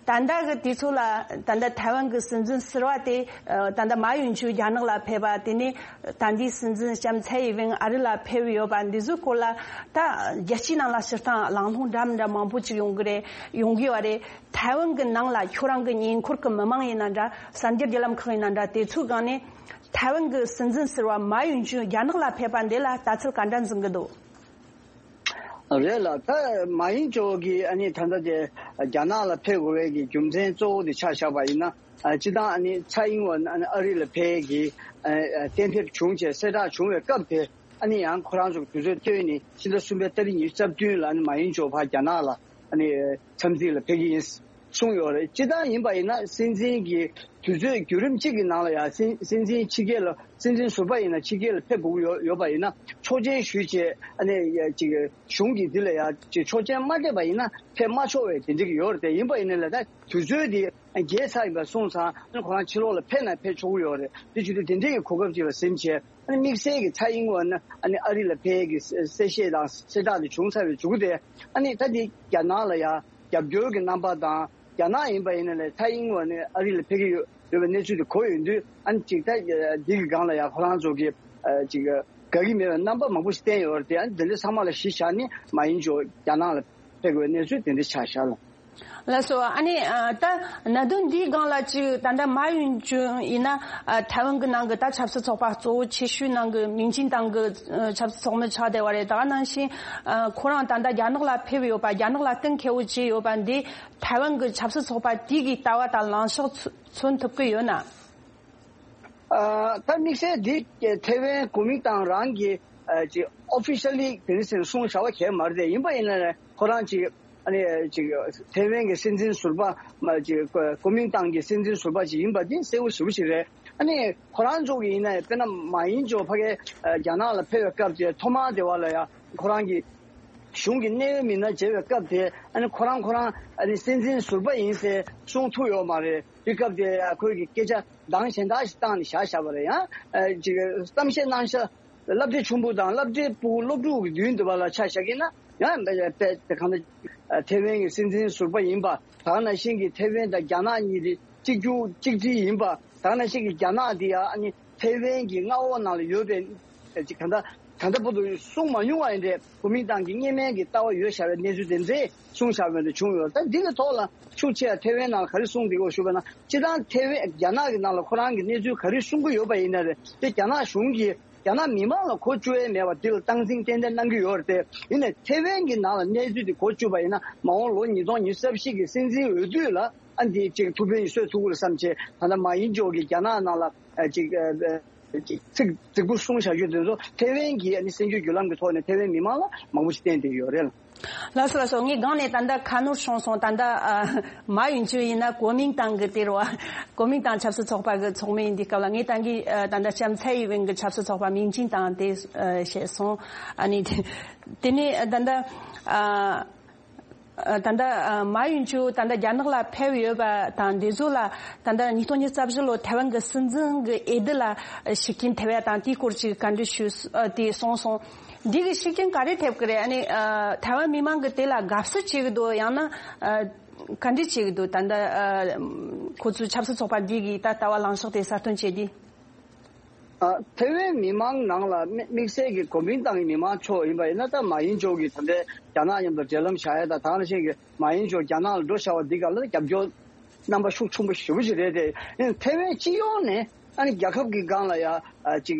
ད་ལྟ་གི་དུས་ཚོད་ལ་ད་ལྟ་ཐའེ་ཝན་གྱི་སྲིད་འཛིན་ཟུར་པ་དེ་ཨ་ད་ལྟ་མཱ་ཡུན་ཅུན་རྒྱ་ནག་ལ་ཕེབས་པ། དེ་ནས་ད་ལྟའི་སྲིད་འཛིན་ལྕམ་ཚའེ་ཡི་ཝེན་ཨ་རི་ལ་ཕེབས་ཡོད་པ་འདི་ཚོའི་སྐོར་ལ་ད་རྒྱལ་སྤྱིའི་ནང་ལ་སྤྱིར་བཏང་གླེང་སློང་འདྲ་མི་འདྲ་མང་པོ་ཅིག་ཡོང་གི་རེད། ཡོང་གི་ཡོད་རེད། ཐའེ་ཝན་གྱི་ནང་ལ་ཁྱོད་རང་གི་ཉེ་འཁོར་གྱི་མི་མང་ཡིན་ན་འདྲ། གསར་འགྱུར་བརྒྱུད་ལམ་ཁག་ཡིན་ན་འདྲ། དེ་ཚོའི་སྒང་ནས་ཐའེ་ཝན་གྱི་སྲིད་འཛིན་ཟུར་པ་མཱ་ཡུན་ཅུན་རྒྱ་ནག་ལ་ཕེབས་པ་འདི་ལ་ལྟ་ཚུལ་ག་འདྲ་འཛིན་གྱི་འདུག་རེད་ལ། ད་མཱ་ཡིན་ཅོ་གིས་ཨ་ནི་ད་ལྟ་དེ་རྒྱ་ནག་ལ་ཕེབས་དགོས་པའི་གི་རྒྱུ་མཚན་གཙོ་བོ་དེ་ཆ་བཞག་པ་ཡིན་ན། ཨ་སྤྱིར་བཏང་ཨ་ནི་ཚའེ་ཨིན་ཝེན་ཨ་ནི་ཨ་རི་ལ་ཕེབས་ཀྱི་ཨ་ཨ་གཏན་ཕེབས་བྱུང་བྱས་གསལ་བསྒྲགས་བྱུང་བའི་སྐབས་དེ། ཨ་ནི་ཡང་ཁོ་རང་ཚོ་གི་དུས་ཚོད་བཏོན་ནས་ཕྱི་ཟླ་གསུམ་པའི་ཏ་རིག་ཉི་ཤུ་རྩ་བདུན་ལ་ཨ་ནི་མཱ་ཡིན་ཅོ་ཕར་རྒྱ་ནག་ལ་ཨ་ནི་འཚམས་གཟིགས་ལ་ཕེབས་ཀྱི་ཡིན་གསུངས་ཡོད་རེད། སྤྱིར་བཏང་ཡིན་པ་ཡིན་ན་སྲིད་འཛིན་གྱི་དུས་ཚོད་བརྒྱུད་རིམ་གཅིག་གི་ནང་ལ་ཡང་སྲིད་སྲིད་འཛིན་ཕྱི་རྒྱལ་ལ། སྲིད་འཛིན་ཟུར་པ་ཡིན་ན་ཕྱི་རྒྱལ་ལ་ཕེབས་དགོས་ཀྱི་ཡོད་ཡོད་པ་ཡིན་ན། ཆོག་མཆན་ཞུས་བྱས་ཨ་ནི་ཡ་ཅིག་གཞུང་གིས་འདི་ལ་ཡ་ཅིག་ཆོག་མཆན་མ་སྤྲད་པ་ཡིན་ན་ཕེབས་མ་ཆོག་པའི་དེ་འདྲ་གི་ཡོད་རེད་དེ། ཡིན་པ་ཡིན་ན་ལ་ད་དུས་ཚོད་འདི་བརྒལ་ཚར་ཡིན་པ་སོང་ཙང་ཨ་ནི་ཁོ་རང་ཕྱི་ལོགས་ལ་ཕེབས་ན་ཕེབས་ཆོག་གི་ཡོད་རེད། དེ་བྱེད་དུས་དེ་འདྲའི་གི་གོ་སྐབས་ཅིག་ལ་ཟིན་བྱས་ཨ་ནི་དམིགས་བསལ་གྱི་ཚའེ་ཨིན་ཝེན་ཨ་ནི་ཨ་རི་ལ་ཕེབས་ཀྱི་གསལ་བཤད་དང་གསལ་བསྒྲགས་དེ་བྱུང་ཚར་བའི་མཇུག་དེ་ཨ་ནི་ད་འདི་རྒྱ་ནག་ལ་ཡ་རྒྱབ་སྐྱོར་གྱི་རྣམ་པ་དང་། རྒྱ་ནག་ཡིན་པ་ཡིན་ན་ལས་ཐའེ་ཝན་ནས་ཨ་རི་ལ་ཕེབས་ཀྱི་ཡོད་ཡོད་པའི་གནས་ཚུལ་དེ་གོ་ཡོང་དུས། ཨ་ནི་ཅིག་ད་འདི་གི་སྒང་ལ་ཡང་ཁོ་རང་ཚོ་གི་ཨ་ཅིག་དགའ་གི་མེད་པའི་རྣམ་པ་མང་པོ་ཞིག་བསྟན་ཡོད་རེད་དེ། ཨ་ནི་དེ་འདྲ་ཚང་མ་ལ་གཞི་བཞག་ནས་མཱ་ཡིན་ཅོ་རྒྱ་ནག་ལ་ཕེབས་དགོས་པའི་གནས་ཚུལ་དེ་འདྲ་ཆགས་བཞག་ལ། ལགས་སོ། ཨ་ནི་ཨ་ད་གནད་དོན་འདིའི་སྒང་ལ་ཅིག་ད་ལྟ་མཱ་ཡུན་ཅུན་ཡིན་ན་ཨ་ཐའེ་ཝན་གྱི་ནང་གི་ད་ཆབ་སྲིད་ཚོགས་པ་གཙོ་བོ་ཆེ་ཤོས་ནང་གི་མིང་ཅན་ཏང་གི་ཨ་ཆབ་སྲིད་ཚོགས་མི་ཆགས་བསྡད་པ་རེད། ད་ག་ནང་བཞིན་ཨ་ཁོ་རང་ད་ལྟ་རྒྱ་ནག་ལ་ཕེབས་ཡོད་པ། རྒྱ་ནག་ལ་གཏན་འཁེལ་བོ་བྱས་ཡོད་པ་འདི། ཐའེ་ཝན་གྱི་ཆབ་སྲིད་ཚོགས་པ་དེ་གི་ལྟ་བ་དང་ལངས་ཕྱོགས་མཚོན་མཚོན་ཐུབ་ཀྱི་ཡོད་ན། ཨ་ད་དམིགས་བསལ་འདི་ཐའེ་ཝན་གོ་མིང་ཏང་རང་གི་ཨ་ཅིག་ཨོ་ཕི་ཤལ་ལི་དེ་ནི་ཟེར་གསུང་བྱ་བ་གལ་མ་རེད་དེ། ཡིན་པ་ཡིན་ན་ཁོ་རང་ཅིག་ཨ་ནི་ཅིག་ཐའེ་ཝན་གྱི་སྲིད་འཛིན་ཟུར་པ་མ་ཅིག་གོ་མིང་ཏང་གི་སྲིད་འཛིན་ཟུར་པ་ཅིག་ཡིན་པ་དེ་གསལ་བོ་ཞེ་པོ་ཞིག་རེད། ཨ་ནི་ཁོ་རང་ཚོ་གི་ཡིན་ན་དཔེར་ན་མཱ་ཡིན་ཅོ་ཕ་གའི་ཨ་རྒྱ་ནག་ལ་ཕེབས་པའི་སྐབས་དེ་ཐོག་མར་དེ་བ་ལ་ཡ་ཁོ་རང་གི་གཞུང་གི་གནད་ཡོད་མི་སྣ་མཇལ་བའི་སྐབས་དེ། ཨ་ནི་ཁོ་རང་ཁོ་རང་ཨ་ནི་སྲིད་འཛིན་ཟུར་པ་ཡིན་ཟེར་གསུང་ཐུབ་ཡོད་མ་རེད། དེ་སྐབས་དེ་ཁོས་ཀྱི་སྐད་ཆ་གདངས་གཞན་དག་ཞིག་བཏང་ནས་བཞག་བཞག་པ་རེད། ཡང་ཨ་ཅིག་གཏམ་བཤད་གནང་ཤག་སློབ་གྲྭ་ཆུང་པོ་དང་སློབ་གྲྭའི་ཕྲུ་གུ་སློབ་ཕྲུག་གི་མདུན་དུ་བ་ལ་ཆ་བཞག་གི་ན་ཡང་དཔེ་དེ་གང་ལྟར་ཐའེ་ཝན་གྱི་སྲིད་འཛིན་ཟུར་པ་ཡིན་པ། ད་ག་ནང་བཞིན་གྱི་ཐའེ་ཝན་དང་རྒྱ་ནག་གཉིས་དེ་གཅིག་གྱུར་གཅིག་སྒྲིལ་ཡིན་པ། ད་ག་ནང་བཞིན་གྱི་རྒྱ་ནག་དེ་ཡང་ཨ་ནི་ཐའེ་ཝན་གྱི་མངའ་འོག་ནང་ལ་ཡོད་པའི་ཅིག་གང་ལྟར་ད་ལྟ་བར་དུ་གསུངས་མ་མྱོང་བ་ཡིན་ཏེ། གོ་མིང་ཏང་གི་སྔོན་མའི་གི་ལྟ་བ་ཡོད་བཞག་པའི་གནས་ཚུལ་དེ་འདྲས་གསུངས་བཞག་པ་འདྲ་བྱུང་ཡོད། ད་འདི་གི་ཐོག་ལ་ཤུགས་ཆེ་ཐའེ་ཝན་ནང་ལ་ག་རེ་གསུངས་འདུག་གོ་ཞུས་པ་ན། སྤྱིར་བཏང་ཐའེ་ཝན་རྒྱ་ནག་གི་ནང་ལ་ཁོ་རང་གི་གནས་ཚུལ་ག་རེ་གསུང་གི་ཡོད་པ་ཡིན་ན་རེད་དེ། རྒྱ་ནག་གཞུང་གིས་རྒྱ་ནག་མི་མང་ལ་གོ་བཅུག་ཡས་མེད་པ་འདི་ལ་སྟངས་འཛིན་ཏན་ཏན་གནང་གི་ཡོད་རེད་དེ། ཡིན་ནའི་ཐའེ་ཝན་གྱི་ནང་ལ་གནས་ཚུལ་འདི་གོ་བཅུག་པ་ཡིན་ན། མ་འོངས་ལོ་ཉིས་སྟོང་ཉི་ཤུ་རྩ་བཞི་གི་སྲིད་འཛིན་འོས་བསྡུ་ལ་ཨ་འདི་ཅིག་ཐུགས་ཕན་གསོས་ཐུབ་ཀྱི་རེད་བསམ་བྱས། ད་ལྟ་མཱ་ཡིན་ཅོ་གིས་རྒྱ་ནག་ནང་ལ་ཨ་ཅིག་ཨ་ཅིག་ཚིག་རྫིག་པོ་གསུངས་བཞག་རྒྱུ་དེ་ཚོ་ཐའེ་ཝན་གྱི་ཨ་ནི་གསར་འགྱུར་བརྒྱུད་ལམ་གྱི་ཐོག་ནས་ཐའེ་ཝན་མི་མང་ལ་མང་པོ་ཞིག་བསྟན་བསྡད་ཡོད་རེད། ལགས་སོ་ལགས་སོ། ངས་སྒང་ནས་ད་ལྟ་ཁ་ནོར་བྱུང་སོང་། ད་ལྟ་ཨ་མཱ་ཡུན་ཅུན་ཡིན་ན་གོ་མིང་ཏང་གི་དེ་རུ་གོ་མིང་ཏང་ཆབ་སྲིད་ཚོགས་པ་གི་ཚོགས་མི་ཡིན་དུས་སྐབས་ལ། ངས་ད་གིན་ཨ་ད་ལྟ་ལྕམ་ཚའེ་ཡི་ཝེན་གི་ཆབ་སྲིད་ཚོགས་པ་མིང་ཅན་ཏང་དེ་ཨ་བཤད་སོང་། ཨ་ནི་དེ་ནས་ད་ལྟ་ཨ་ ད་ལྟ་མཱ་ཡུན་ཅུ་ད་ལྟ་རྒྱ་ནག་ལ་ཕེབས་ཡོད་པ་དང་། འདི་ཚོ་ལ་ད་ལྟ་ཉིས་སྟོང་ཉི་ཤུ་རྩ་བཞི་ལོ་ཐའེ་ཝན་གྱི་སྲིད་འཛིན་གྱི་འོས་བསྡུ་ལ་ཤུགས་རྐྱེན་ཐེབས་ཡ་དང་། དེའི་སྐོར་ཅིག་བཀའ་འདྲི་ཞུས། དེ་གསུངས་སོང་། འདི་གི་ཤུགས་རྐྱེན་ག་རེ་ཐེབས་ཀྱི་རེད། ཨ་ནི་ཐའེ་ཝན་མི་མང་གི་དེ་ལ་དགའ་བསུ་བྱེད་ཀྱི་འདུག་ཡང་ན་བཀའ་འདྲི་བྱེད་ཀྱི་འདུག་ད་ལྟ་ཁོ་ཚོའི་ཆབ་སྲིད་ཚོགས་པ་འདི་གི་ད་ལྟ་བ་ལངས་ཕྱོགས་དེ་གསལ་སྟོན་བྱེད་དུས། ཨ། ཐའེ་ཝན་མི་མང་ནང་ལ་དམིགས་དམིགས་བསལ་གྱི་གོ་མིང་ཏང་གི་མི་མང་ཚོ་ཡིན་པ་ཡིན་ན། ད་མཱ་ཡིན་ཅོ་གི་ད་ལྟའི་རྒྱ་ནག་མཉམ་དུ་འབྲེལ་ལམ་བཞག་ཡ་དང་། ད་ག་ནང་བཞིན་གྱི་མཱ་ཡིན་ཅོ་རྒྱ་ནག་ལ་འགྲོ་བཞག་པ་འདི་ག་ལ་རྒྱབ་སྐྱོར་རྣམ་པ་ཤུགས་ཆེན་པོ་ཞེ་པོ་ཞིག་རེད་དེ། ཡིན་ཐའེ་ཝན་སྤྱི་ཡོངས་ནས་ཨ་ནི་རྒྱལ་ཁབ་ཀྱི་སྒང་ལ་ཡ་ཨ་ཅིག་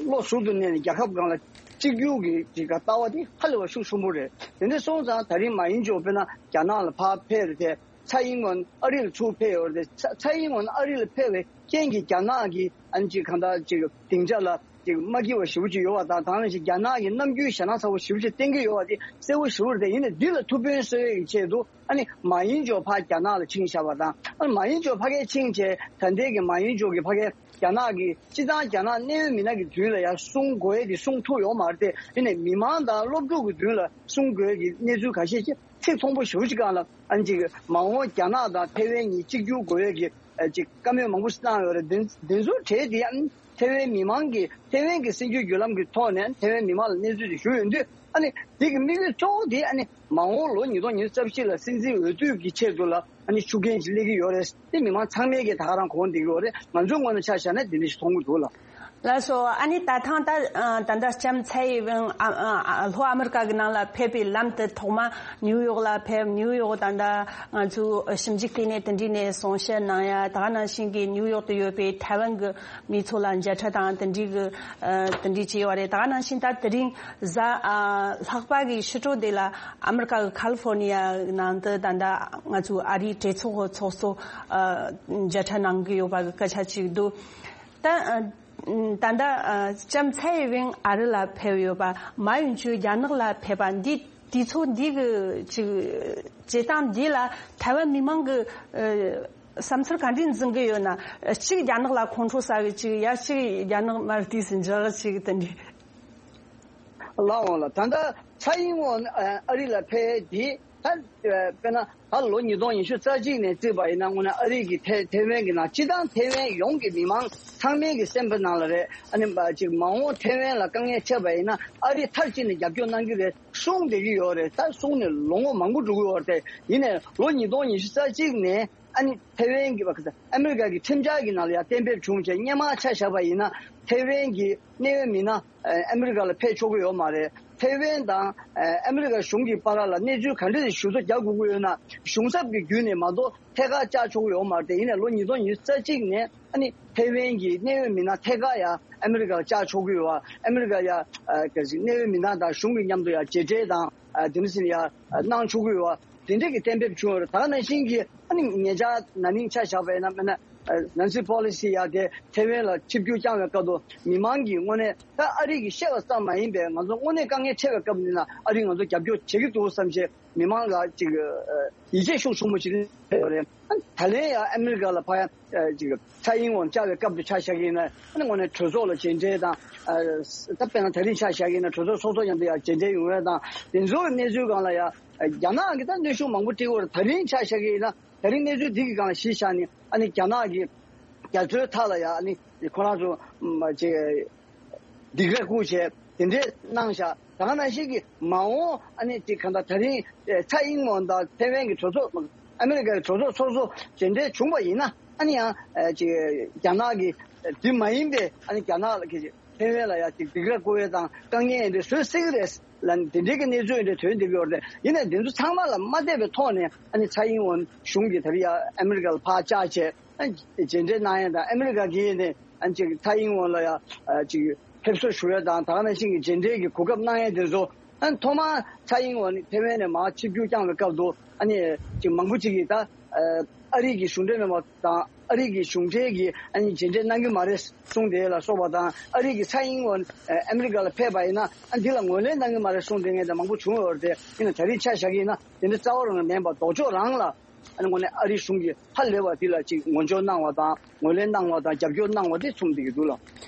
བློ་ཟུར་དུ་གནས་ནས་རྒྱལ་ཁབ་སྒང་ལ་གཅིག་གྱུར་གྱི་ཅིག་ལྟ་བ་དེ་ཧ་ལས་པ་ཤུགས་ཆེན་པོ་རེད། དེ་འདྲ་སོང་ཙང་ད་རིང་མཱ་ཡིན་ཅོ་དཔེར་ན་རྒྱ་ནག་ལ་ཕར་ཕེབས་རེད་དེ། ཚའེ་ཡིན་ཝེན་ཨ་རི་ལ་ཚུར་ཕེབས་ཡོད་རེད། ཚ་ཚའེ་ཡིན་ཝེན་ཨ་རི་ལ་ཕེབས་པའི་རྐྱེན་གྱིས་རྒྱ་ནག་གི་ཨ་ནི་ཅིག་གང་ལྟར་ཅིག་སྡིངས་ཆ་ལ་ཅིག་མ་སྐྱིད་པ་ཞེ་པོ་ཅིག་ཡོད་པ་དང་། དེ་ནང་བཞིན་རྒྱ་ནག་གི་ནམ་རྒྱུན་ཞེད་སྣང་ཚ་པོ་ཞེ་པོ་ཅིག་བསྟན་གྱི་ཡོད་པ་དེ་གསལ་པོ་ཞེ་པོ་རེད་དེ། ཡིན་ནའི་འདི་ལ་ཐུགས་ཕན་གསོས་ཡས་ཀྱི་ཆེད་དུ་ཨ་ནི་མཱ་ཡིན་ཅོ་ཕར་རྒྱ་ནག་ལ་ཕྱིན་བཞག་པ་དང་། ཨ་ནི་མཱ་ཡིན་ཅོ་ཕ་གིར་ཕྱིན་བྱས། ད་ལྟའི་གི་མཱ་ཡིན་ཅོ་གི་ཕ་གིར་རྒྱ་ནག་གི་སྤྱི་བཏང་རྒྱ་ནག་གནད་ཡོད་མི་སྣ་གི་མདུན་ལ་ཡར་གསུང་དགོས་ཡས་དེ་གསུང་ཐུབ་ཡོད་མ་རེད་དེ། ཡིན་ནའི་མི་མང་དང་སློབ་ཕྲུག་གི་མདུན་ལ་གསུང་དགོས་ཡས་ཀྱི་གནས་ཚུལ་ཁ་ཤས་ཅིག་ཚིག་མཐོན་པོ་ཞེ་པོ་ཅིག་སྒང་ལ་ཨ་ནི་ཅིག་མ་འོངས་རྒྱ་ནག་དང་ཐའེ་ཝན་གཉིས་གཅིག་གྱུར་དགོས་ཡས་ཀྱི་ཨ་ཅིག་བཀའ་མོལ་མང་པོ་ཞིག་བཏང་ཡོད་རེད། འདི་འདི་ཚོའི་གྲས་དེ་ཨ་ནི་ཐའེ་ཝན་མི་མང་གིས་ཐའེ་ཝན་གྱི་སྲིད་བྱུས་བརྒྱུད་ལམ་གྱི་ཐོག་ནས་ཐའེ་ཝན་མི་མང་ལ་གནས་ཚུལ་དེ་ཞུས་ཡོང་དུས། ཨ་ནི་དེ་གི་དམིགས་ཡུལ་གཙོ་བོ་དེ་ཨ་ནི་མ་འོངས་ལོ་ཉིས་སྟོང་ཉི་ཤུ་རྩ་བཞི་ལ་སྲིད་འཛིན་འོས་བསྡུ་གི་ཆེད་དུ་ལ་ཨ་ནི་ཤུགས་རྐྱེན་ཅིག་སླེབས་ཀྱི་ཡོད་རེད། དེ་མི་མང་ཚང་མས་ཀྱིས་ད་ག་རང་གོ་བསྡད་ཀྱི་ཡོད་རེད། ང་ཚོའི་ངོས་ནས་ཆ་བཞག་ན་དེ་འདྲ་ཞིག་མཐོང་གི་འདུག་ལགས། ལགས་སོ། ཨ་ནི་ད་ཐེངས་ད་ད་ལྟ་ལྕམ་ཚའེ་ཡིན་ཝེན་ཨ་ཨ་ཨ་ལྷོ་ཨ་མི་རི་ཀ་གི་ནང་ལ་ཕེབས་པའི་ལམ་དུ་ཐོག་མ་ནིའུ་ཡོག་ལ་ཕེབས། ནིའུ་ཡོག་ད་ལྟ་ང་ཚོའི་ཞིབ་འཇུག་ལྟེ་གནས་དེ་འདྲའི་ནས་གསུང་བཤད་གནང་ཡ། ད་ག་ནང་བཞིན་གྱི་ནིའུ་ཡོག་ཏུ་ཡོད་པའི་ཐའེ་ཝན་གྱི་མི་ཚོ་ལ་མཇལ་འཕྲད་དང་དེ་འདྲའི་གི་ཨ་དེ་འདྲའི་བྱས་ཡོད་རེད། ད་ག་ནང་བཞིན་ད་དེ་རིང་གཟའ་ཨ་ལྷག་པ་གི་ཕྱི་དྲོ་དེ་ལ་ཨ་མི་རི་ཀ་གི་ཁ་ལི་ཧྥོར་ནི་ཡ་ནང་དུ་ད་ལྟ་ང་ཚོའི་ཨ་རིའི་གྲོས་ཚོགས་ཚོགས་གཙོ་ཨ་མཇལ་འཕྲད་གནང་གི་ཡོད་པ་གི་སྐད་ཆ་ཅིག་འདུག་ད་ཨ་ད་ལྟ་ཨ་ལྕམ་ཚའེ་ཡིན་ཝེན་ཨ་རི་ལ་ཕེབས་ཡོད་པ། མཱ་ཡུན་ཅུ་རྒྱ་ནག་ལ་ཕེབས་པ་འདི། དུས་ཚོད་འདི་གི་ཅིག་བྱེད་སྟངས་འདི་ལ་ཐའེ་ཝན་མི་མང་གི་ཨ་བསམ་ཚུལ་ག་འདྲ་འཛིན་གི་ཡོད་ན། གཅིག་རྒྱ་ནག་ལ་ཁོང་ཁྲོ་ཟ་གི། གཅིག་ཡ་གཅིག་རྒྱ་ནག་མར་དུས་སུ་འཇག་གཅིག་དེ་འདྲ། ལགས་འོང་ལགས། ད་ལྟ་ཚའེ་ཡིན་ཝེན་ཨ་རི་ལ་ཕེབས་དེ་ད་དཔེར་ན་ད་ལོ་ཉིས་སྟོང་ཉི་ཤུ་རྩ་གཅིག་ནས་བརྩིས་པ་ཡིན་ན། དངོས་གནས་ཨ་རི་གི་ཐའེ་ཐའེ་ཝན་གྱི་ནང་སྤྱི་བཏང་ཐའེ་ཝན་ཡོངས་ཀྱི་མི་མང་ཚང་མའི་གི་སེམས་པའི་ནང་ལ་རེད། ཨ་ནི་ཅིག་མ་འོངས་ཐའེ་ཝན་ལ་དཀའ་ངལ་འཕྲད་པ་ཡིན་ན་ཨ་རི་མཐར་ཕྱིན་ནས་རྒྱབ་སྐྱོར་གནང་གི་རེད་གསུངས་བསྡད་ཀྱི་ཡོད་རེད། ད་གསུངས་ནས་ལོ་ངོ་མང་པོ་འགྲོ་གི་ཡོད་རེད། ཡིན་ནའི་ལོ་ཉིས་སྟོང་ཉི་ཤུ་རྩ་གཅིག་ནས་ཨ་ནི་ཐའེ་ཝན་གྱི་བ་ཨ་མི་རི་ཀ་གི་ཁྲིམས་འཆར་གྱི་ནང་ལ་ཡང་གཏན་འབེབས་བྱུང་བྱས། སྔོན་མ་ཆ་བཞག་པ་ཡིན་ན་ཐའེ་ཝན་གྱི་གནད་ཡོད་མི་སྣ་ཨ་ཨ་མི་རི་ཀ་ལ་ཕེབས་ཆོག་གི་ཡོད་མ་རེད། ཐའེ་ཝན་དང་ཨ་ཨ་མི་རི་ཀ་གཞུང་གི་བར་ལ་གནས་ཚུལ་ག་འདྲ་ཞིག་ཞུ་གཏུག་རྒྱག་དགོས་ཀྱི་ཡོད་ན་གཞུང་ཚབ་ཀྱི་བརྒྱུད་ནས་མ་གཏོགས་ཐད་ཀར་བཅར་ཆོག་གི་ཡོད་མ་རེད། དེ་ཡིན་ནའི་ལོ་ཉིས་སྟོང་ཉི་ཤུ་རྩ་གཅིག་ནས་ཨ་ནི་ཐའེ་ཝན་གྱི་གནད་ཡོད་མི་སྣ་ཐད་ཀར་ཡང་ཨ་མི་རི་ཀར་བཅར་ཆོག་གི་ཡོད་པ། ཨ་མི་རི་ཀ་ཡང་ཨ་ག་ཅིག་གནད་ཡོད་མི་སྣ་དང་གཞུང་གི་མཉམ་དུ་ཡང་མཇལ་འཕྲད་དང་ཨ་དེ་འདྲ་ཟེར་ཡང་གནང་ཆོག་གི་ཡོད་པ། དེ་འདྲ་གི་གཏན་འབེབས་བྱུང་ཡོད་རེད། ད་ག་ནང་བཞིན་གྱི་ཨ་ནི་ཉེ་ཆར་ན་ནིང་ཆ་བཞག་པ་ཡིན་ན། དཔེར་ན་ནན་སི་པོ་ལི་སི་ཡ་དེ་ཐའེ་ཝན་ལ་ཆིབས་བསྒྱུར་བསྐྱངས་པའི་སྐབས་དུ་མི་མང་གིས་དངོས་གནས་ད་ཨ་རི་གིས་བཤད་པ་ཙམ་མ་ཡིན་པའི་ང་ཚོ་དངོས་གནས་དཀའ་ངལ་འཕྲད་པའི་སྐབས་འདི་ན་ཨ་རིས་ང་ཚོ་རྒྱབ་སྐྱོར་བྱེད་ཀྱི་འདུག་བསམ་བྱས་མི་མང་ལ་ཅིག་ཡིད་ཆེས་ཤུགས་ཆེན་པོ་ཅིག་སླེབས་ཡོད་རེད། ད་ལན་ཡང་ཨ་མི་རི་ཀ་ལ་ཕར་ཡང་ཅིག་ཚའེ་ཡིན་ཝེན་བཅར་བའི་སྐབས་དུ་ཆ་བཞག་གི་ཡིན་ན། ཨ་ནི་དངོས་གནས་གྲོས་ཚོགས་ལ་མཇལ་འཕྲད་དང་། ད་དཔེར་ན་ད་རིང་ཆ་བཞག་གི་ཡིན་ན་གྲོས་ཚོགས་ཚོགས་གཙོ་མཉམ་དུ་ཡང་མཇལ་འཕྲད་ཡོང་ཡ་དང་། དེ་ཚོའི་གནས་ཚུལ་སྒང་ལ་ཡང་རྒྱ་ནག་གིས་ད་གནོན་ཤུགས་མང་པོ་སྤྲད་ཀྱི་ཡོད་རེད། ད་རིང་ཆ་བཞག་གི་ཡིན་ན། ད་རིང་གནས་ཚུལ་འདི་གི་སྒང་ལ་གཞི་བཞག་ནས་ཨ་ནི་རྒྱ་ནག་གི་རྒྱ་མཚོའི་མཐའ་ལ་ཡང་ཨ་ནི་ཁོ་རང་ཚོ་མ་ཅིག་སྡིགས་ར་བསྐུལ་བྱས་དེ་འདྲས་གནང་བཞག་ད་ག་ནང་བཞིན་གྱི་མ་འོངས་ཨ་ནི་ཅིག་གང་ལྟར་ད་རིང་ཚའེ་ཡིན་ཝེན་དང་ཐའེ་ཝན་གྱི་གྲོས་ཚོགས། ཨ་མི་རི་ཀའི་གྲོས་ཚོགས་ཚོགས་གཙོ་མཇལ་འཕྲད་བྱུང་བ་ཡིན་ན། ཨ་ནི་ཡང་ཅིག་རྒྱ་ནག་གི་དེ་མ་ཡིན་པའི་ཨ་ནི་རྒྱ་ནག་ལ་གི་ཐའེ་ཝན་ལ་ཡང་ཅིག་སྡིགས་ར་བསྐུལ་བ་དང་དཀའ་ངལ་འདི་བཟོ་སྲིད་ཀྱི་རེད་ལ། དེ་འདྲའི་གི་གནས་ཚུལ་འདི་ཐོན་བསྡད་ཀྱི་ཡོད་རེད། ཡིན་ནའི་འདི་ཚོ་ཚང་མ་ལ་མ་བལྟས་པའི་ཐོག་ནས་ཨ་ནི་ཚའེ་ཡིན་ཝེན་གཞུང་གིས་ད་རིང་ཡང་ཨ་མི་རི་ཀ་ལ་ཕར་བཅར་བྱས། ཨ་མཇལ་འཕྲད་གནང་ཡ་དང་། ཨ་མི་རི་ཀ་གིས་ནས་ཨ་ཅིག་ཚའེ་ཡིན་ཝེན་ལ་ཡ་ཨ་ཅིག་ཕེབས་བསུ་ཞུ་ཡ་དང་། ད་ག་ནང་བཞིན་གྱི་མཇལ་འཕྲད་ཀྱི་གོ་སྐབས་གནང་ཡ་དེ་ཚོ། ཨ་ཐོག་མར་ཚའེ་ཡིན་ཝེན་ནི་ཐའེ་ཝན་ནས་མར་ཆིབས་བསྒྱུར་བསྐྱངས་པའི་སྐབས་དུ་ཨ་ནི་ཅིག་མང་པོ་ཅིག་གིས་ད་ཨ་རི་གི་གཞུང་འབྲེལ་མི་སྣ་དང་ཨ་རི་གི་གཞུང་འབྲེལ་གྱི་ཨ་ནི་མཇལ་འཕྲད་གནང་གི་མ་རེད་གསུངས་དེ་ལ་སོགས་པ་དང་། ཨ་རི་གི་ཚའེ་ཡིན་ཝེན་ཨ་མི་རི་ཀ་ལ་ཕེབས་པ་ཡིན་ན་ཨ་འདི་ལ་ངོས་ལེན་གནང་གི་མ་རེད་གསུངས་དེ་ངས་ད་མང་པོ་བྱུང་ཡོད་རེད། དེ་ཡིན་ན་ད་རིང་ཆ་བཞག་གི་ཡིན་ན་དེ་འདྲ་རྩ་བ་རང་མིན་པ་ལྡོག་ཕྱོགས་རང་ལ། ཨ་ནི་དངོས་གནས་ཨ་རི་གཞུང་གིས་ཧ་ལས་པ་འདི་ལ་ཅིག་ངོ་སྦྱོར་གནང་བ་དང་ ངོས་ལེན་གནང་བ་དང་རྒྱབ་སྐྱོར་གནང་བ་དེ་མཚོན་བསྡད་ཀྱི་འདུག་ལགས།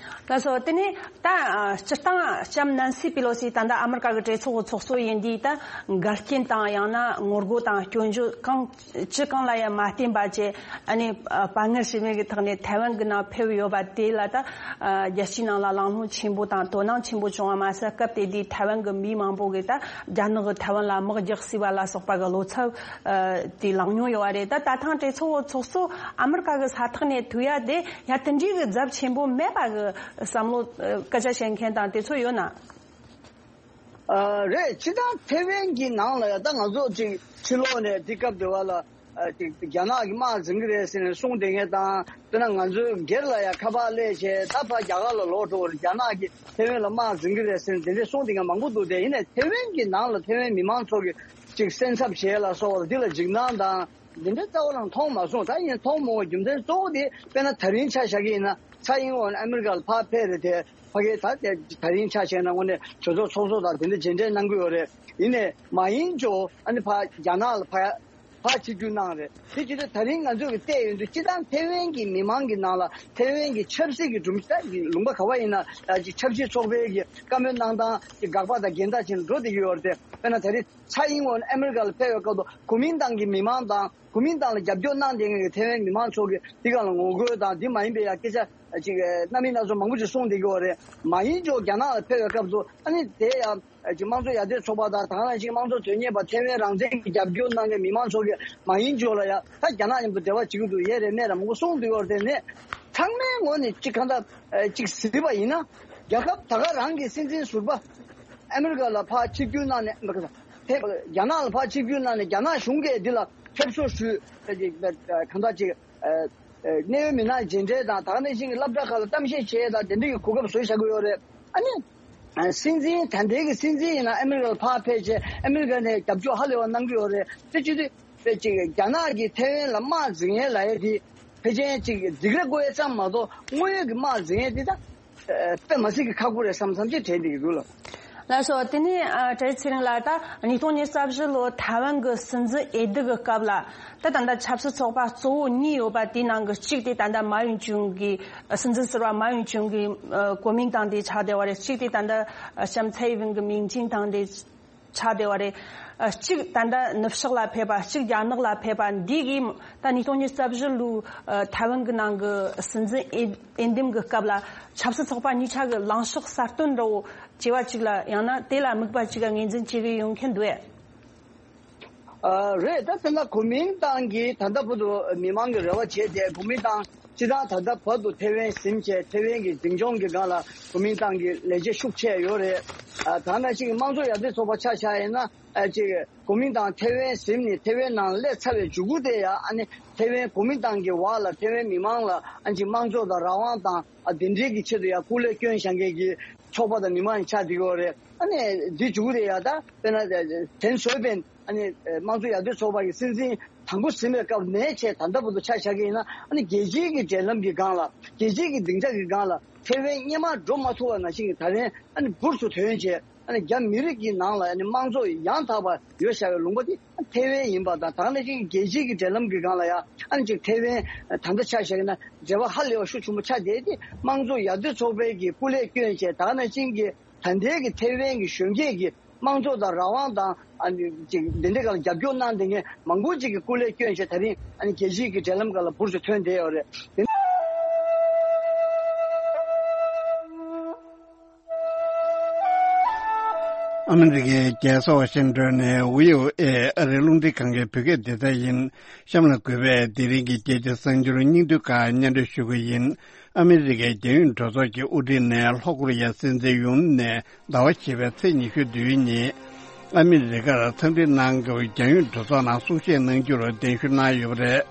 ལགས་སོ། དེ་ནས་ད་ཨ་སྤྱིར་བཏང་ལྕམ་ནན་སི་པི་ལོ་སི་ད་ལྟ་ཨ་མི་རི་ཀ་གི་གྲོས་ཚོགས་ཀྱི་ཚོགས་གཙོ་ཡིན་དུས། ད་འགལ་རྐྱེན་དང་ཡང་ན་ངོ་རྒོལ་དང་སྐྱོན་བརྗོད་གང་ཅི་གང་ལ་ཡང་མ་བརྟེན་པ་བྱས། ཨ་ནི་ཨ་དཔའ་ངར་ཞུམ་མེད་ཀྱི་ཐོག་ནས་ཐའེ་ཝན་གྱི་ནང་ཕེབས་ཡོད་པ་དེ་ལ། ད་ཨ་རྒྱལ་སྤྱིའི་ནང་ལ་གླེང་སློང་ཆེན་པོ་དང་དོ་སྣང་ཆེན་པོ་བྱུང་བ་མ་ཟད། སྐབས་དེ་དུས་ཐའེ་ཝན་གྱི་མི་མང་པོ་གིས་ད་རྒྱ་ནག་གིས་ཐའེ་ཝན་ལ་དམག་རྒྱག་སྲིད་པ་ལ་སོགས་པ་གི་བློ་འཚབ་ཨ་དེ་ལངས་མྱོང་ཡོད་པ་རེད། ད་ད་ཐེངས་གྲོས་ཚོགས་ཚོགས་གཙོ་ཨ་མི་རི་ཀ་གི་ས་ཐག་ནས་ཐུག་ཡ་དེ་ཡ་དེ་འདྲའི་གི་ཚབས་ཆེན་པོ་མེད་པ་གི་བསམ་བློ་ཨ་སྐད་ཆ་བཤད་མཁན་དང་དེ་ཚོ་ཡོད་ན། ཨ་རེད། སྤྱིར་བཏང་ཐའེ་ཝན་གྱི་ནང་ལ་ཡ་ད་ང་ཚོ་ཅིག་ཕྱི་ལོགས་ནས་དེ་སྐབས་དེ་བ་ལ་ཨ་ཅིག་རྒྱ་ནག་གིས་དམག་འཛིང་གི་རེད་ཟེར་ནས་གསུངས་བསྡད་མཁན་དང་། དཔེར་ན་ང་ཚོའི་སྒེར་ལ་ཡ་ཁ་པར་སླེབས་བྱས་ད་ཕར་རྒྱ་གར་ལ་ལོག་འགྲོ་བར་རྒྱ་ནག་གིས་ཐའེ་ཝན་ལ་དམག་འཛིང་གི་རེད་ཟེར་ནས་དེ་འདྲས་གསུངས་བསྡད་མཁན་མང་པོ་འདུག་དེ་ཡིན་ནའི་ཐའེ་ཝན་གྱི་ནང་ལ་ཐའེ་ཝན་མི་མང་ཚོ་གིས་ཅིག་སེམས་འཚབ་བྱས་ལ་སོགས་པ་འདི་ལ་འཇིགས་སྣང་དང་འདི་འདྲའི་རྩ་བ་རང་མཐོང་མ་སོང་། ད་ཡིན་མཐོང་མ་འོང་རྒྱུ་མཚན་གཙོ་བོ་དེ་དཔེར་ན་ད་རིང་ཆ་བཞག་གི་ཡིན་ན་ཚའེ་ཨིན་ཝེན་ཨ་མི་རི་ཀ་ལ་ཕར་ཕེབས་རེད་དེ། ཕ་གི་ད་དེ་ད་རིང་ཆ་བཞག་ན་དངོས་གནས་གྲོས་ཚོགས་ཚོགས་གཙོ་དང་དེ་འདྲ་མཇལ་འཕྲད་གནང་གི་ཡོད་རེད། ཡིན་ནའི་མ་ཡིན་ཇོ་ཨ་ནི་ཕར་རྒྱ་ནག་ལ་ཕར་ཕར་ཆིབས་བསྒྱུར་གནང་རེད། དེ་བྱེད་དུས་ད་རིང་ང་ཚོས་ཀྱི་བལྟས་ཡོང་དུས་སྤྱིར་བཏང་ཐའེ་ཝན་གྱི་མི་མང་གི་ནང་ལ་ཐའེ་ཝན་གྱི་ཆབ་སྲིད་ཀྱི་སྒྲོམ་གཞི་ད་ལུང་པ་ག་བ་ཡིན་ན་ཡ་ཅིག་ཆབ་སྲིད་ཚོགས་པའི་གི་བཀའ་མོལ་གནང་སྟངས་ཀྱི་དགག་པ་དང་འགལ་ཟླ་ཅན་འགྲོ་བསྡད་ཀྱི་ཡོད་རེད་དེ། དཔེར་ན་ད་རིང་ཚའེ་ཨིན་ཝེན་ཨ་མི་རི་ཀ་ལ་ཕེབས་པའི་སྐབས་དུ་གོ་མིན་ཏང་གི་མི་མང་དང་། གོ་མིན་ཏང་ལ་རྒྱབ་སྐྱོར་གནང་བསྡད་མཁན་གྱི་ཐའེ་ཝན་མི་མང་ཚོ་གིས་འདི་སྒང་ལ་ངོ་རྒོལ་དང་འདི་མ་ཡིན་པའི་ཡ་སྐད་ཆ་ཅིག་རྣམ་པ་སྣ་ཚོགས་མང་པོ་ཅིག་གསུངས་བསྡད་ཀྱི་ཡོད་རེད། མ་ཡིན་ཅོག་རྒྱ་ནག་ལ་ཕེབས་པའི་སྐབས་སུ་ཨ་ནི་དེ་ཡང་ཅིག་དམངས་གཙོ་ཡར་ཐོན་ཚོགས་པ་དང་ད་ག་ནང་བཞིན་དམངས་གཙོ་དོན་གཉེར་བ་ཐའེ་ཝན་རང་བཙན་གྱི་རྒྱབ་སྐྱོར་གནང་མཁན་མི་མང་ཚོ་གིས་མ་ཡིན་ཅོག་ལ་ཡ་ད་རྒྱ་ནག་མཉམ་དུ་འབྲེལ་བ་བྱེད་ཀྱི་འདུག་ཡས་རེད་མེད་རེད་མང་པོ་གསུངས་བསྡད་ཡོད་རེད། དེ་ནས་ཚང་མའི་ངོས་ནས་ཅིག་གང་ལྟར་ཅིག་གཟིགས་པ་ཡིན་ན་རྒྱལ་ཁབ་ད་ག་རང་གི་སྲིད་འཛིན་ཟུར་པ་ཨ་མི་རི་ཀ་ལ་ཕར་ཆིབས་བསྒྱུར་གནང་ནས་ཕེབས། རྒྱ་ནག་ལ་ཕར་ཆིབས་བསྒྱུར་གནང་ནས་རྒྱ་ནག་གཞུང་གིས་འདི་ལ་ཕེབས་བསུ་ཞུས། གང་ལྟར་ཅིག་ཨ་ཨ་གནད་ཡོད་མི་སྣ་མཇལ་འཕྲད་དང་ད་ག་ནང་བཞིན་གྱི་སློབ་གྲྭ་ཁག་ལ་གཏམ་བཤད་བྱས་དང་དེ་འདྲ་གི་གོ་སྐབས་བཟོས་བཞག་གི་ཡོད་རེད། ཨ་ནི་ཨ་སྲིད་འཛིན་ད་ལྟའི་གི་སྲིད་འཛིན་ཡིན་ན་ཨ་མི་རི་ཀ་ལ་ཕར་ཕེབས་བྱས་ཨ་མི་རི་ཀ་ནས་རྒྱབ་སྐྱོར་ཧ་ལས་པ་གནང་གི་ཡོད་རེད། དེ་བྱེད་དུས་དཔེ་ཅིག་རྒྱ་ནག་གིས་ཐའེ་ཝན་ལ་དམག་འཛིང་ཡས་ལབ་ཡས་དེ་ཕལ་ཆེར་ཅིག་སྡིགས་ར་བསྐུལ་ཡས་ཙམ་མ་གཏོགས་དངོས་ཡོད་ཀྱི་དམག་འཛིང་ཡས་དེ་ད་དཔེ་མ་སྲིད་ཀྱི་ཁག་པོ་རེད་བསམ་བསམ་ཅིག་དྲན་བསྡད་ཀྱི་འདུག་ལགས། ལགས་སོ། དེ་ནས་ཨ་བཀྲ་ཤིས་ཚེ་རིང་ལགས། ད་ཉིས་སྟོང་ཉི་ཤུ་རྩ་བཞི་ལོ་ཐའེ་ཝན་གྱི་སྲིད་འཛིན་འོས་བསྡུ་གི་སྐབས་ལ་ད་ད་ལྟ་ཆབ་སྲིད་ཚོགས་པ་གཙོ་བོ་གཉིས་ཡོད་པ་དེའི་ནང་གི་གཅིག་དེ་ད་ལྟ་མཱ་ཡུན་ཅུན་གྱི་སྲིད་འཛིན་ཟུར་པ་མཱ་ཡུན་ཅུན་གྱི་ཨ་གོ་མིང་ཏང་དེ་ཆགས་བསྡད་པ་རེད། གཅིག་དེ་ད་ལྟ་ཨ་ལྕམ་ཚའེ་ཝེན་གྱི་མིང་ཅན་ཏང་དེ་ཆགས་བསྡད་པ་རེད། ཨ་གཅིག་ད་ལྟ་ནུབ་ཕྱོགས་ལ་ཕེབས་པ། གཅིག་རྒྱ་ནག་ལ་ཕེབས་པ། འདི་གིས་ད་ཉིས་སྟོང་ཉི་ཤུ་རྩ་བཞི་ལོའི་ཨ་ཐའེ་ཝན་གྱི་ནང་གི་སྲིད་འཛིན་འོས་འོས་འདེམས་ཀྱི་སྐབས་ལ་ཆབ་སྲིད་ཚོགས་པ་གཉིས་ཆ་གི་ལངས་ཕྱོགས་གསར་གཏོད་འདྲ་བོ་བྱས་པ་ཅིག་ལ་ཡང་ན་དེ་ལ་དམིགས་པ་ཅིག་ག་ངོས་འཛིན་བྱེད་ཀྱི་ཡོད་མཁན་འདུག་གས། ཨ་རེད། ད་དེ་ན་གོ་མིན་ཏང་གིས་ད་ལྟ་བར་དུ་མི་མང་གི་རེ་བ་བྱས་ཏེ་གོ་མིན་ཏང་སྤྱིར་བཏང་ད་ལྟ་བར་དུ་ཐའེ་ཝན་ཟིན་བྱས་ཐའེ་ཝན་གྱི་འཛིན་སྐྱོང་གི་སྒང་ལ་གོ་མིན་ཏང་གི་ལས་བྱེད་ཤུགས་ཆེ་ཡོད་རེད། ཨ་ད་ནང་བཞིན་དམངས་གཙོ་ཡར་ཐོན་ཚོགས་པ་ཆ་བཞག་ཡིན་ན་ཨ་ཅིག་གོ་མིན་ཏང་ཐའེ་ཝན་ཟིན་ནས་ཐའེ་ཝན་ནང་སླེབས་ཚར་བའི་མཇུག་གུ་དེ་ཡང་ཨ་ནི་ཐའེ་ཝན་གོ་མིན་ཏང་གི་འོག་ལ་ཐའེ་ཝན་མི་མང་ལ་ཨ་ཅིག་དམངས་གཙོ་དང་རང་དབང་དང་ཨ་དེ་འདྲའི་གི་ཆེད་དུ་ཡང་སྐུ་ལས་བསྐྱོན་བཞག་མཁན་གྱི་ཚོགས་པ་དང་མི་མང་ཡང་ཆགས་བསྡད་ཀྱི་ཡོད་རེད། ཨ་ནི་འདི་མཇུག་གུ་དེ་ཡང་ད་དཔེར་ན་ཐེན་སོའེ་ཕེན། ཨ་ནི་དམངས་གཙོ་ཡར་ཐོན་ཚོགས་པ་གི་སྲིད་འཛིན་དང་པོ་ཟིན་པའི་སྐབས་ནས་བྱས་ད་ལྟ་བར་དུ་ཆ་བཞག་གི་ཡིན་ན་ཨ་ནི་རྒྱལ་སྤྱིའི་གི་འབྲེལ་ལམ་གྱི་སྒང་ལ་རྒྱལ་སྤྱིའི་གི་སྡིངས་ཆ་གི་སྒང་ལ་ཐའེ་ཝན་སྔོན་མ་འགྲོ་མ་ཐུབ་པ་ནང་བཞིན་གྱི་ད་ལན་ཨ་ནི་འབུར་དུ་ཐོན་བྱས་ཨ་ནི་རྒྱ་མི་རིགས་ཀྱི་ནང་ལ་ཨ་ནི་དམངས་གཙོ་ཡང་དག་པ་ཡོད་བཞག་པའི་ལུང་པ་དེ་ཐའེ་ཝན་ཡིན་པ་དང་ད་ག་ནང་བཞིན་གྱི་རྒྱལ་སྤྱིའི་གི་འབྲེལ་ལམ་གྱི་སྒང་ལ་ཡང་ཨ་ནི་ཅིག་ཐའེ་ཝན་ད་ལྟ་ཆ་བཞག་ན་འབྲེལ་བ་ཧ་ལས་པ་ཤུགས་ཆེན་པོ་ཆགས་བསྡད་དེ་དམངས་གཙོ་ཡར་ཐོན་ཚོགས་པའི་གི་སྐུ་ལས་བསྐྱོན་བྱས་ད་ག་ནང་བཞིན་གྱི་ད་ལྟའི་གི་ཐའེ་ཝན་གི་གཞོན་སྐྱེས་ཀྱི་དམངས་གཙོ་དང་རང་དབང་དང་ཨ་ནི་ཅིག་འདི་འདྲའི་སྒང་ལ་རྒྱབ་སྐྱོར་གནང་བསྡད་མཁན་མང་པོ་ཅིག་གིས་སྐུ་ལས་བསྐྱོན་བྱས་ད་རིང་ཨ་ནི་རྒྱལ་སྤྱིའི་གི་འབྲེལ་ལམ་སྒང་ལ་འབུར་དུ་ཐོན་བསྡད་ཡོད་རེད། ཨ་མི་རི་ཀའི་རྒྱལ་ས་ཝ་ཤིང་ཏོན་ནས་བྷི་ཨོ་ཨེ་ཨ་རིའི་རླུང་འཕྲིན་ཁང་གི་བོད་སྐད་སྡེ་ཚན་ཡིན། གཤམ་ལ་གུས་པས་དེ་རིང་གི་རྒྱལ་སྤྱིའི་གསར་འགྱུར་སྙིང་བསྡུས་ཁག་སྙན་སྒྲོན་ཞུ་གི་ཡིན། ཨ་མི་རི་ཀའི་རྒྱལ་ཡོངས་གྲོས་ཚོགས་ཀྱི་དབུ་ཁྲིད་ནས་ལྷོ་ཀོ་རི་ཡའི་སྲིད་འཛིན་ཡུན་ནས་ཟླ་བ་བཞི་པའི་ཚེས་ཉི་ཤུ་བདུན་ཉིན་ཨ་མི་རི་ཀར་འཚམས་འདྲི་གནང་སྐབས་རྒྱལ་ཡོངས་གྲོས་ཚོགས་ནང་གསུང་བཤད་གནང་རྒྱུར་གདན་ཞུ་གནང་ཡོད་པ་རེད།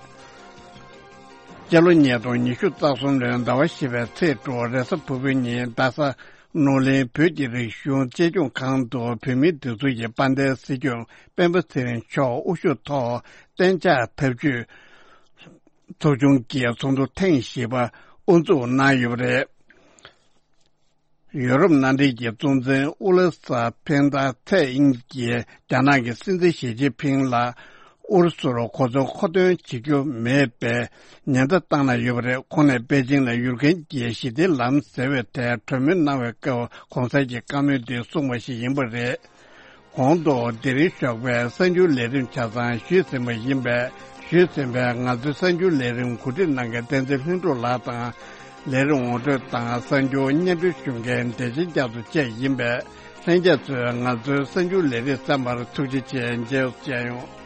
སྤྱི་ལོ་ཉིས་སྟོང་ཉི་ཤུ་རྩ་གསུམ་ལོའི་ཟླ་བ་བཞི་པའི་ཚེས་དྲུག་རེས་གཟའ་ཕུར་བུའི་ཉིན་རྡ་ས་ནོར་གླིང་བོད་ཀྱི་རིག་གཞུང་གཅེས་སྐྱོང་ཁང་དུ་བོད་མིའི་སྒྲིག་འཛུགས་ཀྱི་དཔལ་ལྡན་སྲིད་སྐྱོང་སྤེན་པ་ཚེ་རིང་མཆོག་དབུ་བཞུགས་ཐོག་གཏན་འཇགས་འཐབ་ཇུས་ཚོགས་ཆུང་གི་ཚོགས་འདུ་ཐེངས་བཞི་པ་དབུ་འཛུགས་གནང་ཡོད་པ་རེད། ཡོ་རོབ་མནའ་འབྲེལ་གྱི་གཙོ་འཛིན་ཨུ་ལ་ས་ཕན་ད་ཚེ་དབྱིན་གྱིས་རྒྱ་ནག་གི་སྲིད་འཛིན་ཞི་ཅིན་ཕིང་ལ་ ཨུ་རུ་སུར་གོ་མཚོན་མཁོ་འདོན་བྱེད་རྒྱུ་མེད་པའི་ཉེན་བརྡ་བཏང་གནང་ཡོད་པ་རེད། ཁོང་ནས་པེ་ཅིང་ལ་ཡུཀ་རེན་གྱི་ཞི་བདེའི་ལམ་ཟེར་བའི་ཐད་གྲོས་མོལ་གནང་བའི་སྐབས་གོང་གསལ་གྱི་བཀའ་མོལ་འདི་གསུངས་པ་ཞིག་ཡིན་པ་རེད། གོང་དུ་དེ་རིང་ཞོགས་པའི་གསར་འགྱུར་ལས་རིམ་ཆ་ཚང་ཞུས་ཟིན་པ་ཡིན་པས། ཞུས་ཟིན་པའི་ང་ཚོའི་གསར་འགྱུར་ལས་རིམ་གོ་སྒྲིག་གནང་མཁན་བསྟན་འཛིན་ལྷུན་གྲུབ་ལགས་དང་། ལས་རིམ་ངོ་སྤྲོད་དང་གསར་འགྱུར་སྙན་སྒྲོན་ཞུ་མཁན་བདེ་ཆེན་རྒྱ་མཚོ་བཅས་ཡིན་པས། ལྷན་རྒྱས་ཚོས་ང་ཚོའི་གསར་འགྱུར་ལས་རིམ་གསན་པར་ཐུགས་རྗེ་ཆེ། མཇལ་བྱས་ཡོང་།